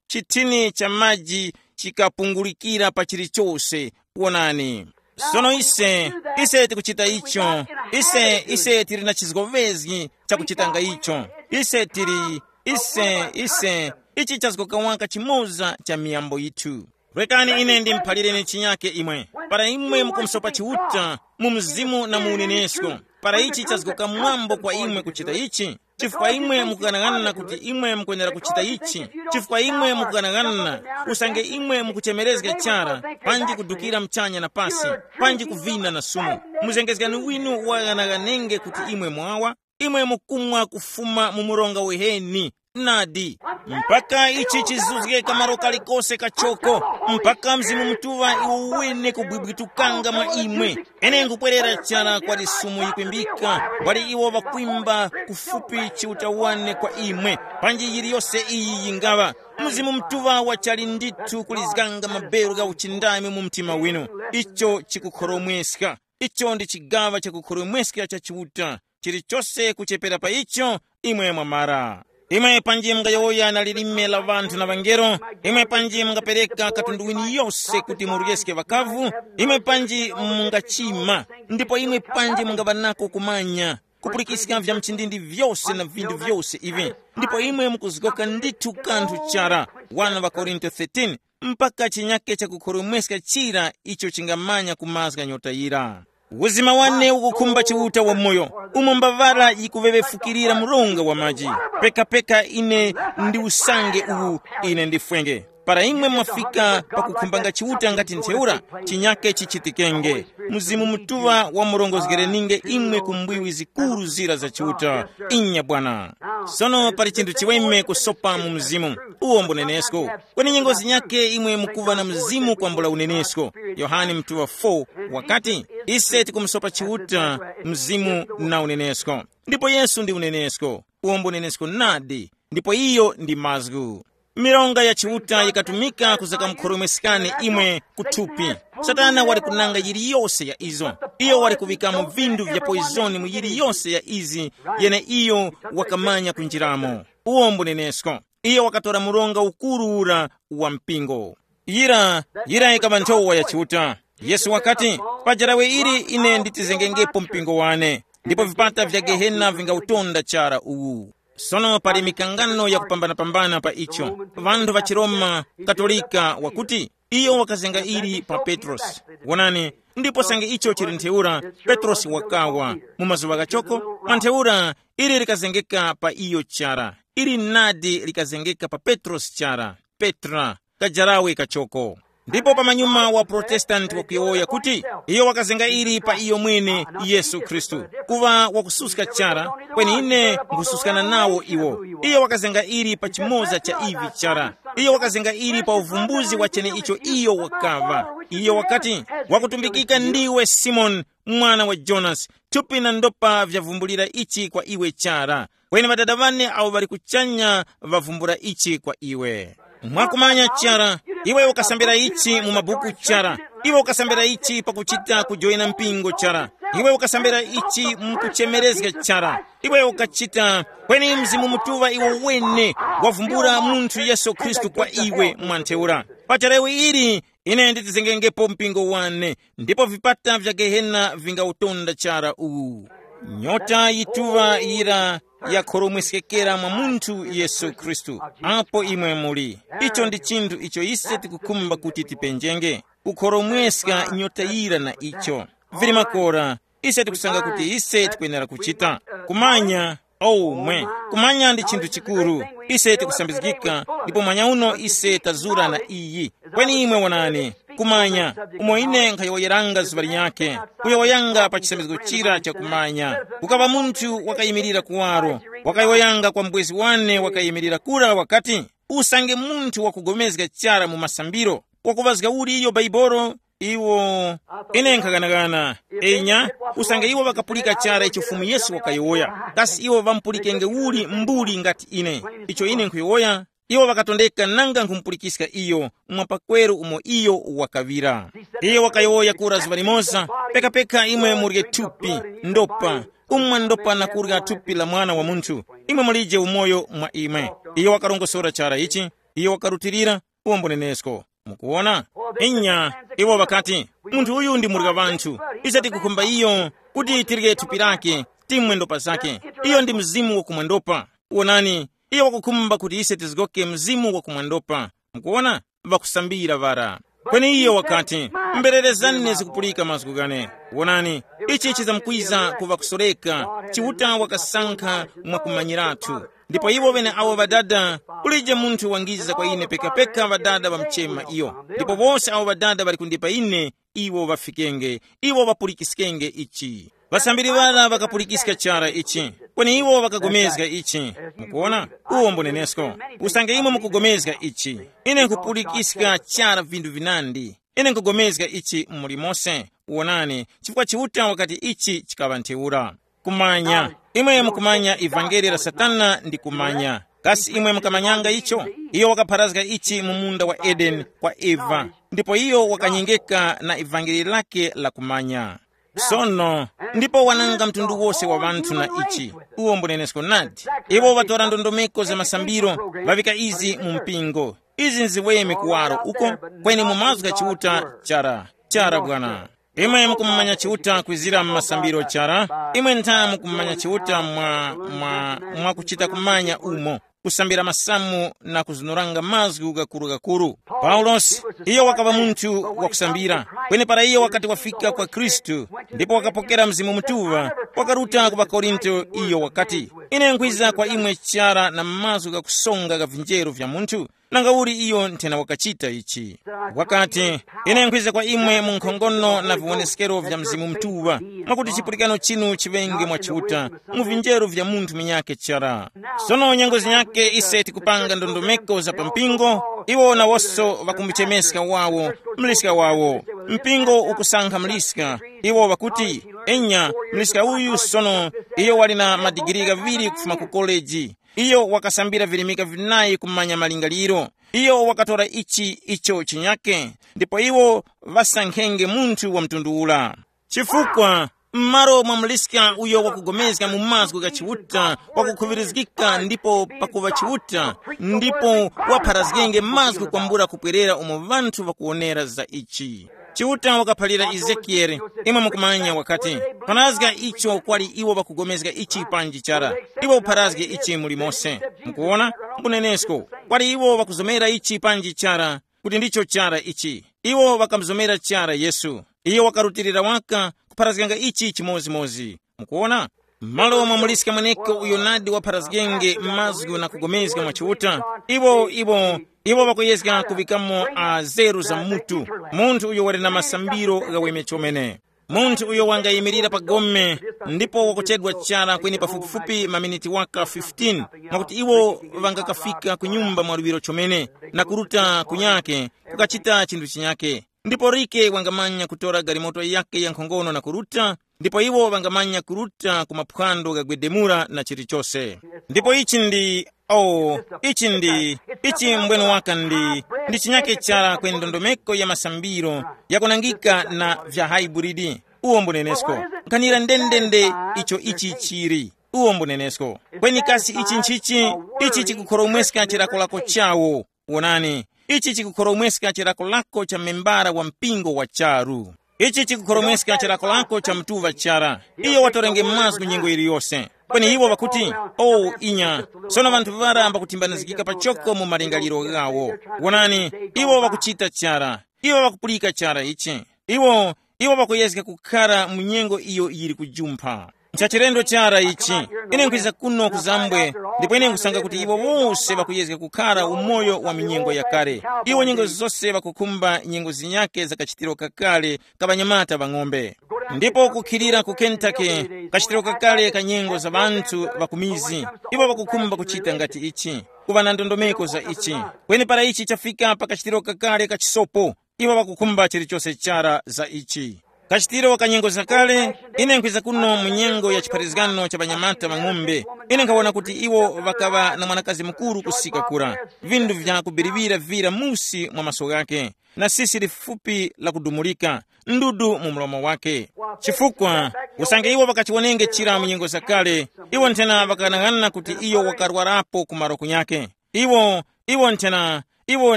chithini cha maji chikapungulikira pa chilichose. Wonani. Sono ise, ise tikuchita icho. Ise, ise tili na chizgovezgi chakuchitanga icho. Ise tili, ise, ise, ichi chazgoka waka chimoza cha miyambo yithu. Rekani ine ndimuphalireni chinyake imwe. Para imwe mukumusopa Chiuta mu mzimu na mu unenesko, para ichi chazgoka mwambo kwa imwe kuchita ichi, chifukwa imwe mukughanaghanana kuti imwe mukwenera kuchita ichi, chifukwa imwe mukughanaghanana, usange imwe mukuchemerezga chara, panji kudukira mchanya na pasi, panji kuvina na sumu, muzengezgani winu waghanaghanenge kuti imwe mwawa. Imwe mukumwa kufuma mu mronga uheni. Nadi, mpaka ichi chizuzgeka malo kalikose kachoko, mpaka Mzimu Mutuŵa iwo wene kubwibwitukanga mwa imwe. Ine nkupwerera chara kwa lisumu yikwimbika, wali iwo ŵakwimba kufupi chiutawane kwa imwe. Panji yiliyose iyi yingaŵa, Mzimu Mutuŵa wachali ndithu kulizganga maberu gha uchindami mu mtima winu. Icho chikukhoromweska. Icho ndi chigaŵa chakukhoromweska cha Chiuta. Chilichose kuchepera pa icho, imwe mwamara. Imwe panji mungayowoya na lilime la ŵanthu na ŵangelo, imwe panji mungapereka katundu wini yose kuti muryeske ŵakavu, imwe panji mungachima, ndipo imwe panji mungaŵa nako kumanya, kupulikiska vya mchindindi vyose na vinthu vyose ivi, ndipo imwe mukuzgoka ndithu kanthu chara. Wana ŵa Korinto thirteen. Mpaka chinyake chakukhoromweska chira icho chingamanya kumazga nyota yira. Uzima wane ukukhumba Chiuta wamoyo, umo mbavala yikuŵeŵefukirira mronga wa maji. Pekapeka ine ndi usange uwu, ine ndifwenge. Para imwe mwafika pakukhumbanga Chiuta ngati ntheura, chinyake chichitikenge. Mzimu Mutuŵa wamurongozgereninge imwe ku mbwiwi zikuru zira za Chiuta. Inya bwana. Sono pali chinthu chiweme kusopa mu mzimu. Uwo mbunenesko. Kweni nyengo zinyake imwe mukuŵa na mzimu kwambula unenesko. Yohane mtuŵa four wakati, ise tikumusopa Chiuta, mzimu na unenesko. Ndipo Yesu ndi unenesko. Uwo mbunenesko nadi. Ndipo iyo ndi mazgu. Mironga ya Chiuta yikatumika kuzakamkhoromweskani imwe kuthupi. Satana wali kunanga yiliyose ya izo. Iyo wali kuŵikamo vinthu vya poizoni mu yiliyose ya izi, yene iyo wakamanya kunjiramo. Uwo mbunenesko. Iyo wakatora muronga ukuru ura wa mpingo. Yira, yira yikaŵa nthowa ya Chiuta. Yesu wakati, pa jarawe ili ine nditizengengepo mpingo wane, ndipo vipata vya Gehena vingautonda chara uwu. Sono pali mikangano yakupambanapambana pa icho. Ŵanthu ŵa chiRoma Katolika wakuti, iyo wakazenga ili pa Petrosi. Wonani, ndipo sange icho chili ntheura, Petrosi wakawa. Mu mazuŵa ghachoko, mwa ntheura, ili likazengeka pa iyo chara. Ili nadi likazengeka pa Petrosi chara. Petra, kajarawe kachoko. Ndipo pamanyuma wa Protestanti wakuyowoya kuti iyo wakazenga ili pa iyo mwene, Yesu Khristu, kuŵa wakususka chara, kweni ine nkhususkana nawo iwo. Iyo wakazenga ili pa chimoza cha ivi chara. Iyo wakazenga ili pa uvumbuzi wa cheneicho iyo wakaŵa. Iyo wakati, wakutumbikika ndiwe Simoni, mwana wa Jonasi, thupi na ndopa vyavumbulira ichi kwa iwe chara, kweni Ŵadada ŵane awo ŵali kuchanya ŵavumbula ichi kwa iwe. Mwakumanya chara, iwe ukasambira ichi mu mabuku chara, iwe ukasambira ichi pakuchita kujoyina mpingo chara, iwe ukasambira ichi mu kuchemerezga chara, iwe ukachita, kweni Mzimu Mutuŵa iwo wene wavumbula munthu Yesu Khristu kwa iwe mwa ntheura. Pa charewi ili, ine nditizengengepo mpingo wane, ndipo vipata vya Gehena vingawutonda chara uwu. Nyota yituŵa yira yakhoromweskekera mwa munthu Yesu Khristu, apo imwe muli. Icho ndi chinthu icho ise tikukhumba kuti tipenjenge, kukhoromweska nyota yira na icho. Vili makora, ise tikusanga kuti ise tikwenera kuchita. Kumanya, omwe, kumanya ndi chinthu chikuru. Ise tikusambizgika, ndipo mwanya uno ise tazura na iyi. Kweni imwe wonani, kumanya, umo ine nkhayowoyeranga zuŵa linyakhe, kuyowoyanga pa chisambizgo chira cha kumanya, kukaŵa munthu wakayimirira kuwaro, wakayowoyanga kwa mbwezi wane wakayimirira kura wakati, usange munthu wakugomezga chara mu masambiro, wakuŵazga uli iyo Baibolo? Iwo, ine nkhaganagana, enya, usange iwo ŵakapulika chara icho Fumu Yesu wakayowoya, kasi iwo ŵampulikenge uli mbuli ngati ine? Icho ine nkhuyowoya, iwo ŵakatondeka nanga nkhumupulikiska iyo mwa pakweru umo iyo wakaŵira. Iyo wakayowoya kura zuŵa limoza, pekapeka imwe murye thupi, ndopa, kumwa ndopa na kurya thupi la Mwana wa Munthu, imwe mulije umoyo mwa imwe. Iyo wakarongosora chara ichi, iyo wakarutilira, uwombonenesko. Mukuwona? Inya, iwo ŵakati, munthu uyu ndi murya ŵanthu. Ise tikukhumba iyo kuti tirye thupi lake, timwe ndopa zake. Iyo ndi mzimu wakumwendopa. Wonani, iyo wakukhumba kuti ise tizgoke mzimu wakumwendopa. Mukuwona? Ŵakusambira ŵara. Kweni iyo wakati, mbererezani zikupulika mazgu ghane. Wonani, ichi chizamkwiza kuŵa kusoreka, Chiuta wakasankha mwakumanyirathu. Ndipo iwo ŵene awo ŵadada, kulije munthu wangiza kwa ine pekapeka ŵadada ŵamuchema iyo. Ndipo wose awo ŵadada ŵali kundipa ine, iwo ŵafikenge, iwo ŵapulikiskenge ichi. Ŵasambiri ŵara ŵakapulikiska chara ichi, kweni iwo ŵakagomezga ichi. Mukuona? Uwo mbunenesko. Usange imwe mukugomezga ichi, ine nkupulikiska chara vinthu vinandi. Ine nkugomezga ichi muli mose. Wonani, chifukwa Chiuta wakati ichi chikaŵa ntheura. Kumanya. Imwe mukumanya ivangeli la Satana ndi kumanya. Kasi imwe mukamanyanga icho? Iyo wakapharazga ichi mu munda wa Edeni kwa Eva, ndipo iyo wakanyengeka na ivangeli lake la kumanya. Sono, ndipo wananga mtundu wose wa ŵanthu na ichi. Uwo mbunenesko nadi. Iwo ŵatora ndondomeko za masambiro, ŵaŵika izi mu mpingo. Izi nziweme kuwaro uko, kweni mu mazgu gha Chiuta chara, chara bwana. Imwe mukumumanya Chiuta kwizira mu masambiro chara, imwe ntha mukumumanya Chiuta mwa, mwa, mwa kuchita kumanya umo, kusambira masamu na kuzunuranga mazgu gakuru-gakuru. Paulosi, iyo wakaŵa munthu wakusambira, kweni para iyo wakati wafika kwa Khristu, ndipo wakapokera Mzimu Mutuŵa, wakaruta ku ŵaKorinto, iyo wakati, ine nkhwiza kwa imwe chara na mazgu ghakusonga gha vinjeru vya munthu, nanga uli iyo nthena wakachita ichi. Wakati, ine nkhwiza kwa imwe mu nkhongono na viwoneskero vya Mzimu Mutuŵa, mwakuti chipulikano chinu chiŵenge mwa Chiuta, mu vinjeru vya munthu munyakhe chara. Sono nyengo zinyakhe ise tikupanga ndondomeko za pa mpingo, iwo nawonso ŵakumuchemeska wawo, mliska wawo. Mpingo ukusankha mliska, iwo ŵakuti, enya, mliska uyu sono, iyo wali na madigiri ghaŵiri kufuma ku koleji. Iyo wakasambira virimika vinayi kumanya malingaliro. Iyo wakatora ichi icho chinyake, ndipo iwo ŵasankhenge munthu wa mtundu ura. Chifukwa, m'malo mwa muliska uyo wakugomezga mu mazgu gha Chiuta, wakukhuŵirizgika ndipo pakuŵa Chiuta, ndipo wapharazgenge mazgu kwambula kupwerera umo ŵanthu ŵakuwonera za ichi. Chiuta wakaphalira Ezekiyele, imwe mukumanya wakati, pharazga icho kwali iwo ŵakugomezga ichi panji chara, iwe upharazge ichi muli mose. Mukuwona? Mbunenesko, kwali iwo ŵakuzomera ichi panji chara, kuti ndicho chara ichi. Iwo ŵakamuzomera chara Yesu. Iyo wakarutilira waka kupharazganga ichi chimozimozi. Mukuwona? Malo mwamuliska mweneko uyo nadi wapharazgenge mazgu na kugomezga mwa Chiuta, iwo iwo iwo ŵakuyezga kuŵikamo a zeru za mutu, munthu uyo wali na masambiro ghaweme chomene. Munthu uyo wangayimirira pa gome, ndipo wakuchedwa chara kweni pafupifupi maminiti waka fifteen, mwakuti iwo ŵangakafika ku nyumba mwaluŵiro chomene, na kuruta kunyake, kukachita chinthu chinyake. Ndipo Rike wangamanya kutora galimoto yake ya nkhongono na kuruta, ndipo iwo ŵangamanya kuruta ku maphwando ghagwedemula na chilichose. Ndipo ichi ndi, oh, ichi ndi, ichi mbwenu waka ndi, ndi chinyake chara kwe ndondomeko ya masambiro yakunangika na vya haiburidi. Uwo mbunenesko. Nkhanira ndendende icho ichi chiri. Uwo mbunenesko. Kweni kasi ichi nchichi? Ichi chikukhoromweska chilakolako chawo. Wonani, ichi chikukhoromweska chilakolako cha membara wa mpingo wa charu. Ichi chikukhoromweska chilakolako cha mtuŵa chara. Iyo watorenge mazgu nyengo yiliyose. Kweni iwo ŵakuti, oh inya, sono ŵanthu ŵara mbakutimbanizgika pachoko mu malingaliro ghawo. Wonani, iwo ŵakuchita chara. Iwo ŵakupulika chara ichi. Iwo iwo ŵakuyezga kukhara mu nyengo iyo yili kujumpha. Nchachilendo chara ichi. Ine nkhwiza kuno ku zambwe, ndipo ine nkhusanga kuti iwo wose ŵakuyezga kukhara umoyo wa minyengo yakale. Iwo nyengo zose ŵakukhumba nyengo zinyake za kachitiro kakale ka ŵanyamata ŵa ng'ombe. Ndipo kukhilira ku Kentucky, kachitiro kakale ka nyengo za ŵanthu ŵa ku mizi, iwo ŵakukhumba kuchita ngati ichi, kuŵa na ndondomeko za ichi. Kweni para ichi chafika pa kachitiro kakale ka chisopo, iwo ŵakukhumba chilichose chara za ichi. Kachitiro ka nyengo zakale, ine nkhwiza kuno mu nyengo ya chipharizgano cha ŵanyamata ŵa ng'ombe. Ine nkhawona kuti iwo ŵakaŵa na mwanakazi mukuru kusika kura, vindu vya kubiriwira vira musi mwa maso ghake, na sisi lifupi la kudumulika, ndudu mu mlomo wake. Chifukwa, usange iwo ŵakachiwonenge chira mu nyengo zakale, iwo nthena ŵakanang'ana kuti iyo wakarwarapo ku malo kunyake. Iwo, iwo nthena, iwo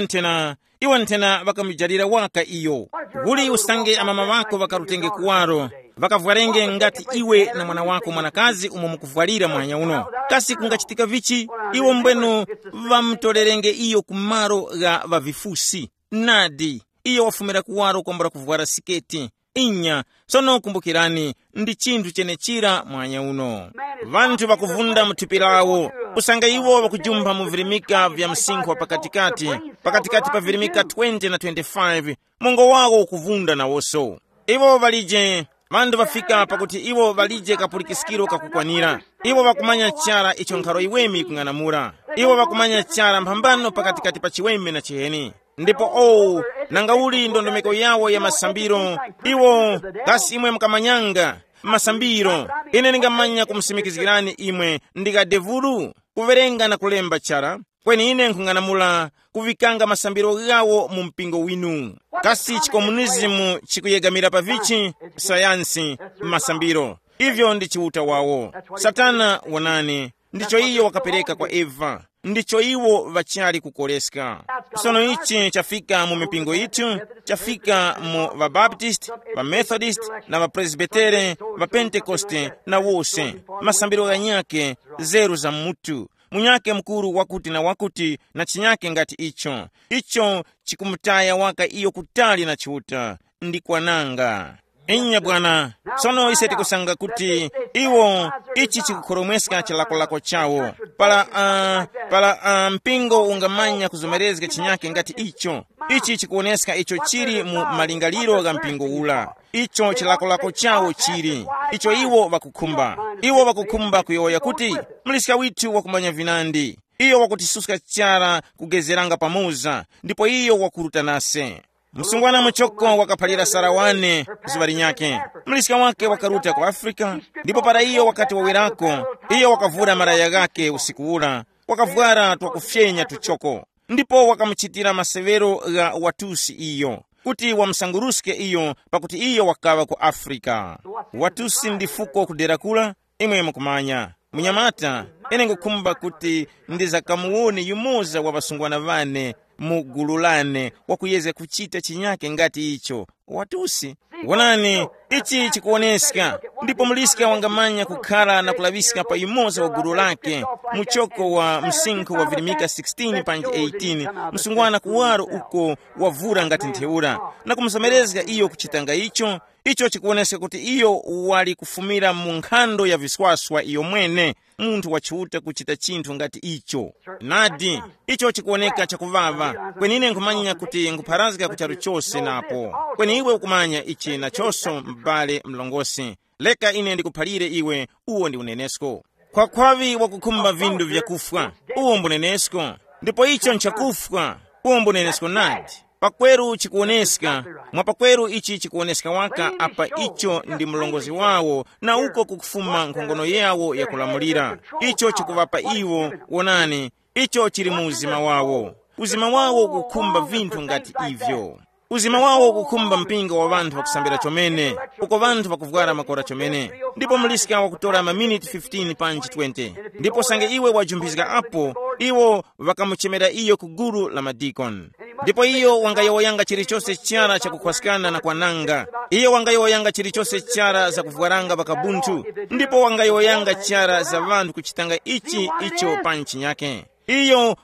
nthena, iwo nthena ŵakamujalira waka iyo. Uli usange amama ŵako ŵakarutenge kuwaro, ŵakavwarenge ngati iwe na mwana wako mwanakazi umo mukuvwarira muhanya uno. Kasi kungachitika vichi? Iwo mbwenu ŵamutorerenge iyo ku malo gha ŵavifusi. Nadi, iyo wafumira kuwaro kwambula kuvwara siketi. Inya, sono kumbukirani, ndi chinthu chenechira mwanya uno. Vanthu vakuvunda mu thupi lawo, kusanga iwo vakujumpha mu virimika vya msinkhu wa pakatikati, pakatikati pa virimika twenty na twenty-five, mungo wawo ukuvunda nawoso. Iwo valije, vanthu vafika pakuti iwo valije kapulikiskiro kakukwanira. Iwo vakumanya chara icho nkharo iweme ikung'anamula. Iwo vakumanya chara mphambano pakatikati pa chiweme na chiheni. Ndipo owu, nanga uli ndondomeko yawo ya masambiro? Iwo, kasi imwe mukamanyanga masambiro? Ine ndingamanya kumusimikizgirani imwe ndi kadevulu kuwerenga na kulemba chara. Kweni ine nkhung'anamula kuŵikanga masambiro ghawo mu mpingo winu. Kasi chikomunizimu chikuyegamira pa vichi? Sayansi, masambiro. Ivyo ndi chiuta wawo. Satana, wonani, ndicho iyo wakapereka kwa Eva. Ndicho iwo ŵachali kukoleska. Sono ichi chafika mu mipingo yithu, chafika mu ŵabaptist, ŵamethodist, na ŵapresbitere, ŵapentekoste, na wose, masambiro ghanyakhe, zeru za mutu, munyakhe mukuru wakuti na wakuti, na chinyakhe ngati icho. Icho chikumutaya waka iyo kutali na Chiuta. Ndi kwananga. Inya bwana. Sono ise tikusanga kuti iwo, ichi chikukhoromweska chilakolako chawo. Para uh, para uh, mpingo ungamanya kuzomerezga chinyake ngati icho. Ichi chikuwoneska icho chili mu malingaliro gha mpingo ula. Icho chilakolako chawo chili, icho iwo vakukhumba. Iwo vakukhumba kuyowoya kuti, muliska withu wakumanya vinandi. Iyo wakutisuska chara kugezeranga pamoza, ndipo iyo wakuruta nase. Msungwana muchoko wakaphalira Sara wane zuŵa linyakhe. Mliska wake wakaruta ku Afrika, ndipo para iyo wakati wawerako, iyo wakavura malaya ghakhe usiku ura, wakavwara twakufyenya tuchoko. Ndipo wakamuchitira maseŵero gha watusi iyo, kuti wamusanguruske iyo pakuti iyo wakaŵa ku Afrika. Watusi ndi fuko kudera kura. Imwe mukumanya, munyamata, ine ngukhumba kuti ndizakamuwone yumoza wa ŵasungwana ŵane mu gulu lane wakuyezga kuchita chinyake ngati icho. Watusi. Wonani, ichi chikuwoneska. Ndipo muliska wangamanya kukhala na kulaŵiska pa yumoza wa gulu lake, muchoko wa msinkhu wa virimika sixteen panji eighteen, msungwana kuwaro uko wavura ngati ntheura, na kumuzomerezga iyo kuchitanga icho. Icho chikuwoneska kuti iyo wali kufumira mu nkhando ya viswaswa iyo mwene, munthu wa Chiuta kuchita chinthu ngati icho. Nadi, icho chikuwoneka chakuŵaŵa. Kweni ine nkhumanya kuti nkhupharazga ku charu chose napo. Kweni iwe ukumanya ichi nachonso, m'bale mlongosi. Leka ine ndikuphalire iwe, uwo ndi unenesko. Khwakhwaŵi wakukhumba vindu vyakufwa, uwo mbunenesko. Ndipo icho nchakufwa, uwo mbunenesko nadi. Pakweru chikuwoneska, mwa pakweru ichi chikuwoneska waka apa icho ndi mlongozi wawo, na uko kukufuma nkhongono yawo yakulamulira. Icho chikuŵapa iwo, wonani, icho chili mu uzima wawo. Uzima wawo ukukhumba vinthu ngati ivyo. Uzima wawo ukukhumba mpingo wa ŵanthu ŵakusambira chomene, uko ŵanthu ŵakuvwara makora chomene. Ndipo muliska wakutora maminiti fifteen panji twenty. Ndipo sange iwe wajumphiska apo, iwo ŵakamuchemera iyo ku gulu la madikoni. Ndipo iyo wangayowoyanga chilichose chara chakukhwaskana na kwananga. Iyo wangayowoyanga chilichose chara zakuvwaranga ŵakabunthu. Ndipo wangayowoyanga chara za ŵanthu kuchitanga ichi icho pa nchinyake. Iyo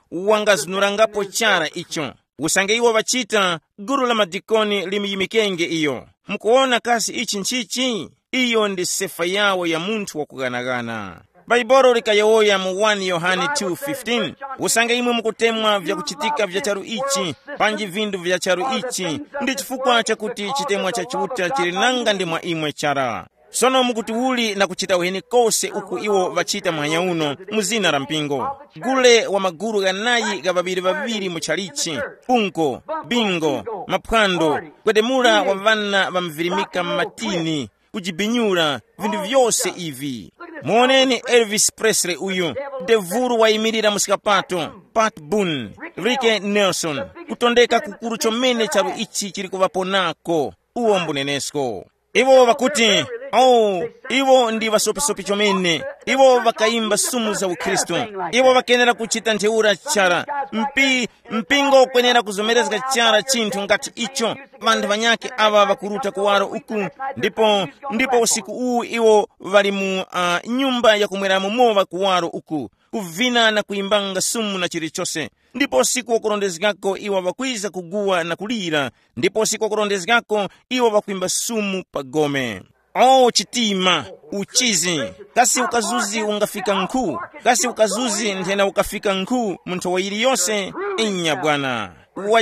wangazunurangapo chara icho. Usange iwo ŵachita, gulu la madikoni limuyimikenge iyo. Mukuwona kasi ichi nchichi? Iyo ndi sefa yawo ya munthu wakughanagana. Bhaibuli likayowoya mu one Yohane two fifteen, usange imwe mukutemwa vyakuchitika vya charu ichi, panji vindu vya charu ichi, ndi chifukwa chakuti chitemwa cha Chiuta chili nanga ndi mwa imwe chara. Sono mukuti uli na kuchita uheni kose uku iwo ŵachita muhanya uno mu zina la mpingo. Gule wa magulu ghanayi gha ŵaŵiri-ŵaŵiri mu chalichi, unko, bingo, maphwando, gwedemula wa ŵana ŵamvirimika m'matini, kujibinyula, vinthu vyose ivi. Muwoneni Elvis Presley uyu, devulu wayimirira mu skapato, Pat Boone, Ricky Nelson, kutondeka kukuru chomene charu ichi chili kuŵapo nako, uwo mbunenesko. Iwo ŵakuti, oh, iwo ndi ŵasopisopi chomene. Iwo ŵakayimba sumu za ukhristu. Iwo ŵakenera kuchita ntheura chara. Mpi, mpingo ukwenera kuzomerezga chara chinthu ngati icho. Ŵanthu ŵanyakhe aŵa ŵakuruta kuwaro uku, ndipo, ndipo usiku uwu iwo ŵali mu uh, nyumba yakumweramo mowa kuwaro uku, kuvina na kuyimbanga sumu na chilichose. Ndipo usiku wakurondezgako iwo ŵakwiza kuguwa na kulira, ndipo usiku wakurondezgako iwo ŵakwimba sumu pa gome. O chitima, uchizi, kasi ukazuzi ungafika nkhu? Kasi ukazuzi nthena ukafika nkhu mu nthowa yiliyose? Inya bwana,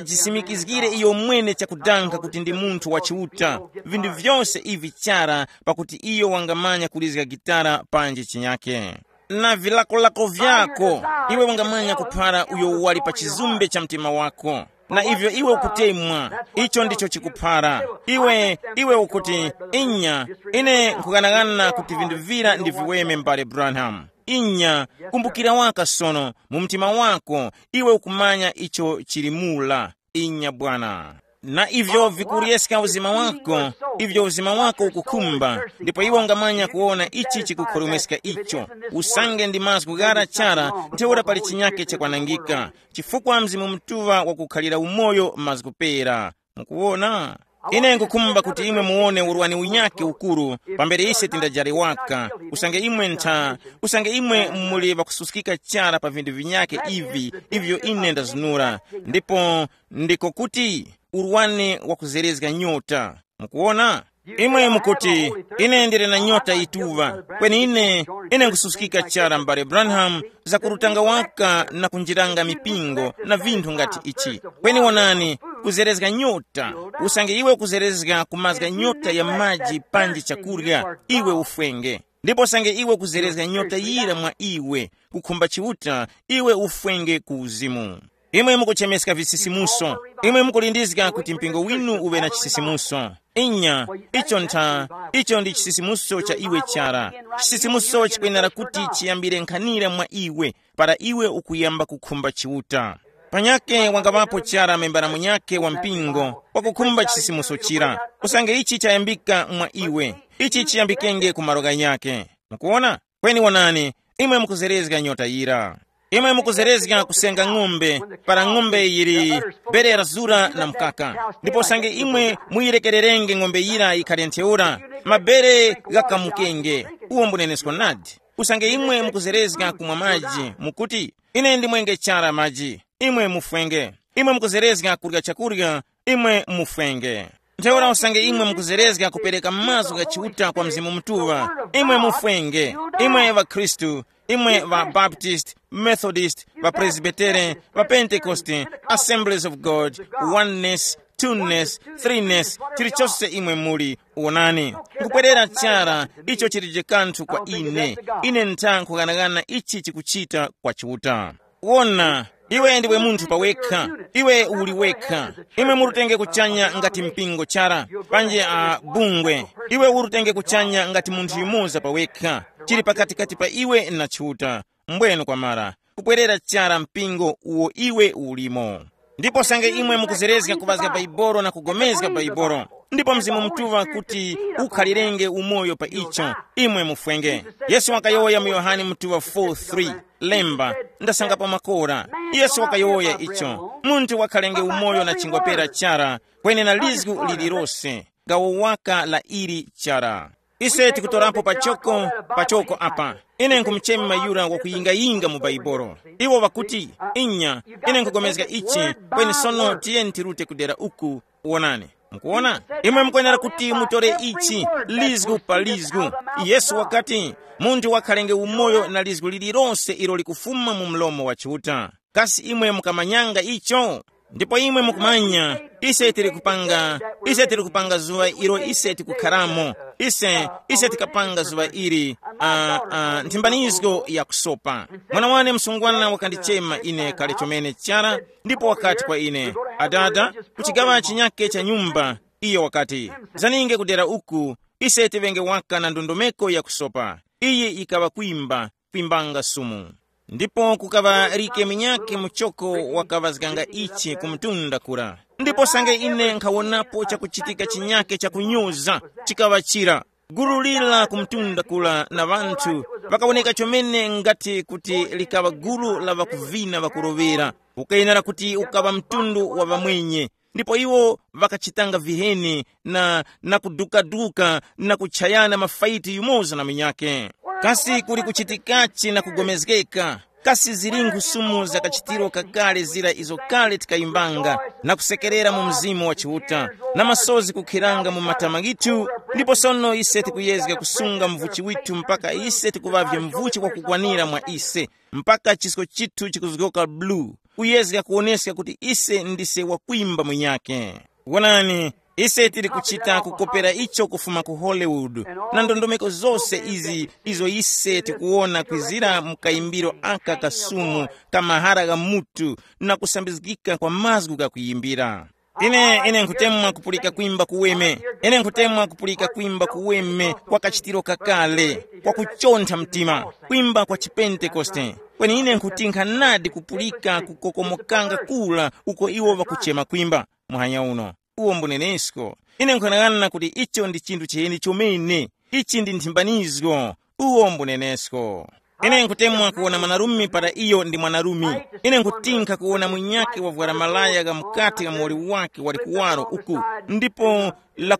wajisimikizgire iyo mwene chakudanga kuti ndi munthu wa Chiuta. Vinthu vyose ivi chara, pakuti iyo wangamanya kulizga gitara panji chinyake. Na vilakolako vyako, iwe wangamanya kuphara uyo wali pa chizumbe cha mtima wako. Na ivyo iwe ukutemwa, icho ndicho chikuphara. Iwe, iwe ukuti, inya, ine nkughanagana kuti vinthu vira ndi viweme, m'bale Branham. Inya, kumbukira waka sono, mu mtima wako, iwe ukumanya icho chili mula. Inya bwana. Na ivyo vikuryeska uzima wako, ivyo uzima wako ukukhumba, ndipo iwe ungamanya kuwona ichi chikukhoromweska icho. Usange ndi mazgu ghara chara, ntheura pali chinyake chakwanangika, chifukwa Mzimu Mutuŵa wakukhalira umoyo mazgu pera. Mukuwona? Ine nkukhumba kuti imwe muwone urwani unyakhe ukuru, pambere ise tindajare waka, usange imwe ntha, usange imwe muli ŵakususkika chara pa vinthu vinyakhe ivi, ivyo ine ndazunura. Ndipo ndiko kuti urwani wakuzerezga nyota. Mukuwona? Imwe mukuti, ine ndili na nyota yituŵa, kweni ine, ine nkususkika chara m'bale Branham, zakurutanga waka na kunjiranga mipingo na vinthu ngati ichi. Kweni wonani, kuzerezga nyota, usange iwe ukuzerezga kumazga nyota ya maji panji chakurya, iwe ufwenge. Ndipo usange iwe ukuzerezga nyota yira mwa iwe, kukhumba Chiuta, iwe ufwenge ku uzimu. Imwe mukuchemeska visisimuso. Imwe mukulindizga kuti mpingo winu uŵe na chisisimuso. Inya, icho ntha, icho ndi chisisimuso cha iwe chara. Chisisimuso chikwenera kuti chiyambire nkhanira mwa iwe, para iwe ukuyamba kukhumba Chiuta. Panyakhe wangaŵapo chara membara munyakhe wa mpingo wakukhumba chisisimuso chira. Usange ichi chayambika mwa iwe, ichi chiyambikenge ku malo ghanyakhe. Mukuwona? Kweni wonani, imwe mukuzerezga nyota yira. Imwe mukuzerezga kusenga ng'ombe, para ng'ombe yili bere lazura na mkaka. Ndipo usange imwe muyirekererenge ng'ombe yira yikhale ntheura, mabere ghakamukenge. Uwo mbunenesko nadi. Usange imwe mukuzerezga kumwa maji, mukuti, ine ndimwenge chara maji, imwe mufwenge. Imwe mukuzerezga kurya chakurya, imwe mufwenge. Ntheura usange imwe mukuzerezga kupereka mazgu gha Chiuta kwa Mzimu Mutuŵa, imwe mufwenge. Imwe ŵakhristu, imwe ŵa Baptist, Methodist, ŵa Presbyterian, ŵa Pentecost, Assemblies of God, Oneness, Twoness, Threeness, chilichose imwe muli, wonani, nkubwerera chara. Icho chilije kanthu kwa ine. Ine ntha nkhughanaghana ichi chikuchita kwa Chiuta. Wona, iwe ndiwe munthu pawekha. Iwe uli wekha. Imwe murutenge kuchanya ngati mpingo chara, panje a bungwe. Iwe urutenge kuchanya ngati munthu yumoza pawekha, chili pakatikati pa iwe na Chiuta. Mbwenu kwamara, kubwerera chara mpingo uwo iwe ulimo. Ndipo sange imwe mukuzerezga kuŵazga Baibolo na kugomezga Baibolo, ndipo Mzimu Mutuŵa kuti ukhalirenge umoyo pa icho, imwe mufwenge. Yesu wakayowoya mu Yohane Mutuŵa four three, lemba, ndasangapo makora. Yesu wakayowoya icho, munthu wakhalenge umoyo na chingwapera chara, kweni na lizgu lilirose, gawo waka la ili chara. Ise tikutorapo pachoko, pachoko apa. Ine nkumuchema yura wakuyingayinga mu Baibolo. Iwo ŵakuti, inya, ine nkugomezga ichi, kweni sono tiyeni tirute kudera uku, wonani. Mukuwona? Imwe mukwenera kuti mutore ichi, lizgu pa lizgu. Yesu wakati, munthu wakhalenge umoyo na lizgu lililonse ilo likufuma mu mlomo wa Chiuta. Kasi imwe mukamanyanga icho? Ndipo imwe mukumanya, ise tili kupanga, ise tili kupanga zuŵa ilo ise tikukharamo. Ise, ise tikapanga zuŵa ili, uh, uh, nthimbanizgo ya kusopa. Mwana wane msungwana wakandichema ine kale chomene chara, ndipo wakati kwa ine, adada, kuchigaŵa chinyake cha nyumba. Iyo wakati, zaninge kudera uku, ise tiŵenge waka na ndondomeko ya kusopa. Iyi yikaŵa kwimba, kwimbanga sumu. Ndipo kukaŵa like minyake muchoko wakaŵazganga ichi ku mtunda kura. Ndipo sange ine nkhawonapo chakuchitika chinyake chakunyuza, chikaŵa chira. Gulu lira ku mtunda kula na ŵanthu ŵakawoneka chomene ngati kuti likaŵa gulu la ŵakuvina ŵakuroŵera, ukayenera kuti ukaŵa mtundu wa ŵamwenye. Ndipo iwo ŵakachitanga viheni na, na kudukaduka na kuchayana mafaiti yumoza na munyakhe. Kasi kuli kuchitikachi na kugomezgeka? Kasi zili nkhusumu za kachitiro kakale zira izo kale tikayimbanga na kusekerera mu Mzimu wa Chiuta, na masozi kukhiranga mu matama ghithu? Ndipo sono ise tikuyezga kusunga mvuchi withu mpaka ise tikuŵavye mvuchi wakukwanira mwa ise, mpaka chisko chithu chikuzgoka blue, kuyezga kuwoneska kuti ise ndise wakwimba munyakhe. Wonani, ise tili kuchita kukopera icho kufuma ku Hollywood, na ndondomeko zose izi izo ise tikuwona kwizira mu kayimbiro aka kasumu ka mahara gha mutu, na kusambizgika kwa mazgu gha kuyimbira. Ine, ine nkhutemwa kupulika kwimba kuweme. Ine nkhutemwa kupulika kwimba kuweme kwa kachitiro kakale, kwa kuchontha mtima, kwimba kwa chipentekoste. Kweni ine nkhuti nkhanadi kupulika kukokomokanga kula uko iwo ŵakuchema kwimba. Muhanya uno, uwo mbunenesko. Ine nkhanang'ana kuti icho ndi chinthu chiheni chomene. Ichi ndi nthimbanizgo. Uwo mbunenesko. Ine nkutemwa kuwona mwanarume para iyo ndi mwanarume. Ine nkutinkha kuwona munyakhe wavwara malaya gha mukati gha muwoli wake wali kuwaro uku, ndipo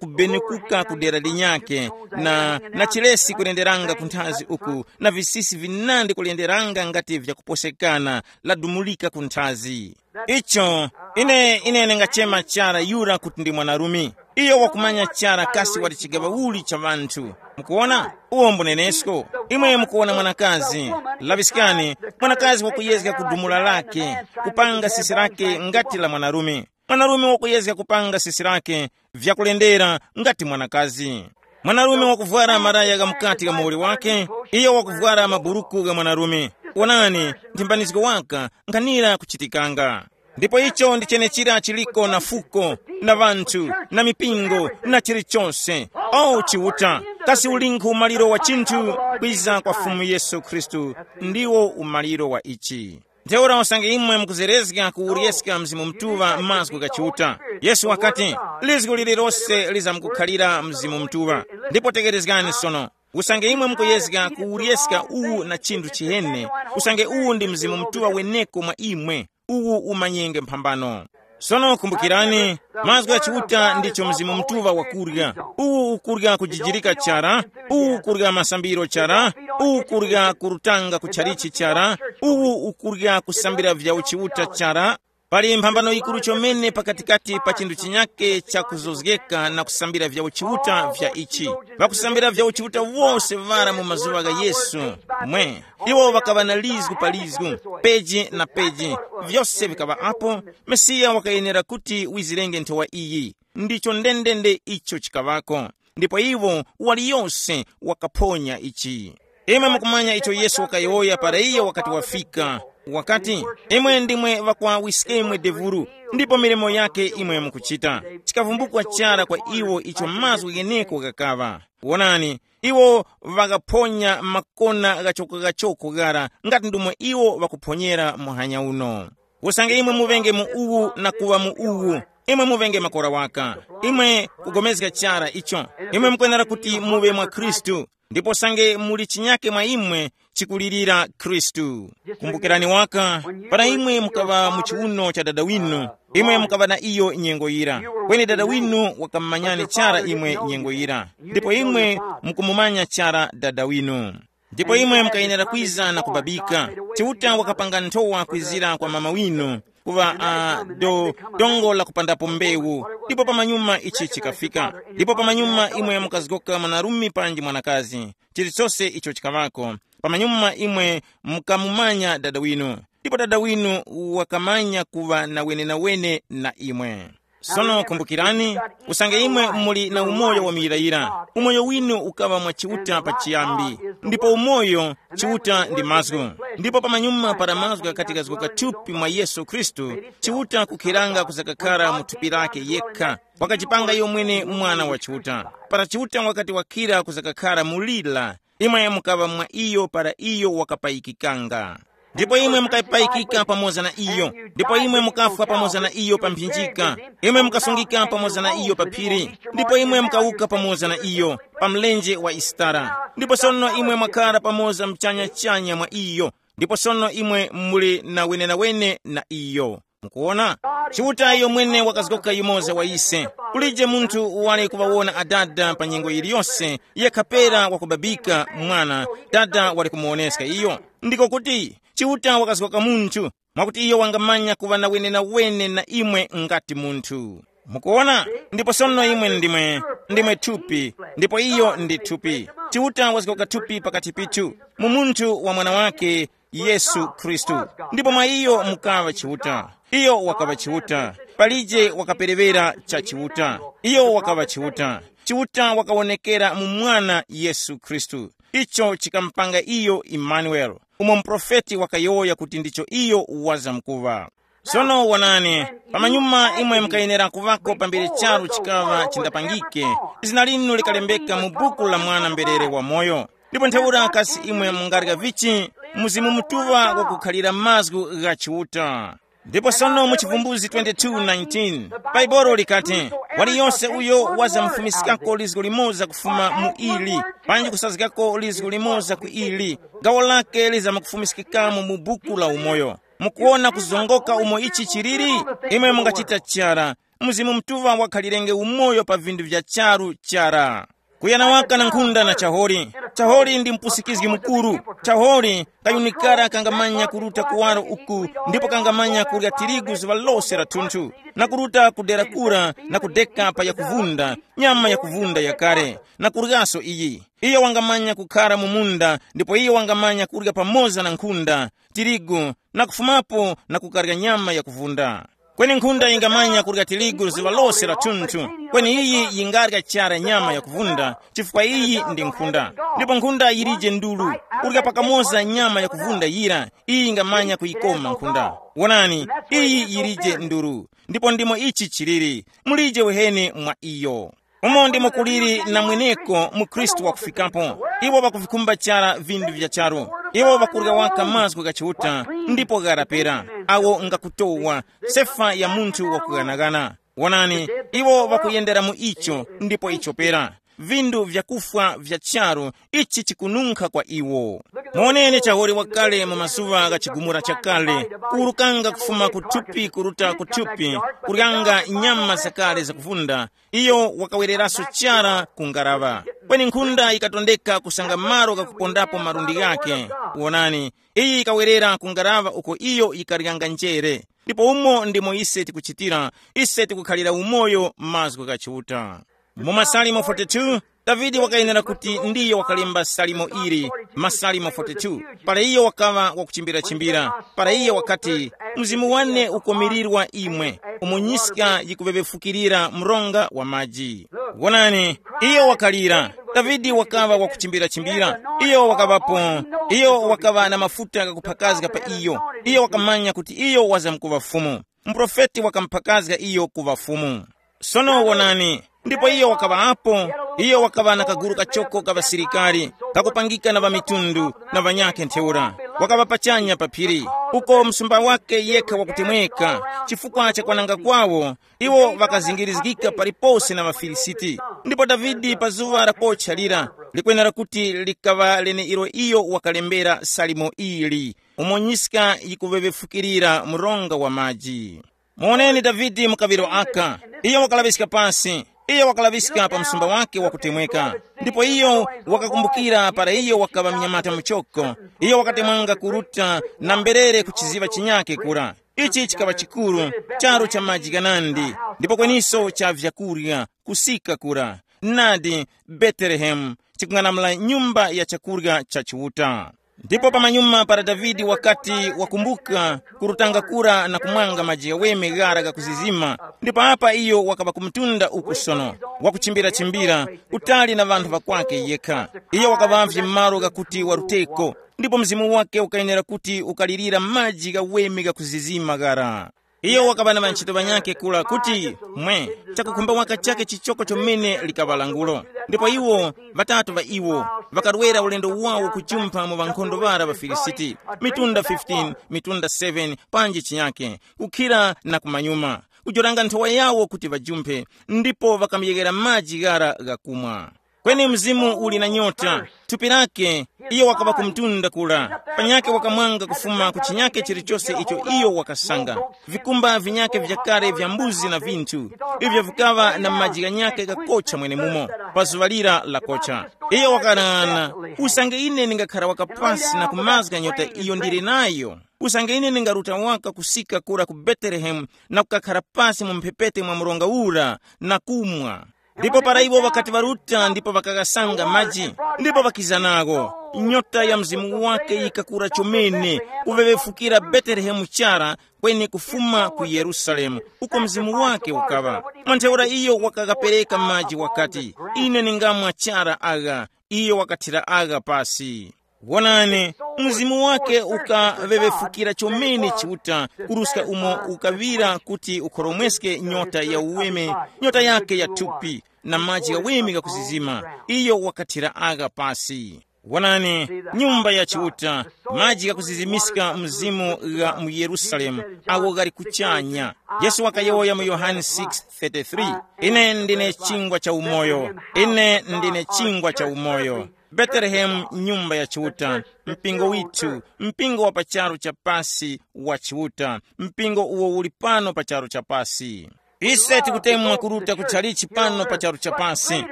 lakubenukuka ku dera linyakhe, na, na chilesi kulenderanga ku nthazi uku, na visisi vinandi kulenderanga ngati vyakuposekana, ladumulika ku nthazi. Icho, ine, ine ndingachema chara yura kuti ndi mwanarume. Iyo wakumanya chara kasi wali chigaŵa uli cha ŵanthu. Mukuwona? Uwo mbunenesko. Imwe mukuwona mwanakazi. Laŵiskani, mwanakazi wakuyezga kudumula lake, kupanga sisi lake ngati la mwanarume. Mwanarume wakuyezga kupanga sisi lake vyakulendera ngati mwanakazi. Mwanarume wakuvwara maraya gha mukati gha muwoli wake, iyo wakuvwara maburuku gha mwanarume. Wonani, nthimbanizgo waka nkhanira kuchitikanga. Ndipo icho ndi chenechira chiliko na fuko, na ŵanthu, na mipingo, na chilichonse. O Chiuta, kasi ulinkhu umaliro wa chinthu? Kwiza kwa Fumu Yesu Khristu ndiwo umaliro wa ichi. Ntheura usange imwe mukuzerezga kuwuryeska Mzimu Mutuŵa mazgu gha Chiuta. Yesu wakati, lizgu lililose lizamkukhalira Mzimu Mutuŵa. Ndipo tekerezgani sono, Usange imwe mukuyezga kuwuryeska uwu na chinthu chihene, usange uwu ndi Mzimu Mutuŵa weneko mwa imwe, uwu umanyenge mphambano. Sono kumbukirani, mazgu gha Chiuta ndicho Mzimu Mutuŵa wakurya. Uwu ukurya kujijirika chara, uwu ukurya masambiro chara, uwu ukurya kurutanga ku tchalichi chara, uwu ukurya kusambira vya uchiuta chara. Pali mphambano yikuru chomene pakatikati pa chinthu chinyake chakuzozgeka na kusambira vya uchiuta vya ichi. Ŵakusambira vya uchiuta wose ŵara mu mazuŵa gha Yesu, mwe, iwo ŵakaŵa na lizgu pa lizgu, peji na peji, vyose vikaŵa apo. Mesiya wakayenera kuti wizirenge nthowa iyi. Ndicho ndendende icho chikaŵako. Ndipo iwo, waliyose wakaphonya ichi. Imwe mukumanya icho Yesu wakayowoya para iyo wakati wafika. Wakati, imwe ndimwe ŵakwawiskemwe devuru, ndipo milimo yake imwe mukuchita. Chikavumbukwa chara kwa iwo icho mazgu gheneko ghakaŵa. Wonani, iwo ŵakaphonya makona ghachoko-ghachoko ghara ngati ndomwe iwo ŵakuphonyera muhanya uno. Usange imwe muvenge mu uwu na kuŵa mu uwu, imwe muvenge makora waka. Imwe kugomezga chara icho. Imwe mukwenera kuti muŵe mwa Khristu, ndipo usange muli chinyake mwa imwe, chikulirira Khristu. Kumbukirani waka, para imwe mukaŵa mu chiuno cha dada winu, imwe mukaŵa na iyo nyengo yira. Kweni dada winu wakamumanyani chara imwe nyengo yira, ndipo imwe mukumumanya chara dada winu. Ndipo imwe mukayenera kwiza na kubabika. Chiuta wakapanga nthowa kwizira kwa mama winu, kuŵa uh, do, dongo la kupandapo mbewu. Ndipo pamanyuma ichi chikafika. Ndipo pamanyuma imwe mukazgoka mwanarume panji mwanakazi. Chilichose icho chikaŵako, pamanyuma imwe mukamumanya dada winu. Ndipo dada winu wakamanya kuŵa na wenenawene na imwe. Sono kumbukirani, usange imwe muli na umoyo wa muyirayira, umoyo winu ukaŵa mwa Chiuta pachiyambi, ndipo umoyo, Chiuta ndi mazgu. Ndipo pamanyuma para mazgu ghakati ghazguka thupi mwa Yesu Khristu, Chiuta kukhiranga kuzakakhara mu thupi lake yekha, wakachipanga iyo mwene mwana wa Chiuta. Para Chiuta wakati wakhira kuzakakhara mu lira, imwe mukaŵa mwa iyo para iyo wakapayikikanga. Ndipo imwe mukapayikika pamoza na iyo, ndipo imwe mukafwa pamoza na iyo pa mphinjika, imwe mukasungika pamoza na iyo pa phiri, ndipo imwe mukawuka pamoza na iyo pa mlenje wa Isitara. Ndipo sono imwe mwakhara pamoza mchanya-chanya mwa iyo, ndipo sono imwe muli na wenenawene na iyo. Mukuwona? Chiuta iyo mwene wakazgoka yumoza wa ise. Kulije munthu wali kuŵawona adada pa nyengo yiliyose, yekha pera wakubabika mwana, dada wali kumuwoneska iyo. Ndiko kuti, Chiuta wakazgoka munthu, mwakuti iyo wangamanya kuŵa na wenenawene na imwe ngati munthu. Mukuwona? Ndipo sono imwe ndimwe, ndimwe thupi, ndipo iyo ndi thupi. Chiuta wazgoka thupi pakati pithu, mu munthu wa mwana wake, Yesu Khristu. Ndipo mwa iyo mukaŵa Chiuta. Iyo wakaŵa Chiuta. Palije wakaperewera cha Chiuta. Iyo wakaŵa Chiuta. Chiuta wakawonekera mu Mwana Yesu Khristu. Icho chikamupanga iyo Imanueli, umo muprofeti wakayowoya kuti ndicho iyo wazamkuŵa. Sono wonani, pamanyuma imwe mukayenera kuŵako pambere charu chikaŵa chindapangike, zina linu likalembeka mu buku la mwana mberere wamoyo. Ndipo ntheura kasi imwe mungarya vichi, Mzimu Mutuŵa wakukhalira mazgu gha Chiuta. Ndipo sono mu Chivumbuzi twenty-two nineteen, Baibolo likati, waliyonse uyo wazamufumiskako lizgo limoza kufuma mu ili, panji kusazgako lizgo limoza ku ili, gawo lake lizamukufumiskikamo mu buku la umoyo. Mukuwona kuzongoka umo ichi chiliri? Imwe mungachita chara. Mzimu Mutuŵa wakhalirenge umoyo pa vinthu vya charu chara. Kuyana waka na nkhunda na chahori. Chahori ndi mpusikizgi mukuru. Chahori kayunikara kangamanya kuruta kuwaro uku, ndipo kangamanya kurya tirigu zuŵa lose la thunthu, na kuruta ku dera kura na kudeka pa yakuvunda, nyama yakuvunda yakare, na kuryaso iyi. Iyo wangamanya kukhara mu munda, ndipo iyo wangamanya kurya pamoza na nkhunda, tirigu, na kufumapo na kukarya nyama yakuvunda. Kweni nkhunda yingamanya kurya tirigu zuŵa lose la thunthu, kweni iyi yingarya chara nyama yakuvunda, chifukwa iyi ndi nkhunda. Ndipo nkhunda yilije ndulu, kurya pakamoza nyama yakuvunda yira, iyi yingamanya kuyikoma nkhunda. Wonani, iyi yilije ndulu. Ndipo ndimo ichi chiliri, mulije weheni mwa iyo. Umo ndimo kuliri na mweneko mu Khristu wakufikapo. Iwo ŵakuvikhumba chara vinthu vya charu. Iwo ŵakurya waka mazgu gha Chiuta, ndipo gharapera, awo ngakutowa, sefa ya munthu wakughanagana. Wonani, iwo ŵakuyendera mu icho, ndipo icho pera. vindu vyakufwa vya charu, ichi chikununkha kwa iwo. Muoneni chahore wakale mu mazuŵa gha chigumula chakale, kuwurukanga kufuma ku thupi kuruta ku thupi, kuryanga nyama zakale zakuvunda. Iyo wakawereraso chara ku ngaraŵa, kweni nkhunda yikatondeka kusanga malo ghakupondapo malundi ghake. Wonani, iyi yikawerera ku ngaraŵa uko iyo yikaryanga njere. Ndipo umo ndimo ise tikuchitira, ise tikukhalira umoyo mazgu gha Chiuta. Mu Masalimo forty-two, Davide wakayenera kuti ndiyo wakalemba salimo ili, Masalimo forty-two, para iyo wakaŵa wakuchimbirachimbira, para iyo wakati, "Mzimu wane ukomirirwa imwe, umo nyiska yikuŵeŵefukirira mronga wa maji." Wonani, iyo wakalira. Davide wakaŵa wakuchimbirachimbira, iyo wakaŵapo, iyo wakaŵa na mafuta ghakuphakazga pa iyo, iyo wakamanya kuti iyo wazamkuŵa Fumu. Muprofeti wakamuphakazga iyo kuŵa Fumu. Sono wonani, ndipo iyo wakaŵa apo, iyo wakaŵa na kaguru kachoko ka ŵasilikari, kakupangika na ŵamitundu na ŵanyakhe ntheura. Wakaŵa pachanya pa phiri, uko msumba wake yekha wakutemweka, chifukwa cha kwananga kwawo, iwo ŵakazingirizgika palipose na ŵaFilisiti. Ndipo Davide pa zuŵa la kocha lira, likwenera kuti likaŵa leneilo iyo wakalembera salimo ili, umo nyiska yikuŵeŵefukirira mronga wa maji. Muwoneni Davide mu kaŵiro aka. Iyo wakalaŵiska pasi. Iyo wakalaŵiska pa msumba wake wakutemweka. Ndipo iyo wakakumbukira para iyo wakaŵa mnyamata muchoko. Iyo wakatemwanga kuruta na mberere ku chiziŵa chinyake kura. Ichi chikaŵa chikuru, charu cha maji ghanandi, ndipo kweniso cha vyakurya, kusika kura. Nadi, Betelehemu, chikung'anamula nyumba ya chakurya cha Chiuta. Ndipo pamanyuma para Davide wakati wakumbuka kurutanga kura na kumwanga maji ghaweme ghara ghakuzizima, ndipo apa iyo wakaŵa ku mtunda uku sono, wakuchimbira-chimbira, kutali na ŵanthu ŵakwake yekha. Iyo wakaŵavye malo ghakuti waruteko, ndipo mzimu wake ukayenera kuti ukalirira maji ghaweme ghakuzizima ghara. Iyo wakaŵa na ŵanchito ŵanyakhe kura kuti, mwe, chakukhumba waka chakhe chichoko chomene likaŵa langulo. Ndipo iwo, ŵatatu ŵa iwo, ŵakarwera ulendo wawo kujumpha mu ŵankhondo ŵara ŵaFilisiti, mitunda fifteen, mitunda seven, panji chinyakhe, kukhira na kumanyuma, kujoranga nthowa yawo kuti ŵajumphe, ndipo ŵakamuyeghera maji ghara ghakumwa. Kweni mzimu uli na nyota, thupi lake, iyo wakaŵa ku mtunda kura, panyakhe wakamwanga kufuma ku chinyakhe chilichose icho iyo wakasanga. Vikumba vinyakhe vyakale vya mbuzi na vinthu, ivyo vikaŵa na maji ghanyakhe ghakocha mwenemumo, pa zuŵa lira lakocha. Iyo wakang'ana, usange ine ndingakhara waka pasi na kumazga nyota iyo ndili nayo, usange ine ndingaruta waka kusika kura ku Betelehemu na kukakhara pasi mu mphepete mwa mronga ura na kumwa. Ndipo para iwo ŵakati ŵaruta ndipo ŵakaghasanga maji, ndipo ŵakiza nawo, nyota ya mzimu wake yikakura chomene, kuŵeŵefukira Betelehemu chara, kweni kufuma ku Yerusalemu, uko mzimu wake ukaŵa. Mwa ntheura iyo wakaghapereka maji wakati, ine ningamwa chara agha. Iyo wakathira agha pasi. Wonani, mzimu wake ukaŵeŵefukira chomene Chiuta, kuruska umo ukaŵira kuti ukhoromweske nyota ya uweme, nyota yake ya thupi, na maji ghaweme ghakuzizima, iyo wakathira agha pasi. Wonani, nyumba ya Chiuta, maji ghakuzizimiska mzimu gha mu Yerusalemu, agho ghali kuchanya. Yesu wakayowoya mu Yohane six thirty-three, ine ndine chingwa cha umoyo, ine ndine chingwa cha umoyo. Betelehemu, nyumba ya Chiuta, mpingo withu, mpingo wa pa charu cha pasi wa Chiuta, mpingo uwo uli pano pa charu cha pasi. Ise tikutemwa kuruta ku chalichi pano pa charu cha pasi.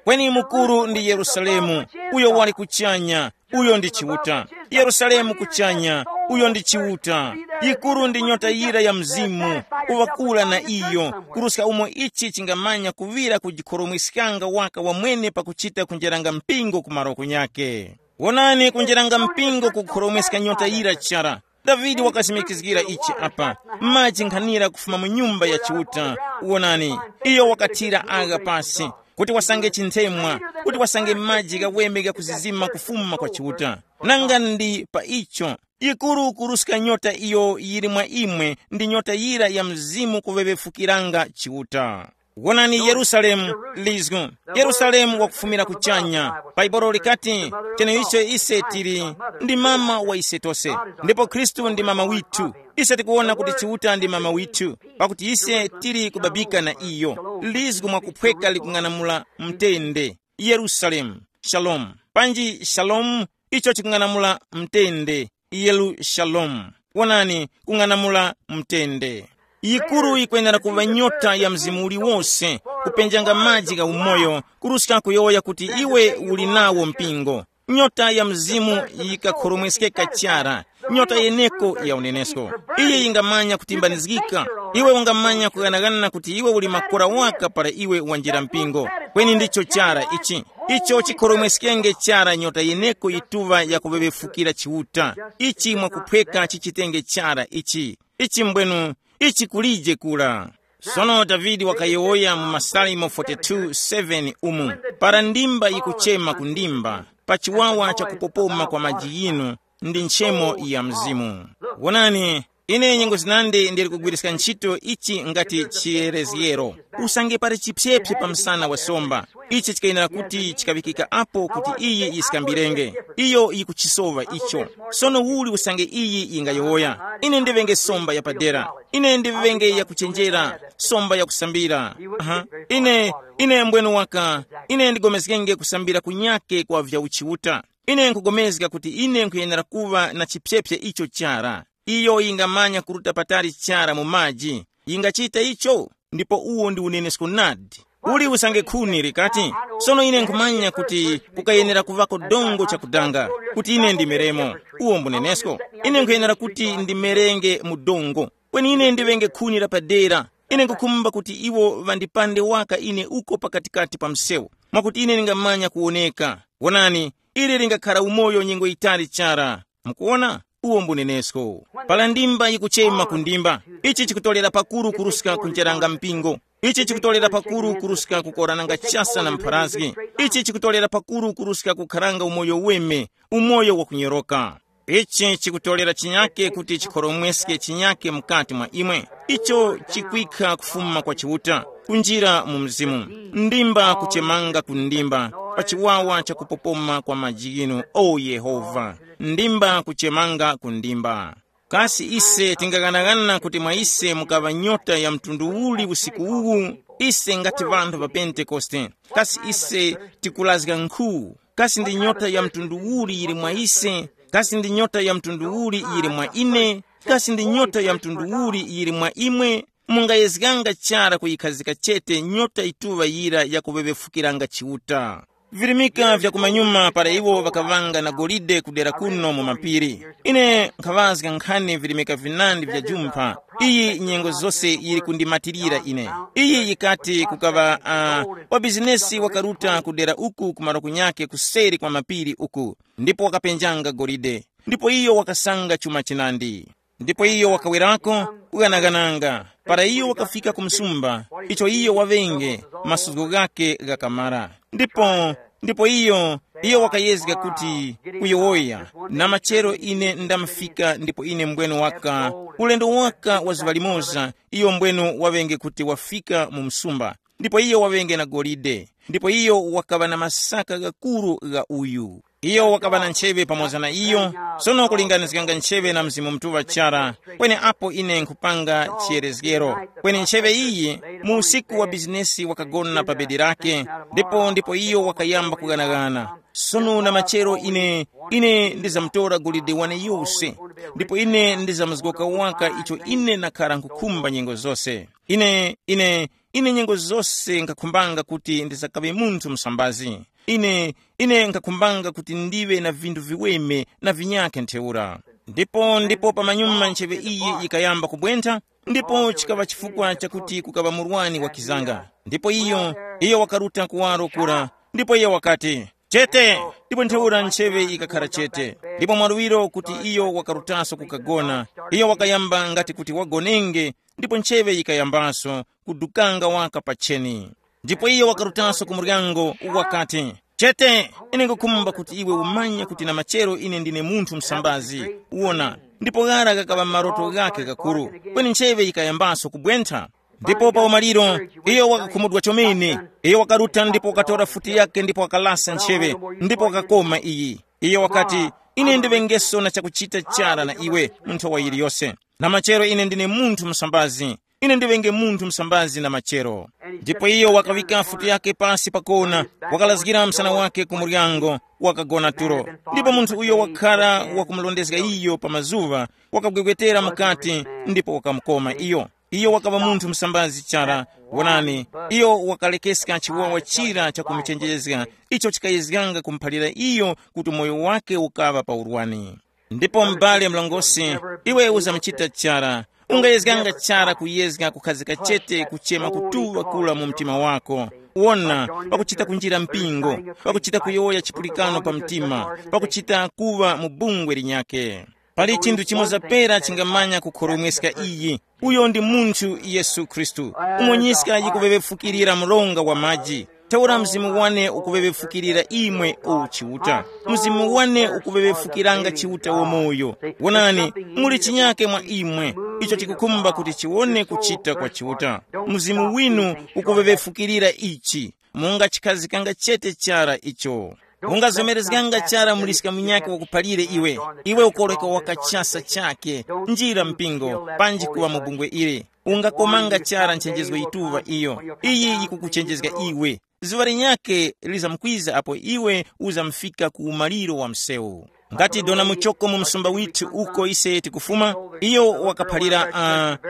Kweni mukuru ndi Yerusalemu, uyo wali kuchanya, uyo ndi Chiuta. Yerusalemu kuchanya, uyo ndi Chiuta. Yikuru ndi nyota yira ya mzimu, uwakula na iyo, kuruska umo ichi chingamanya kuŵira kujikhoromweskanga waka wamwene pakuchita kunjeranga mpingo ku maroko nyakhe. Wonani, kunjeranga mpingo kukhoromweska nyota yira chara. Davide wakasimikizgira ichi apa, maji nkhanira kufuma mu nyumba ya Chiuta. Wonani, iyo wakathira agha pasi, kuti wasange chinthemwa, kuti wasange maji ghaweme ghakuzizima kufuma kwa Chiuta. Nanga ndi pa icho, yikuru kuruska nyota iyo yili mwa imwe, ndi nyota yira ya mzimu kuŵeŵefukiranga Chiuta. Wonani Yerusalemu, lizgu. Yerusalemu wakufumira kuchanya. Bhaibuli likati, cheneicho ise tili, ndi mama wa ise tose. Ndipo Khristu ndi mama withu. Ise tikuwona kuti Chiuta ndi mama withu, pakuti ise tili kubabika na iyo. Lizgu mwakuphweka likung'anamula mtende. Yerusalemu, shalom. Panji shalom, icho chikung'anamula mtende. Yerusalemu, wonani, kung'anamula mtende. Yikuru yikwenera kuŵa nyota ya mzimu uliwose, kupenjanga maji gha umoyo, kuruska kuyowoya kuti iwe uli nawo mpingo. Nyota ya mzimu yikakhoromweskeka chara. Nyota yeneko ya unenesko, iye yingamanya kutimbanizgika. Iwe ungamanya kughanaghana kuti iwe uli makora waka para iwe wanjira mpingo. Kweni ndicho chara ichi, icho chikhoromweskenge chara nyota yeneko yituŵa yakuŵeŵefukira chiuta. Ichi mwakuphweka chichitenge chara ichi. Ichi mbwenu, ichi kulije kula. Sono Davide wakayowoya mu Masalimo forty-two seven umu, para ndimba yikuchema ku ndimba, pa chiwawa cha kupopoma kwa maji yinu, ndi nchemo ya Mzimu. Wonani, ine nyengo zinandi ndili kugwiriska ntchito ichi ngati chiyerezgero. Usange pali chipyepye pa msana wa somba, ichi chikayenera kuti chikaŵikika apo kuti iyi yisikambirenge. Iyo yikuchisowa icho. Sono uli usange iyi yingayowoya, ine ndiŵenge somba yapadera, ine ndiŵenge yakuchenjera, somba yakusambira. Aha. Ine, ine mbwenu waka, ine ndigomezgenge kusambira kunyake kwa vya uchiuta. Ine nkugomezga kuti ine nkhuyenera kuŵa na chipyepye icho chara. Iyo yingamanya kuruta patali chara mu maji. Yingachita icho, ndipo uwo ndi unenesko nadi. Uli usange khuni likati, sono ine nkhumanya kuti kukayenera kuvako dongo chakudanga, kuti ine ndimeremo. Uwo mbunenesko. Ine nkhuyenera kuti ndimerenge mu dongo. Kweni ine ndiŵenge khuni la padera. Ine nkhukhumba kuti iwo ŵandipande waka ine uko pakatikati pa msewu, mwakuti ine ndingamanya kuwoneka. Wonani, ili lingakhara umoyo nyengo yitali chara. Mukuwona? Uwo mbunenesko. Pala ndimba yikuchema ku ndimba, ichi chikutolera pakuru kuruska kunjeranga mpingo. Ichi chikutolera pakuru kuruska kukorananga chasa na mpharazgi. Ichi chikutolera pakuru kuruska kukharanga umoyo weme, umoyo wakunyoroka. Ichi chikutolera chinyake kuti chikhoromweske chinyake mukati mwa imwe. Icho chikwikha kufuma kwa Chiuta, kunjira mu Mzimu. Ndimba kuchemanga ku ndimba, pa chiwawa cha kupopoma kwa maji ghinu, o Yehova. Ndimba kuchemanga ku ndimba. Kasi ise tingaghanaghana kuti mwa ise mukaŵa nyota ya mtundu uli usiku uwu? Ise ngati ŵanthu ŵa Pentekoste, kasi ise tikulazga nkhu? Kasi ndi nyota ya mtundu uli yili mwa ise? Kasi ndi nyota ya mtundu uli yili mwa ine? Kasi ndi nyota ya mtundu uli yili mwa imwe? Mungayezganga chara kuyikhazika chete nyota yituŵa yira yakuŵeŵefukiranga Chiuta. Virimika vya kumanyuma para iwo ŵakaŵanga na golide kudera kuno mu mapiri. Ine nkhaŵazga nkhani virimika vinandi vya jumpha. Iyi nyengo zose yili kundimatirira ine. Iyi yikati kukaŵa uh, wa bizinesi wakaruta kudera uku kumaro kunyake kuseri kwa mapiri uku, ndipo wakapenjanga golide. Ndipo iyo wakasanga chuma chinandi. Ndipo iyo wakawerako kughanaghananga. Para iyo wakafika ku msumba, icho iyo waŵenge, masuzgo ghake ghakamara. Ndipo, ndipo iyo, iyo wakayezga kuti kuyowoya, na machero ine ndamufika ndipo ine mbwenu waka, ulendo waka wa zuŵa limoza, iyo mbwenu waŵenge kuti wafika mu msumba. Ndipo iyo waŵenge na golide. Ndipo iyo wakaŵa na masaka ghakuru gha uyu. Iyo wakaŵa na ncheŵe pamoza na iyo. Sono kulinganizganga ncheŵe na Mzimu Mutuŵa chara, kweni apo ine nkhupanga chiyerezgero, kweni ncheŵe iyi mu usiku wa bizinesi wakagona pa bedi lake, ndipo ndipo iyo wakayamba kughanaghana. Sono na machero ine, ine ndizamutora golide wane yose, ndipo ine ndizamuzgoka waka icho ine nakhara nkhukhumba nyengo zose. Ine, ine, ine nyengo zose nkhakhumbanga kuti ndizakaŵe munthu msambazi. Ine, ine nkhakhumbanga kuti ndiŵe na vinthu viweme na vinyakhe ntheura. Ndipo, ndipo pamanyuma ncheŵe iyi yikayamba kubwentha, ndipo chikaŵa chifukwa chakuti kukaŵa murwani wakizanga. Ndipo iyo, iyo wakaruta kuwaro kura, ndipo iyo wakati, chete. Ndipo ntheura ncheŵe yikakhara chete, ndipo mwaluwiro kuti iyo wakarutaso kukagona. Iyo wakayamba ngati kuti wagonenge, ndipo ncheŵe yikayambaso kudukanga waka pacheni. Ndipo iyo wakarutanso ku muryango, wakati, chete, ine nkukhumba kuti iwe umanye kuti na machero ine ndine munthu msambazi. Wona, ndipo ghara ghakaŵa maroto ghakhe ghakuru, kweni ncheŵe yikayambanso kubwentha. Ndipo pa umaliro, iyo wakakhumudwa chomene. Iyo wakaruta ndipo wakatora futi yake ndipo wakalasa ncheŵe, ndipo wakakoma iyi. Iyo wakati, ine ndiŵengeso na chakuchita chara na iwe mu nthowa yiliyose. Na machero ine ndine munthu msambazi. Ine ndiŵenge munthu msambazi na machero. Ndipo iyo wakaŵika futi yake pasi pakona, wakalazgira msana wake ku muryango, wakagona tulo. Ndipo munthu uyo wakhara wakumulondezga iyo pa mazuŵa, wakagwegwetera mukati, ndipo wakamukoma iyo. Iyo wakaŵa munthu msambazi chara. Wonani, iyo wakalekeska chiwawa chira chakumuchenjezga, icho chikayezganga kumuphalira iyo kuti moyo wake ukaŵa pa urwani. Ndipo m'bale mlongosi, iwe uzamuchita chara. Ungayezganga chara kuyezga kukhazika chete kuchema kutuŵa kula mu mtima wako. Wona, pakuchita kunjira mpingo, pakuchita kuyowoya chipulikano pa mtima, pakuchita kuŵa mu bungwe linyakhe. Pali chinthu chimoza pera chingamanya kukhoromweska iyi. Uyo ndi munthu Yesu Khristu. Umonyiska yikuŵeŵefukirira mronga wa maji. Ntheura mzimu wane ukuŵeŵefukirira imwe o Chiuta. Mzimu wane ukuŵeŵefukiranga Chiuta wamoyo. Wonani, muli chinyake mwa imwe, icho chikukhumba kuti chiwone kuchita kwa Chiuta. Mzimu winu ukuŵeŵefukirira ichi. Mungachikhazikanga chete chara icho. Ungazomerezganga chara muliska munyakhe wakuphalire iwe. Iwe ukoreka wakachasa chake. Njira mpingo, panji kuwa mu bungwe ili. Ungakomanga chara nchenjezgo yituŵa iyo. Iyi yikukuchenjezga iwe. Zuŵa linyakhe lizamkwiza apo iwe uzamfika ku umaliro wa msewu. Ngati dona muchoko mu msumba withu uko ise tikufuma, iyo wakaphalira,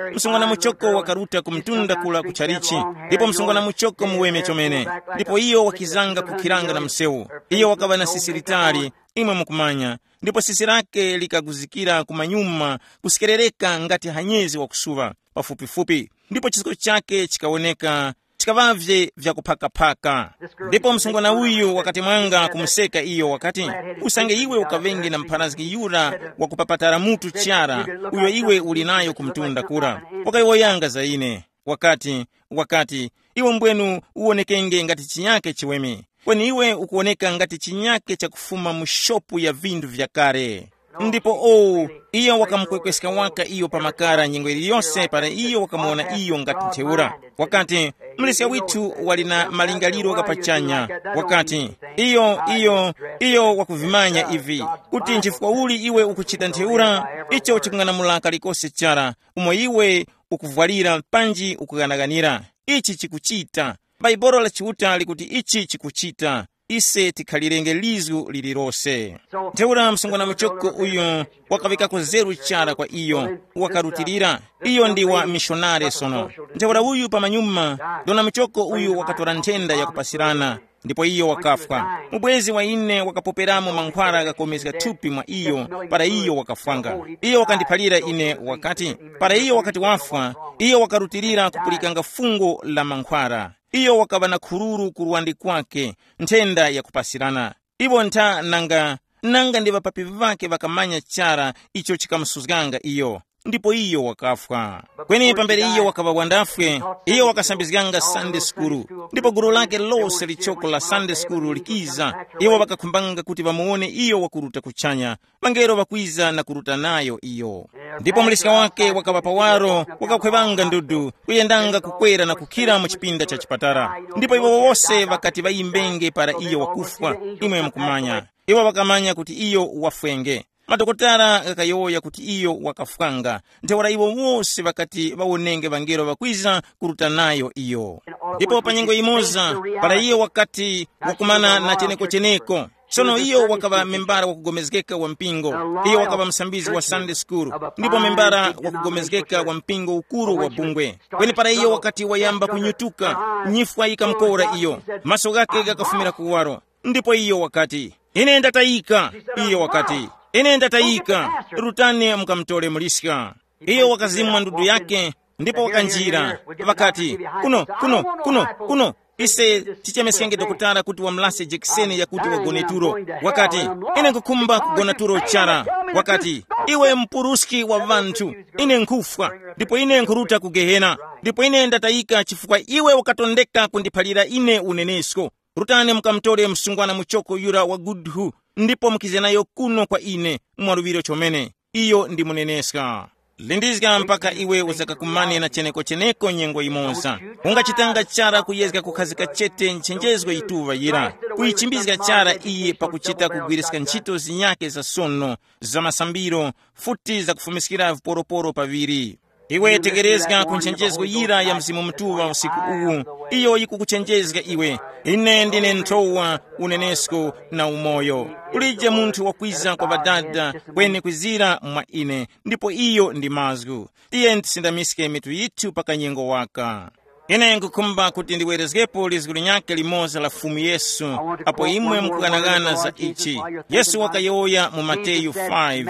uh, msungwana muchoko wakaruta ku mtunda kula ku chalichi, ndipo msungwana muchoko muweme chomene. Ndipo iyo wakizanga kukhiranga na msewu. Iyo wakaŵa na sisi litali, imwe mukumanya, ndipo sisi lake likaguzikira kumanyuma, kusekerereka ngati hanyezi wakusuŵa pafupifupi, ndipo chisko chake chikawoneka chikaŵavye vyakuphakaphaka. Ndipo msungwana uyu wakati mwanga kumuseka iyo wakati, usange iwe ukaŵenge na mpharazgi yura wakupapatara mutu chara, uyo iwe uli nayo kumtunda kura, wakayowoyanga za ine. Wakati, wakati, iwe mbwenu uwonekenge ngati chinyake chiweme, kweni iwe ukuwoneka ngati chinyake chakufuma mu shopu ya vinthu vyakale. Ndipo o, iyo wakamukwekweska waka iyo pa makara nyengo iliyose para iyo wakamuwona iyo ngati ntheura. Wakati, mleska withu wali na malingaliro ghapachanya. Wakati, iyo iyo iyo wakuvimanya ivi, kuti nchifukwa uli iwe ukuchita ntheura, icho chikung'anamula kalikose chara umo iwe ukuvwalira panji ukughanaghanira. Ichi chikuchita. Bhaibuli la Chiuta likuti ichi chikuchita. Ise tikhalirenge lizgu lililose. Ntheura msungwana muchoko uyu wakaŵikako zeru chara kwa iyo, wakarutilira. Iyo ndi wa mishonare sono. Ntheura uyu pamanyuma, dona muchoko uyu wakatora nthenda yakupasirana, ndipo iyo wakafwa. Mubwezi wa ine wakapoperamo mankhwara ghakomezga thupi mwa iyo, para iyo wakafwanga. Iyo wakandiphalira ine wakati, para iyo wakati wafwa, iyo wakarutilira kupulikanga fungo la mankhwara. Iyo wakaŵa na khururu ku luwande kwake, nthenda yakupasirana. Iwo ntha nanga, nanga ndi ŵapapi ŵake ŵakamanya chara icho chikamusuzganga iyo, ndipo iyo wakafwa. Kweni pambere iyo wakaŵa wandafwe, iyo wakasambizganga Sunday sukulu, ndipo gulu lake lose lichoko la Sunday sukulu likiza. Iwo ŵakakhumbanga kuti ŵamuwone iyo wakuruta kuchanya, ŵangelo ŵakwiza na kuruta nayo iyo. Ndipo muliska wake wakaŵa pawaro, wakakhwevanga ndudu, kuyendanga kukwera na kukhira mu chipinda cha chipatala. Ndipo iwo wose ŵakati ŵayimbenge para iyo wakufwa, imwe mukumanya. Iwo ŵakamanya kuti iyo wafwenge. Madokotala ghakayowoya kuti iyo wakafwanga. Ntheura iwo wose ŵakati ŵawonenge ŵangelo ŵakwiza kuruta nayo iyo. Ndipo pa nyengo yimoza, para iyo wakati wakumana na cheneko-cheneko, sono iyo wakaŵa membara wakugomezgeka wa mpingo. Iyo wakaŵa msambizi wa Sunday school, ndipo membara wakugomezgeka wa mpingo ukuru wa bungwe. Kweni para iyo wakati wayamba kunyutuka, nyifwa yikamukora iyo, maso ghake ghakafumira kuwaro. Ndipo iyo wakati, ine ndatayika. Iyo wakati, ine ndatayika. Rutani mukamutore muliska. Iyo wakazimwa ndudu yake, ndipo wakanjira, ŵakati, kuno, kuno, kuno, kuno. Ise tichemeskenge dokotala kuti wamulase jekiseni yakuti wagone tulo. Wakati, ine nkukhumba kugona tulo chara. Wakati, iwe mpuruski wa ŵanthu, ine nkhufwa, ndipo ine nkhuruta ku gehena. Ndipo ine ndatayika chifukwa iwe ukatondeka kundiphalira ine unenesko. Rutani mukamutore msungwana muchoko yura wa gudhu, ndipo mukize nayo kuno kwa ine mwaluŵiro chomene. Iyo ndi muneneska. Lindizga mpaka iwe uzakakumane na cheneko-cheneko nyengo yimoza. Ungachitanga chara kuyezga kukhazika chete nchenjezgo yituŵa yira, kuyichimbizga chara iyi pakuchita kugwiriska ntchito zinyake za sono, za masambiro, futi zakufumiskira viporoporo paŵiri. Iwe tekerezga ku nchenjezgo yira ya Mzimu Mutuŵa usiku uwu. Iyo yikukuchenjezga iwe. Ine ndine nthowa, unenesko na umoyo. Kulije munthu wakwiza kwa Ŵadada kweni kwizira mwa ine, ndipo iyo ndi mazgu. Tiye tisindamiske mitu yithu pa kanyengo waka. Ine nkukhumba kuti ndiwerezgepo lizgu linyakhe limoza la Fumu Yesu, apo imwe mukughanaghana za ichi. Yesu wakayowoya mu Mateyu five,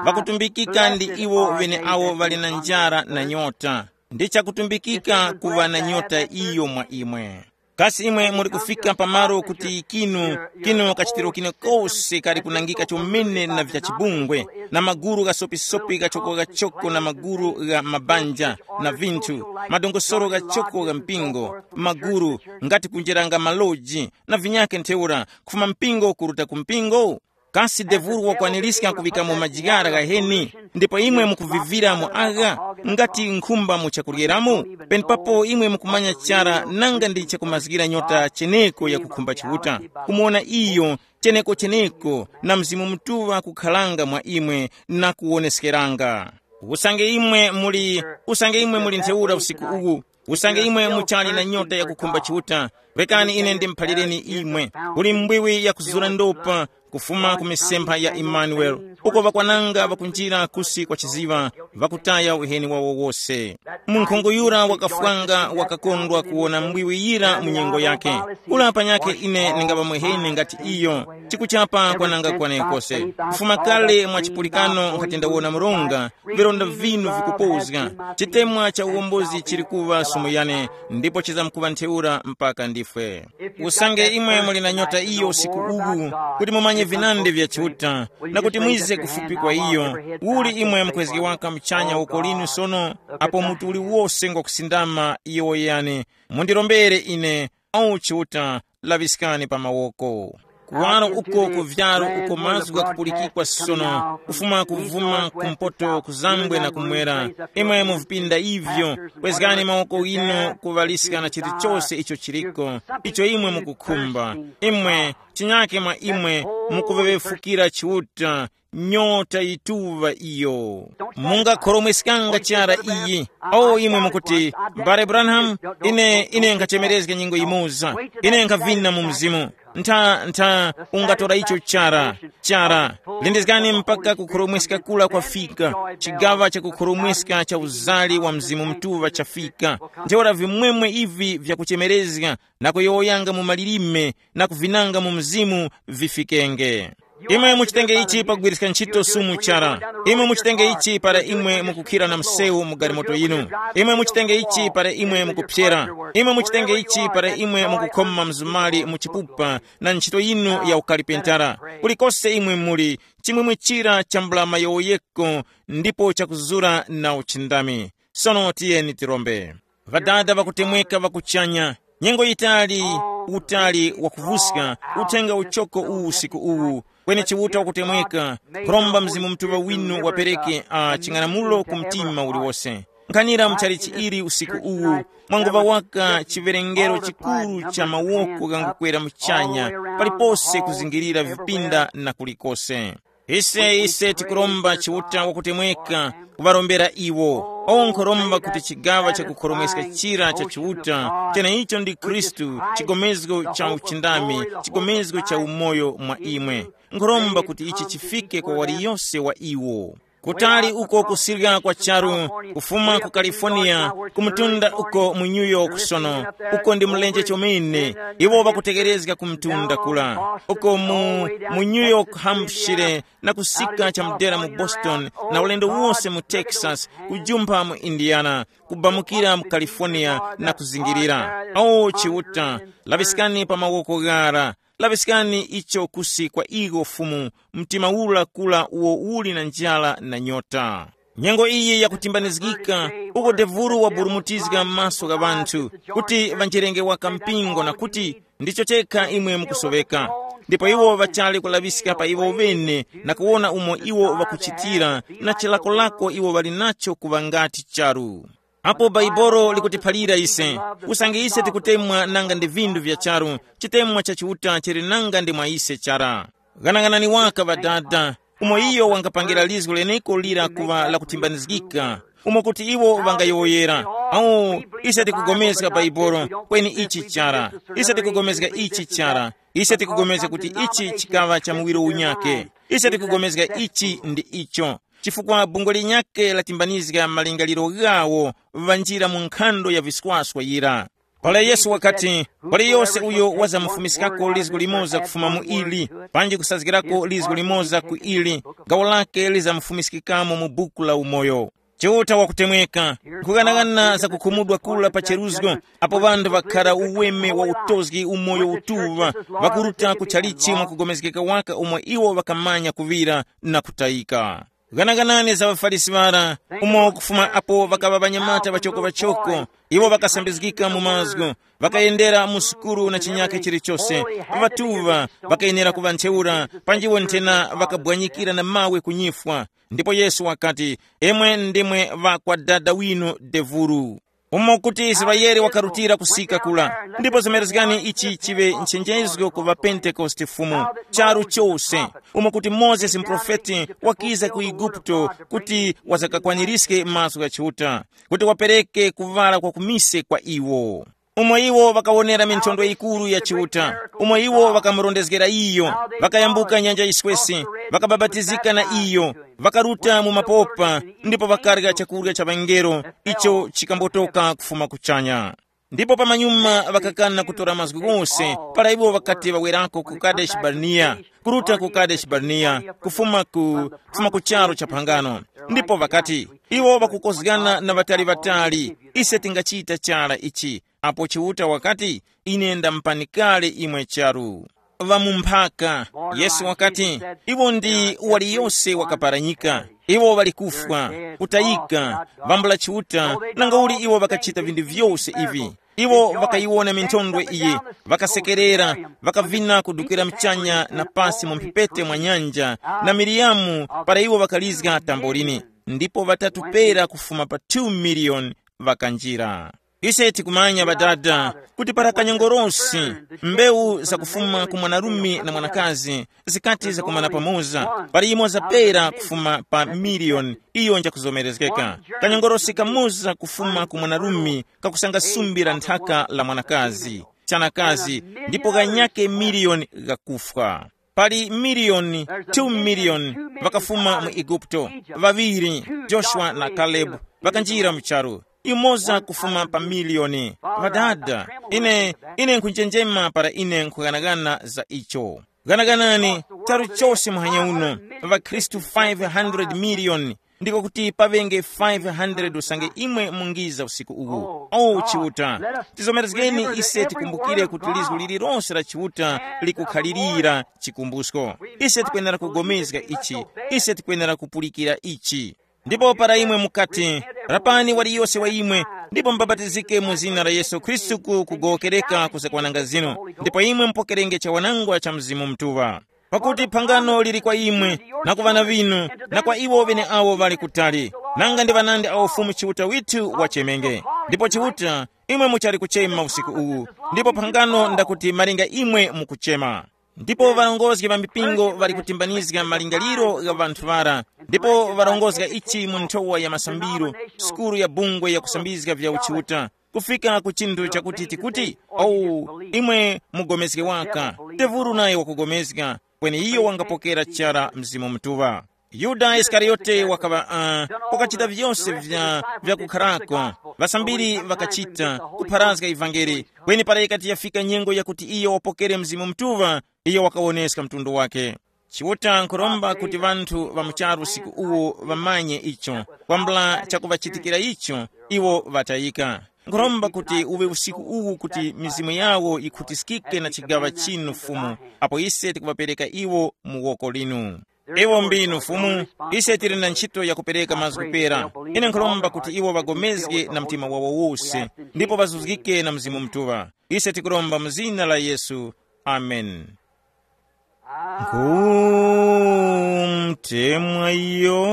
ŵakutumbikika ndi iwo ŵeneawo ŵali na njara na nyota. Ndi chakutumbikika kuŵa na nyota iyo mwa imwe. Kasi imwe muli kufika pamalo kuti kinu, kinu kachitiro kine kose kali kunangika chomene na vya chibungwe, na maguru ghasopisopi ghachoko ghachoko na maguru gha mabanja, na vinthu, madongosoro ghachoko gha mpingo, maguru, ngati kunjeranga maloji, na vinyakhe ntheura, kufuma mpingo kuruta ku mpingo? Kasi devuru wakwaniska kuŵikamo majigara ghaheni, ndipo imwe mukuvivira mu agha? Ngati nkhumba mu chakuryeramo, penepapo imwe mukumanya chara nanga ndi chakumazgira nyota cheneko yakukhumba Chiuta, kumuwona iyo cheneko-cheneko na Mzimu Mutuŵa kukharanga mwa imwe na kuwoneskeranga. Usange imwe muli, usange imwe muli ntheura usiku uwu, usange imwe muchali na nyota yakukhumba Chiuta, rekani ine ndimuphalireni imwe. Kuli mbwiwi yakuzura ndopa kufuma ku misempha ya Imanueli, uko ŵakwananga ŵakunjira kusi kwa chiziŵa, ŵakutaya uheni wawo wose. Munkhungu yura wakafwanga wakakondwa kuwona mbwiwi yira mu nyengo yake. Ula panyakhe ine ndingaŵa muheni ngati iyo, chikuchapa kwananga kwane kose. Kufuma kale mwa chipulikano nkhati ndawona mronga, vilonda vinu vikupozga. Chitemwa cha uwombozi chili kuŵa sumu yane, ndipo chizamkuŵa ntheura mpaka ndifwe. Usange imwe muli na nyota iyo usiku uwu, kuti mumanye vinandi vya Chiuta, na kuti mwize kufupi kwa iyo, uli imwe mukwezge waka muchanya woko linu sono, apo mutu uliwose ngwakusindama iyo yane, mundirombere ine, au Chiuta, laŵiskani pa mawoko. Kuwaro uko ku vyaro uko mazgu ghakupulikikwa sono, kufuma kuvuma kumpoto kuzambwe na kumwera, imwe mu vipinda ivyo, kwezgani mawoko ghinu kuŵaliska na chilichose icho chiliko, icho imwe mukukhumba. Imwe, chinyake mwa imwe, mukuŵeŵefukira Chiuta, nyota yituŵa iyo. Mungakhoromweskanga chara iyi. O imwe mukuti, Mbale Branham, ine ine nkhachemerezga nyengo imoza. Ine nkhavina mu mzimu. Ntha ntha, ungatora icho chara. Chara, lindizgani mpaka kukhoromweska kula kwafika. Chigaŵa cha kukhoromweska cha uzali wa Mzimu Mutuŵa chafika. Ntheura vimwemwe ivi vyakuchemerezga na kuyowoyanga mu malilime na kuvinanga mu mzimu vifikenge. Imwe muchitenge ichi pagwiriska ntchito sumu chara. Imwe muchitenge ichi para imwe mukukhira na msewu mu galimoto yinu. Imwe muchitenge ichi para imwe mukupyera. Imwe muchitenge ichi para imwe mukukhoma mzumali mu chipupa na ntchito yinu ya ukalipentara. Kulikose imwe muli, chimwemwe chira chambula mayowoyeko ndipo chakuzura na uchindami. Sono tiyeni tirombe. Ŵadada ŵakutemweka ŵa kuchanya, nyengo yitali, utali wakuvuska, uthenga uchoko uwu usiku uwu, kweni Chiuta wakutemweka, nkhuromba Mzimu Mutuŵa winu wapereke a ching'anamulo ku mtima uliwose. Nkhanira mu chalichi ili usiku uwu, mwanguŵa waka chiwerengero chikuru cha mawoko ghangukwera muchanya, palipose kuzingirira vipinda na kulikose. Ise ise tikuromba Chiuta wakutemweka kuŵarombera iwo. Owo nkhoromba kuti chigaŵa chakukhoromweska chira cha Chiuta, cheneicho ndi Khristu, chigomezgo cha uchindami, chigomezgo cha umoyo mwa imwe. Nkhoromba kuti ichi chifike kwa waliyose wa iwo. Kutali uko kusirya kwa charu, kufuma ku California, ku mtunda uko mu New York sono, uko ndi mlenje chomene, iwo ŵakutekerezga ku mtunda kula. Uko mu, mu New York, Hampshire, na kusika chamudera mu Boston, na ulendo wose mu Texas, kujumpha mu Indiana, kubamukira mu California na kuzingirira. O Chiuta, laŵiskani pa mawoko ghara, laŵiskani icho kusi kwa iwo Fumu, mtima ula kula uwo uli na njara na nyota. Nyengo iyi yakutimbanizgika, uko devuru waburumutizga m'maso gha ŵanthu, kuti ŵanjerenge waka mpingo na kuti, ndicho chekha imwe mukusoŵeka. Ndipo iwo ŵachali kulaŵiska pa iwo ŵene na kuwona umo iwo ŵakuchitira na chilakolako iwo ŵali nacho kuŵa ngati charu. Apo Baibolo likutiphalira ise, usange ise tikutemwa nanga ndi vinthu vya charu, chitemwa cha Chiuta chili nanga ndi mwa ise chara. Ghanaghanani waka Ŵadada, umo iyo wangapangira lizgu leneko lira kuŵa lakutimbanizgika, umo kuti iwo ŵangayowoyera, awu, ise tikugomezga Bhaibuli, kweni ichi chara, ise tikugomezga ichi chara, ise tikugomezga kuti ichi chikaŵa cha muwiro unyake, ise tikugomezga ichi ndi icho, chifukwa bungwe linyakhe latimbanizga malingaliro ghawo, ŵanjira mu nkhando ya viswaswa yira. Para Yesu wakati, waliyose uyo wazamufumiskako lizgu limoza kufuma mu ili, panji kusazgirako lizgu limoza ku ili, gawo lake lizamufumiskikamo mu buku la umoyo. Chiuta wakutemweka, nkughanagana za kukhumudwa kula pa cheruzgo, apo ŵanthu ŵakhara uweme wa utozgi umoyo utuŵa, ŵakuruta ku chalichi mwa kugomezgeka waka umo iwo ŵakamanya kuŵira na kutayika. Ghanaganani za ŵaFarisi ŵara, umo kufuma apo ŵakaŵa ŵanyamata ŵachoko-ŵachoko, iwo ŵakasambizgika mu mazgu, ŵakayendera mu sukuru na chinyakhe chilichose, ŵatuŵa ŵakayenera kuŵa ntheura, panjiwo nthena ŵakabwanyikira na mawe ku nyifwa. Ndipo Yesu wakati, imwe ndimwe ŵa kwa dada winu devuru. Umo kuti Israele wakarutira kusika kula, ndipo zomerezgani ichi chiŵe nchenjezgo ku ŵapentekoste Fumu, charu chose, umo kuti Mozesi muprofeti wakiza ku Eguputo kuti wazakakwanirizge mazgu gha Chiuta, kuti wapereke kuŵala kwa kumise kwa iwo. Umo iwo ŵakawonera minthondwe yikuru ya Chiuta, umo iwo ŵakamurondezgera iyo, ŵakayambuka nyanja yiswesi, ŵakabapatizika na iyo, ŵakaruta mu mapopa, ndipo ŵakarya chakurya cha ŵangelo, icho chikambotoka kufuma kuchanya. Ndipo pamanyuma ŵakakana kutora mazgu ghose, para iwo ŵakati ŵawerako ku Kadeshi Barneya, kuruta ku Kadeshi Barneya, kufuma ku, kufuma ku charu cha phangano. Ndipo ŵakati, iwo ŵakukozgana na ŵatali-ŵatali, ise tingachita chara ichi, apo Chiuta wakati, ine ndamupani kale imwe charu. Ŵamumphaka, Yesu wakati, iwo ndi waliyose wakaparanyika, iwo ŵali kufwa, kutayika, vambula Chiuta, nangauli iwo ŵakachita vinthu vyose ivi. Iwo ŵakayiwona minthondwe iyi, ŵakasekerera, ŵakavina kudukira mchanya na pasi mu mphepete mwa nyanja, na Miriyamu, para iwo ŵakalizga tambolini, ndipo ŵatatu pera kufuma pa two million ŵakanjira. Ise tikumanya ŵadada kuti para kanyongorosi, mbewu zakufuma ku mwanarume na mwanakazi zikati zakumana pamoza, pali yimoza pera kufuma pa miliyoni iyo njakuzomerezgeka. Kanyongorosi kamoza kufuma ku mwanarume kakusanga sumbi la nthaka la mwanakazi, chanakazi, ndipo ghanyake miliyoni ghakufwa. Pali miliyoni, two million ŵakafuma mu Eguputo, ŵaŵiri, Joshua na Kalebu, ŵakanjira mu charu. Yumoza kufuma pa miliyoni. Ŵadada, ine, ine nkhunjenjema para ine nkhughanaghana za icho. Ghanaganani, charu chose muhanya uno, ŵakhristu five hundred million, ndiko kuti paŵenge five hundred usange imwe mungiza usiku uwu. O Chiuta, tizomerezgeni ise tikumbukire kuti lizgu lililonse la Chiuta likukhalirira chikumbusko. Ise tikwenera kugomezga ichi, ise tikwenera kupulikira ichi. Ndipo para imwe mukati, rapani waliyose wa imwe, ndipo mubabatizike mu zina la Yesu Khristu ku kugowokereka kuzakwananga zinu, ndipo imwe mupokerenge chawanangwa cha Mzimu Mutuŵa. Pakuti phangano lili kwa imwe, na ku ŵana ŵinu, na kwa iwo ŵeneawo ŵali kutali, nanga ndi ŵanandi awo Fumu Chiuta withu wachemenge. Ndipo Chiuta, imwe muchali kuchema usiku uwu, ndipo phangano ndakuti malinga imwe mukuchema. Ndipo ŵarongozgi ŵa mipingo ŵali kutimbanizga malingaliro gha ŵanthu ŵara, ndipo ŵarongozga ichi mu nthowa ya masambiro, sukulu ya bungwe ya kusambizga vya uchiuta, kufika ku chinthu chakuti tikuti, “Owu, imwe mugomezge waka, tevuru nayo wakugomezga, kweni iyo wangapokera chara Mzimu Mutuŵa.” Yuda Isikariyote wakaŵa, uh, wakachita vyose vya, vya kukharako, ŵasambiri ŵakachita, kupharazga ivangeli, kweni para yikati yafika nyengo yakuti iyo wapokere Mzimu Mutuŵa, iyo wakawoneska mtundu wake. Chiuta nkhuromba kuti ŵanthu ŵa mu charu usiku uwu ŵamanye icho, kwambula chakuŵachitikira icho, iwo ŵatayika. Nkhuromba kuti uŵe usiku uwu kuti mizimu yawo yikhutiskike na chigaŵa chinu Fumu, apo ise tikuŵapereka iwo mu woko linu. Iwo mbinu Fumu, ise tili na ntchito yakupereka mazgu pera. Ine nkhuromba kuti iwo ŵagomezge na mtima wawo wose, ndipo ŵazuzgike na Mzimu Mutuŵa. Ise tikuromba mu zina la Yesu. Amen. Nkhumtemwa iyo,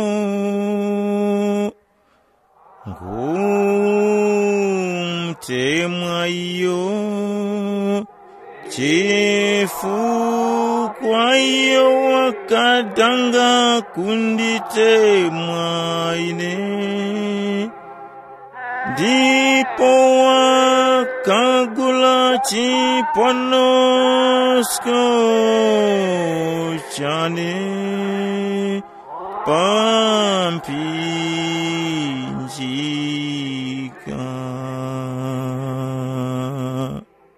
nkhumtemwa iyo, chifukwa iyo wakadanga kunditemwa ine. Ndipo wakagula chiponosko chane pa mphinjika.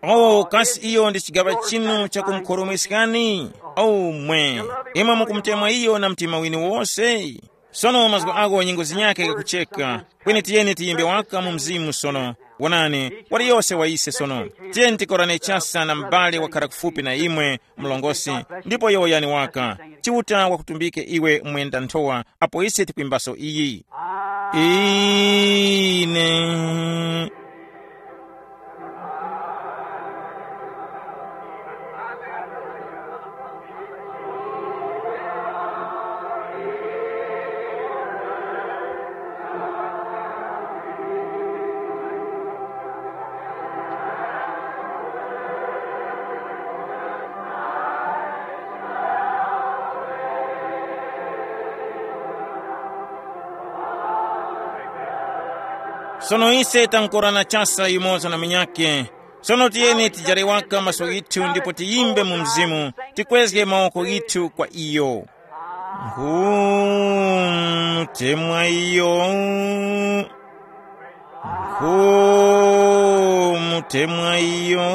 Oh, kasi iyo ndi chigaŵa chinu chakumkhoromweskani? Oh mwe, imwe mukumutemwa iyo na mtima winu wose? Sono mazgu ako nyengo zinyakhe kakucheka. Kweni tiyeni tiyimbe waka mu mzimu sono. Wonani, wali yose wa ise sono. Tiyeni tikorane chasa na m'bale wakhara kufupi na imwe, mlongosi, ndipo yowoyani waka. Chiuta wakutumbike iwe mwenda nthowa, apo ise tikwimbaso iyi. Ine. Sono ise tankorana chasa yumoza na munyakhe. Sono tiyeni tijare waka maso ghithu ndipo tiyimbe mu mzimu, tikwezge mawoko ghithu kwa iyo. Nkhutemwa iyo, nkumutemwa iyo,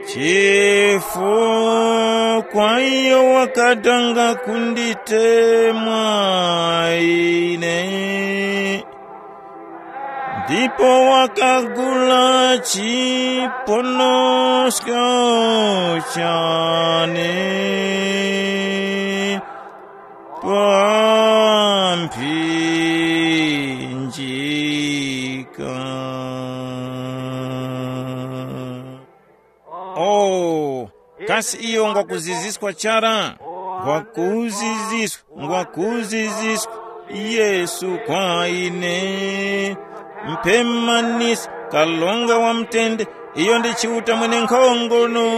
chifukwa iyo wakadanga kunditemwa ine. Ndipo wakagula chiponosko chane pa mphinjika. Oh, kasi iyo ngwakuziziskwa chara? Ngwakuziziskwa, ngwakuziziskwa Yesu kwa ine. Mpemanisi, kalonga wa mutende, iyo ndi Chiuta mwenenkhongono.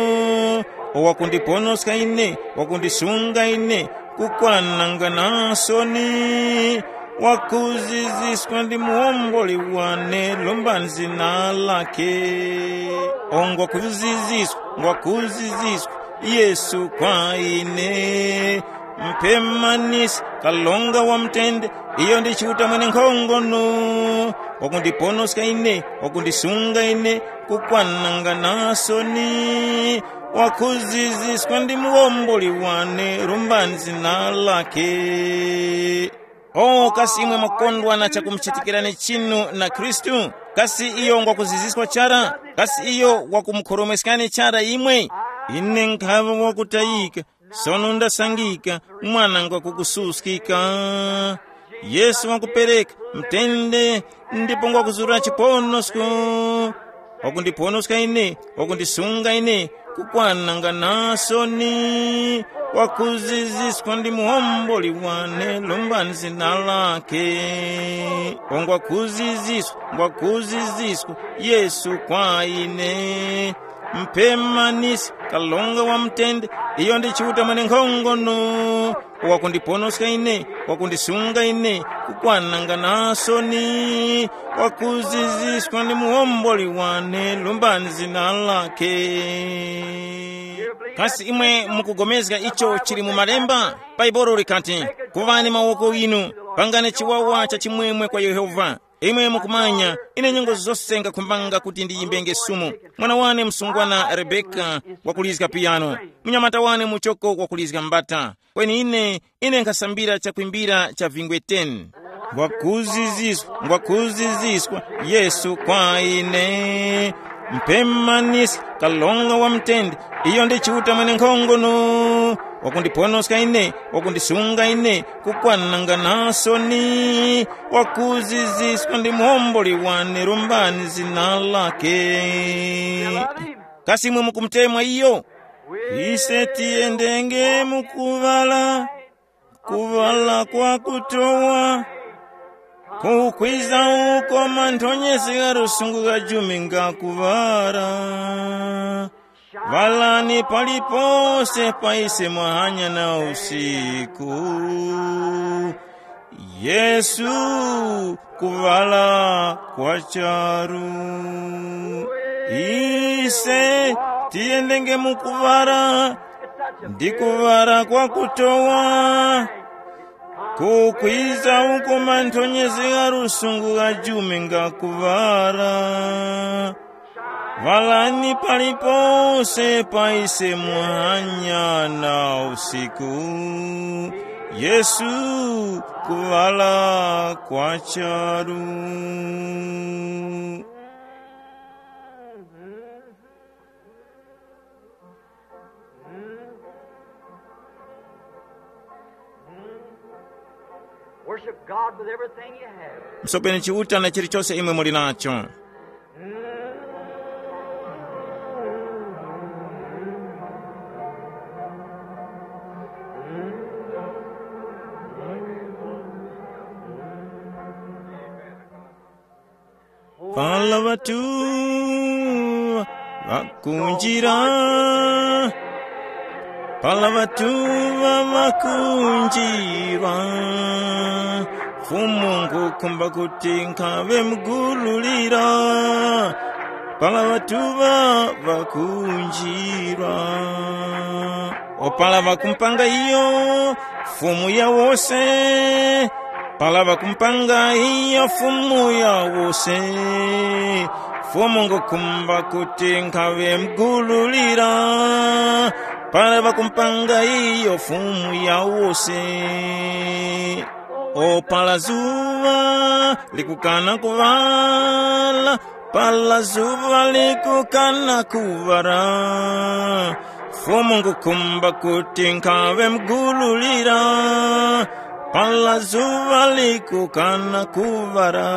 Wakundiponoska ine, wakundisunga ine, kukwananga na soni. Wakuziziskwa ndi muwomboli wane, lomba zina lake. O ngwakuziziskwa, ngwakuziziskwa Yesu kwa ine. Mpemanisi, kalonga wa mutende, iyo ndi Chiuta mwenenkhongono. Wakundiponoska ine, wakundisunga ine, kukwananga na soni. Wakuziziskwa ndi muwomboli wane, lomba zina lake. O kasi imwe mwakondwa na chakumuchitikirani chinu na Khristu? Kasi iyo ngwakuziziskwa chara? Kasi iyo wakumukhoromweskani chara imwe? Ine nkhaŵa wakutayika, sono ndasangika, mwana ngwakukususkika. Yesu wakupereka mutende, ndipo ngwakuzura chiponosko. Wakundiponoska ine, wakundisunga ine, kukwananga na soni. Wakuziziskwa ndi muwomboli wane, lomba zina lake. Ngwakuziziskwa, ngwakuziziskwa Yesu kwa ine. Mpemanisi, kalonga wa mutende, iyo ndi Chiuta mwenenkhongono. Wakundiponoska ine, wakundisunga ine, kukwananga na soni. Wakuziziskwa ndi muwomboli wane, lomba zina lake. Kasi imwe mukugomezga icho chili mu malemba? Bhaibuli likati, kuŵani mawoko ghinu, pangani chiwawa cha chimwemwe kwa Yehova. Imwe mukumanya, ine nyengo zose ngakhumbanga kuti ndiyimbenge sumu. Mwana wane msungwana Rebeka wakulizga piyano, munyamata wane muchoko wakulizga mbata. Kweni ine, ine nkhasambira chakwimbira cha vingwe ten. Ngwakuziziskwa, ngwakuziziskwa Yesu kwa ine. Mpemanisi, kalonga wa mutende, iyo ndi Chiuta mwenenkhongono. Wakundiponoska ine, wakundisunga ine, kukwananga na soni. Wakuziziskwa ndi muwomboli wane, lomba zina lake. Kasi imwe mukumutemwa iyo? Ise tiyendenge mu kuŵala, kuŵala kwa kutowa, kukwiza uko manthonyesi gha lusungu gha jumi nga kuŵala. Ŵalani palipose pa ise mwahanya na usiku. Yesu, kuŵala kwa charu. Ise tiyendenge mu kuŵala, ndi kuŵala kwa kutowa. Kukwiza uko manthonyezi gha lusungu gha jumi nga kuŵala. Ŵalani palipose pa ise muhanya na usiku. Yesu, kuŵala kwa charu. Worship God with everything you have. Msopeni Chiuta na chilichonse imwe muli nacho. Pala ŵatu ŵakunjira, pala ŵatu ŵakunjirwa, Fumu ngukhumba kuti nkhaŵe mugululira, pala ŵatu ŵa ŵakunjirwa. O pala ŵakumpanga iyo, Fumu ya wose, pala ŵakumpanga iyo Fumu ya wose, Fumu ngukhumba kuti nkhaŵe mugululira, pala ŵakumpanga iyo Fumu ya wose. O pala zuŵa likukana kuŵala, pala zuŵa likukana kuŵala, Fumu ngukhumba kuti nkhaŵe mugululira, pala zuŵa likukana kuŵala.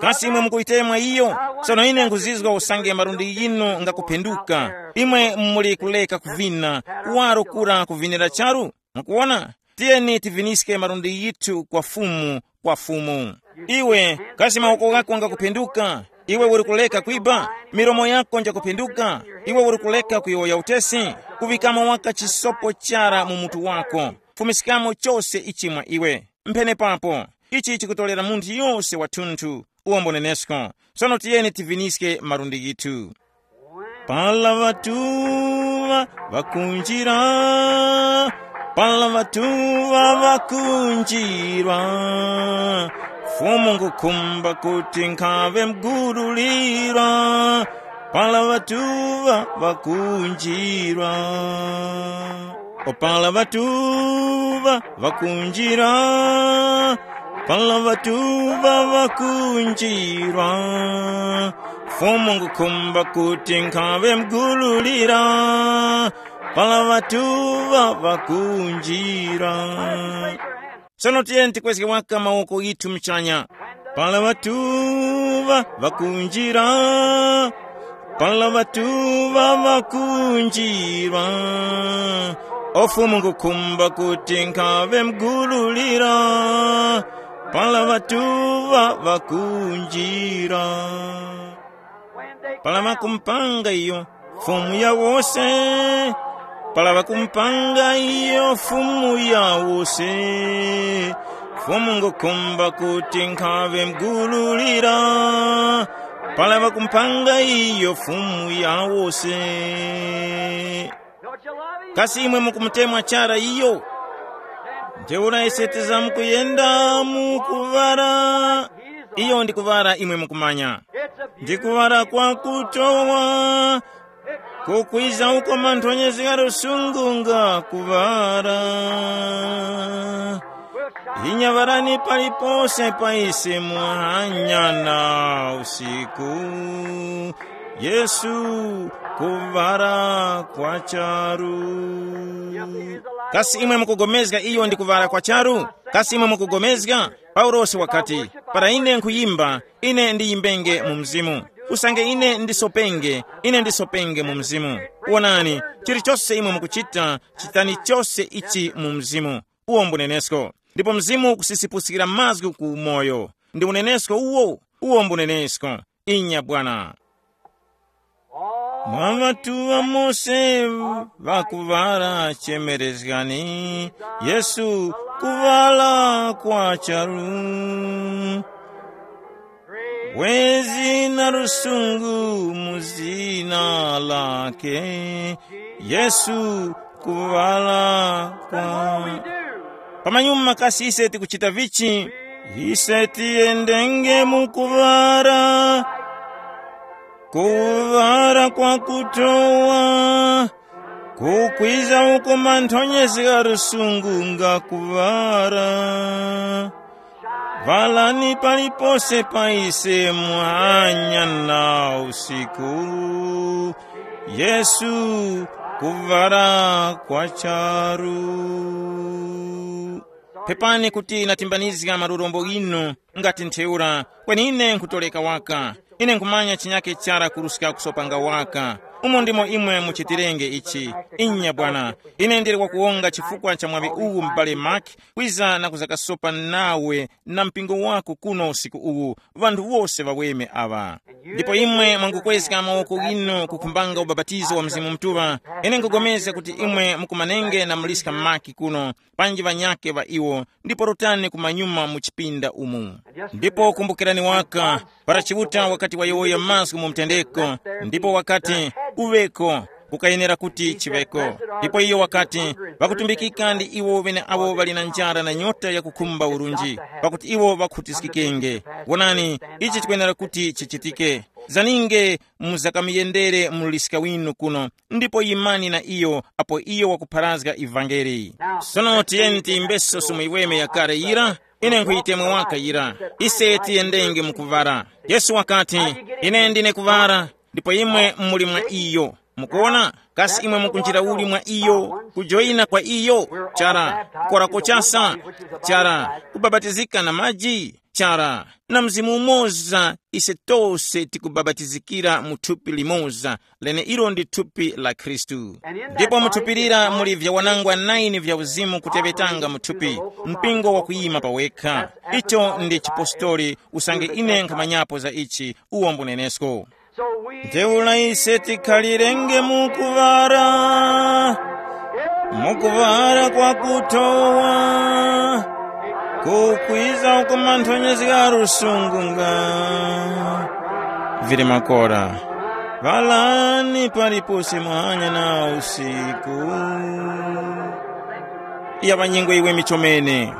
Kasi imwe mukuyitemwa iyo? Sono ine nkhuzizwa usange malundi yinu ngakuphenduka. Imwe muli kuleka kuvina, kuwaro kura kuvinira charu? Mukuwona? Tiyeni tiviniske malundi yithu kwa Fumu, kwa Fumu. Iwe, kasi mawoko ghako ngakuphenduka? Iwe uri kuleka kwiba? Milomo yako njakuphenduka? Iwe uri kuleka kuyowoya utesi? Kuŵikamo waka chisopo chara mu mutu wako. Fumiskamo chose ichi mwa iwe. Mphenepapo, ichi chikutorera munthu yose wathunthu, uwombo nenesko. Sono tiyeni tiviniske malundi ghithu. Pala ŵatu ŵa ŵakunjira, pala ŵatu ŵa ŵakunjirwa, Fumu ngukhumba kuti nkhaŵe mugululira, pala ŵatu ŵa ŵakunjirwa. O pala ŵatu ŵa ŵakunjira, pala ŵatu ŵa ŵakunjirwa, Fumu ngukhumba kuti nkhaŵe mugululira, pala ŵatu ŵa ŵakunjira. Sono tiyeni tikwezge waka mawoko ghithu muchanya. Pala ŵatu ŵa ŵakunjira, pala ŵatu ŵa ŵakunjirwa, o Fumu ngukhumba kuti nkhaŵe mugululira, pala ŵatu ŵa ŵakunjira. Pala ŵakumpanga iyo Fumu ya wose, pala ŵakumpanga iyo Fumu ya wose, Fumu ngukhumba kuti nkhaŵe mugululira, pala ŵakumpanga iyo Fumu ya wose. Kasi imwe mukumutemwa chara iyo? Ntheura ise tizamkuyenda mu kuŵala. Iyo ndi kuŵala imwe mukumanya. Ndi kuŵala kwakutowa, kukwiza uko manthonyezi gha lusungu nga kuŵala. Inyaŵarani palipose pa ise muhanya na usiku. Yesu, kuŵala kwa charu. Kasi imwe mukugomezga iyo ndi kuŵala kwa charu? Kasi imwe mukugomezga? Paulosi wakati, para ine nkhuyimba, ine ndiyimbenge mu mzimu. Usange ine ndisopenge, ine ndisopenge mu mzimu. Wonani, chilichose imwe mukuchita, chitani chose ichi mu mzimu. Uwo mbunenesko. Ndipo mzimu ukusisipusikira mazgu ku umoyo. Ndi unenesko uwo, uwo mbunenesko. Inya bwana. Mwa ŵatuŵa Mose ŵakuŵala chemerezgani, Yesu kuŵala kwa charu. Wezi na lusungu mu zina lake, Yesu kuŵala kwa. Pamanyuma kasi ise tikuchita vichi? Ise tiyendenge mu kuŵala, kuŵala kwa kutowa, kukwiza uko manthonyezi gha lusungu nga kuŵala. Ŵalani palipose pa ise muhanya na usiku, Yesu kuŵala kwa charu. Pepani kuti natimbanizga malurombo ghinu ngati ntheura, kweni ine nkhutoleka waka. Ine nkhumanya chinyake chara kuruska kusopanga waka. Umo ndimo imwe muchitirenge ichi. Inya bwana, ine ndili wakuwonga chifukwa cha mwaŵi uwu m'bale Mark, kwiza na kuzakasopa nawe na mpingo wako kuno usiku uwu, ŵanthu wose ŵaweme aŵa. Ndipo imwe mwangukwezga mawoko ghinu kukhumbanga ubapatizo wa Mzimu Mutuŵa, ine nkupulikana kuti imwe mukumanenge na muliska Mark kuno, panji ŵanyakhe ŵa iwo, ndipo rutani kumanyuma mu chipinda umu. Ndipo kumbukirani waka, para Chiuta wakati wayowoya mazgu mu mtendeko, ndipo wakati, "Kuŵeko," kukayenera kuti chiŵeko. Ndipo iyo wakati, "Ŵakutumbikika ndi iwo ŵeneawo ŵali na njara na nyota yakukhumba urunji, pakuti iwo ŵakhutiskikenge. Wonani, ichi chikwenera kuti chichitike. Zaninge muzakamuyendere muliska winu kuno, ndipo yimani na iyo apo iyo wakupharazga ivangeli." Sono tiyeni tiyimbeso sumu yiweme yakale yira, ine nkhuyitemwa waka yira. Ise tiyendenge mu kuŵala. Yesu wakati, "Ine ndine kuŵala, ndipo imwe muli mwa iyo." Mukuona? Kasi imwe mukunjira uli mwa iyo, kujoyina kwa iyo? Chara. Kukora kochasa? Chara. Kubabatizika na maji? Chara. Na Mzimu umoza, ise tose tikubabatizikira mu thupi limoza, lene ilo ndi thupi la Khristu. Ndipo mu thupi lira muli vyawanangwa naini vya uzimu kuteŵetanga mu thupi, mpingo wakuyima pawekha. Icho ndi chipostoli, usange ine nkhamanyapo za ichi, uwo mbunenesko. Ntheura ise tikhalirenge mu kuŵala, mu kuŵala kwa kutowa, kukwiza uko manthonyezi gha lusungu nga vili makora. Ŵalani palipose muhanya na usiku. Iya ŵanyengo iwe michomene.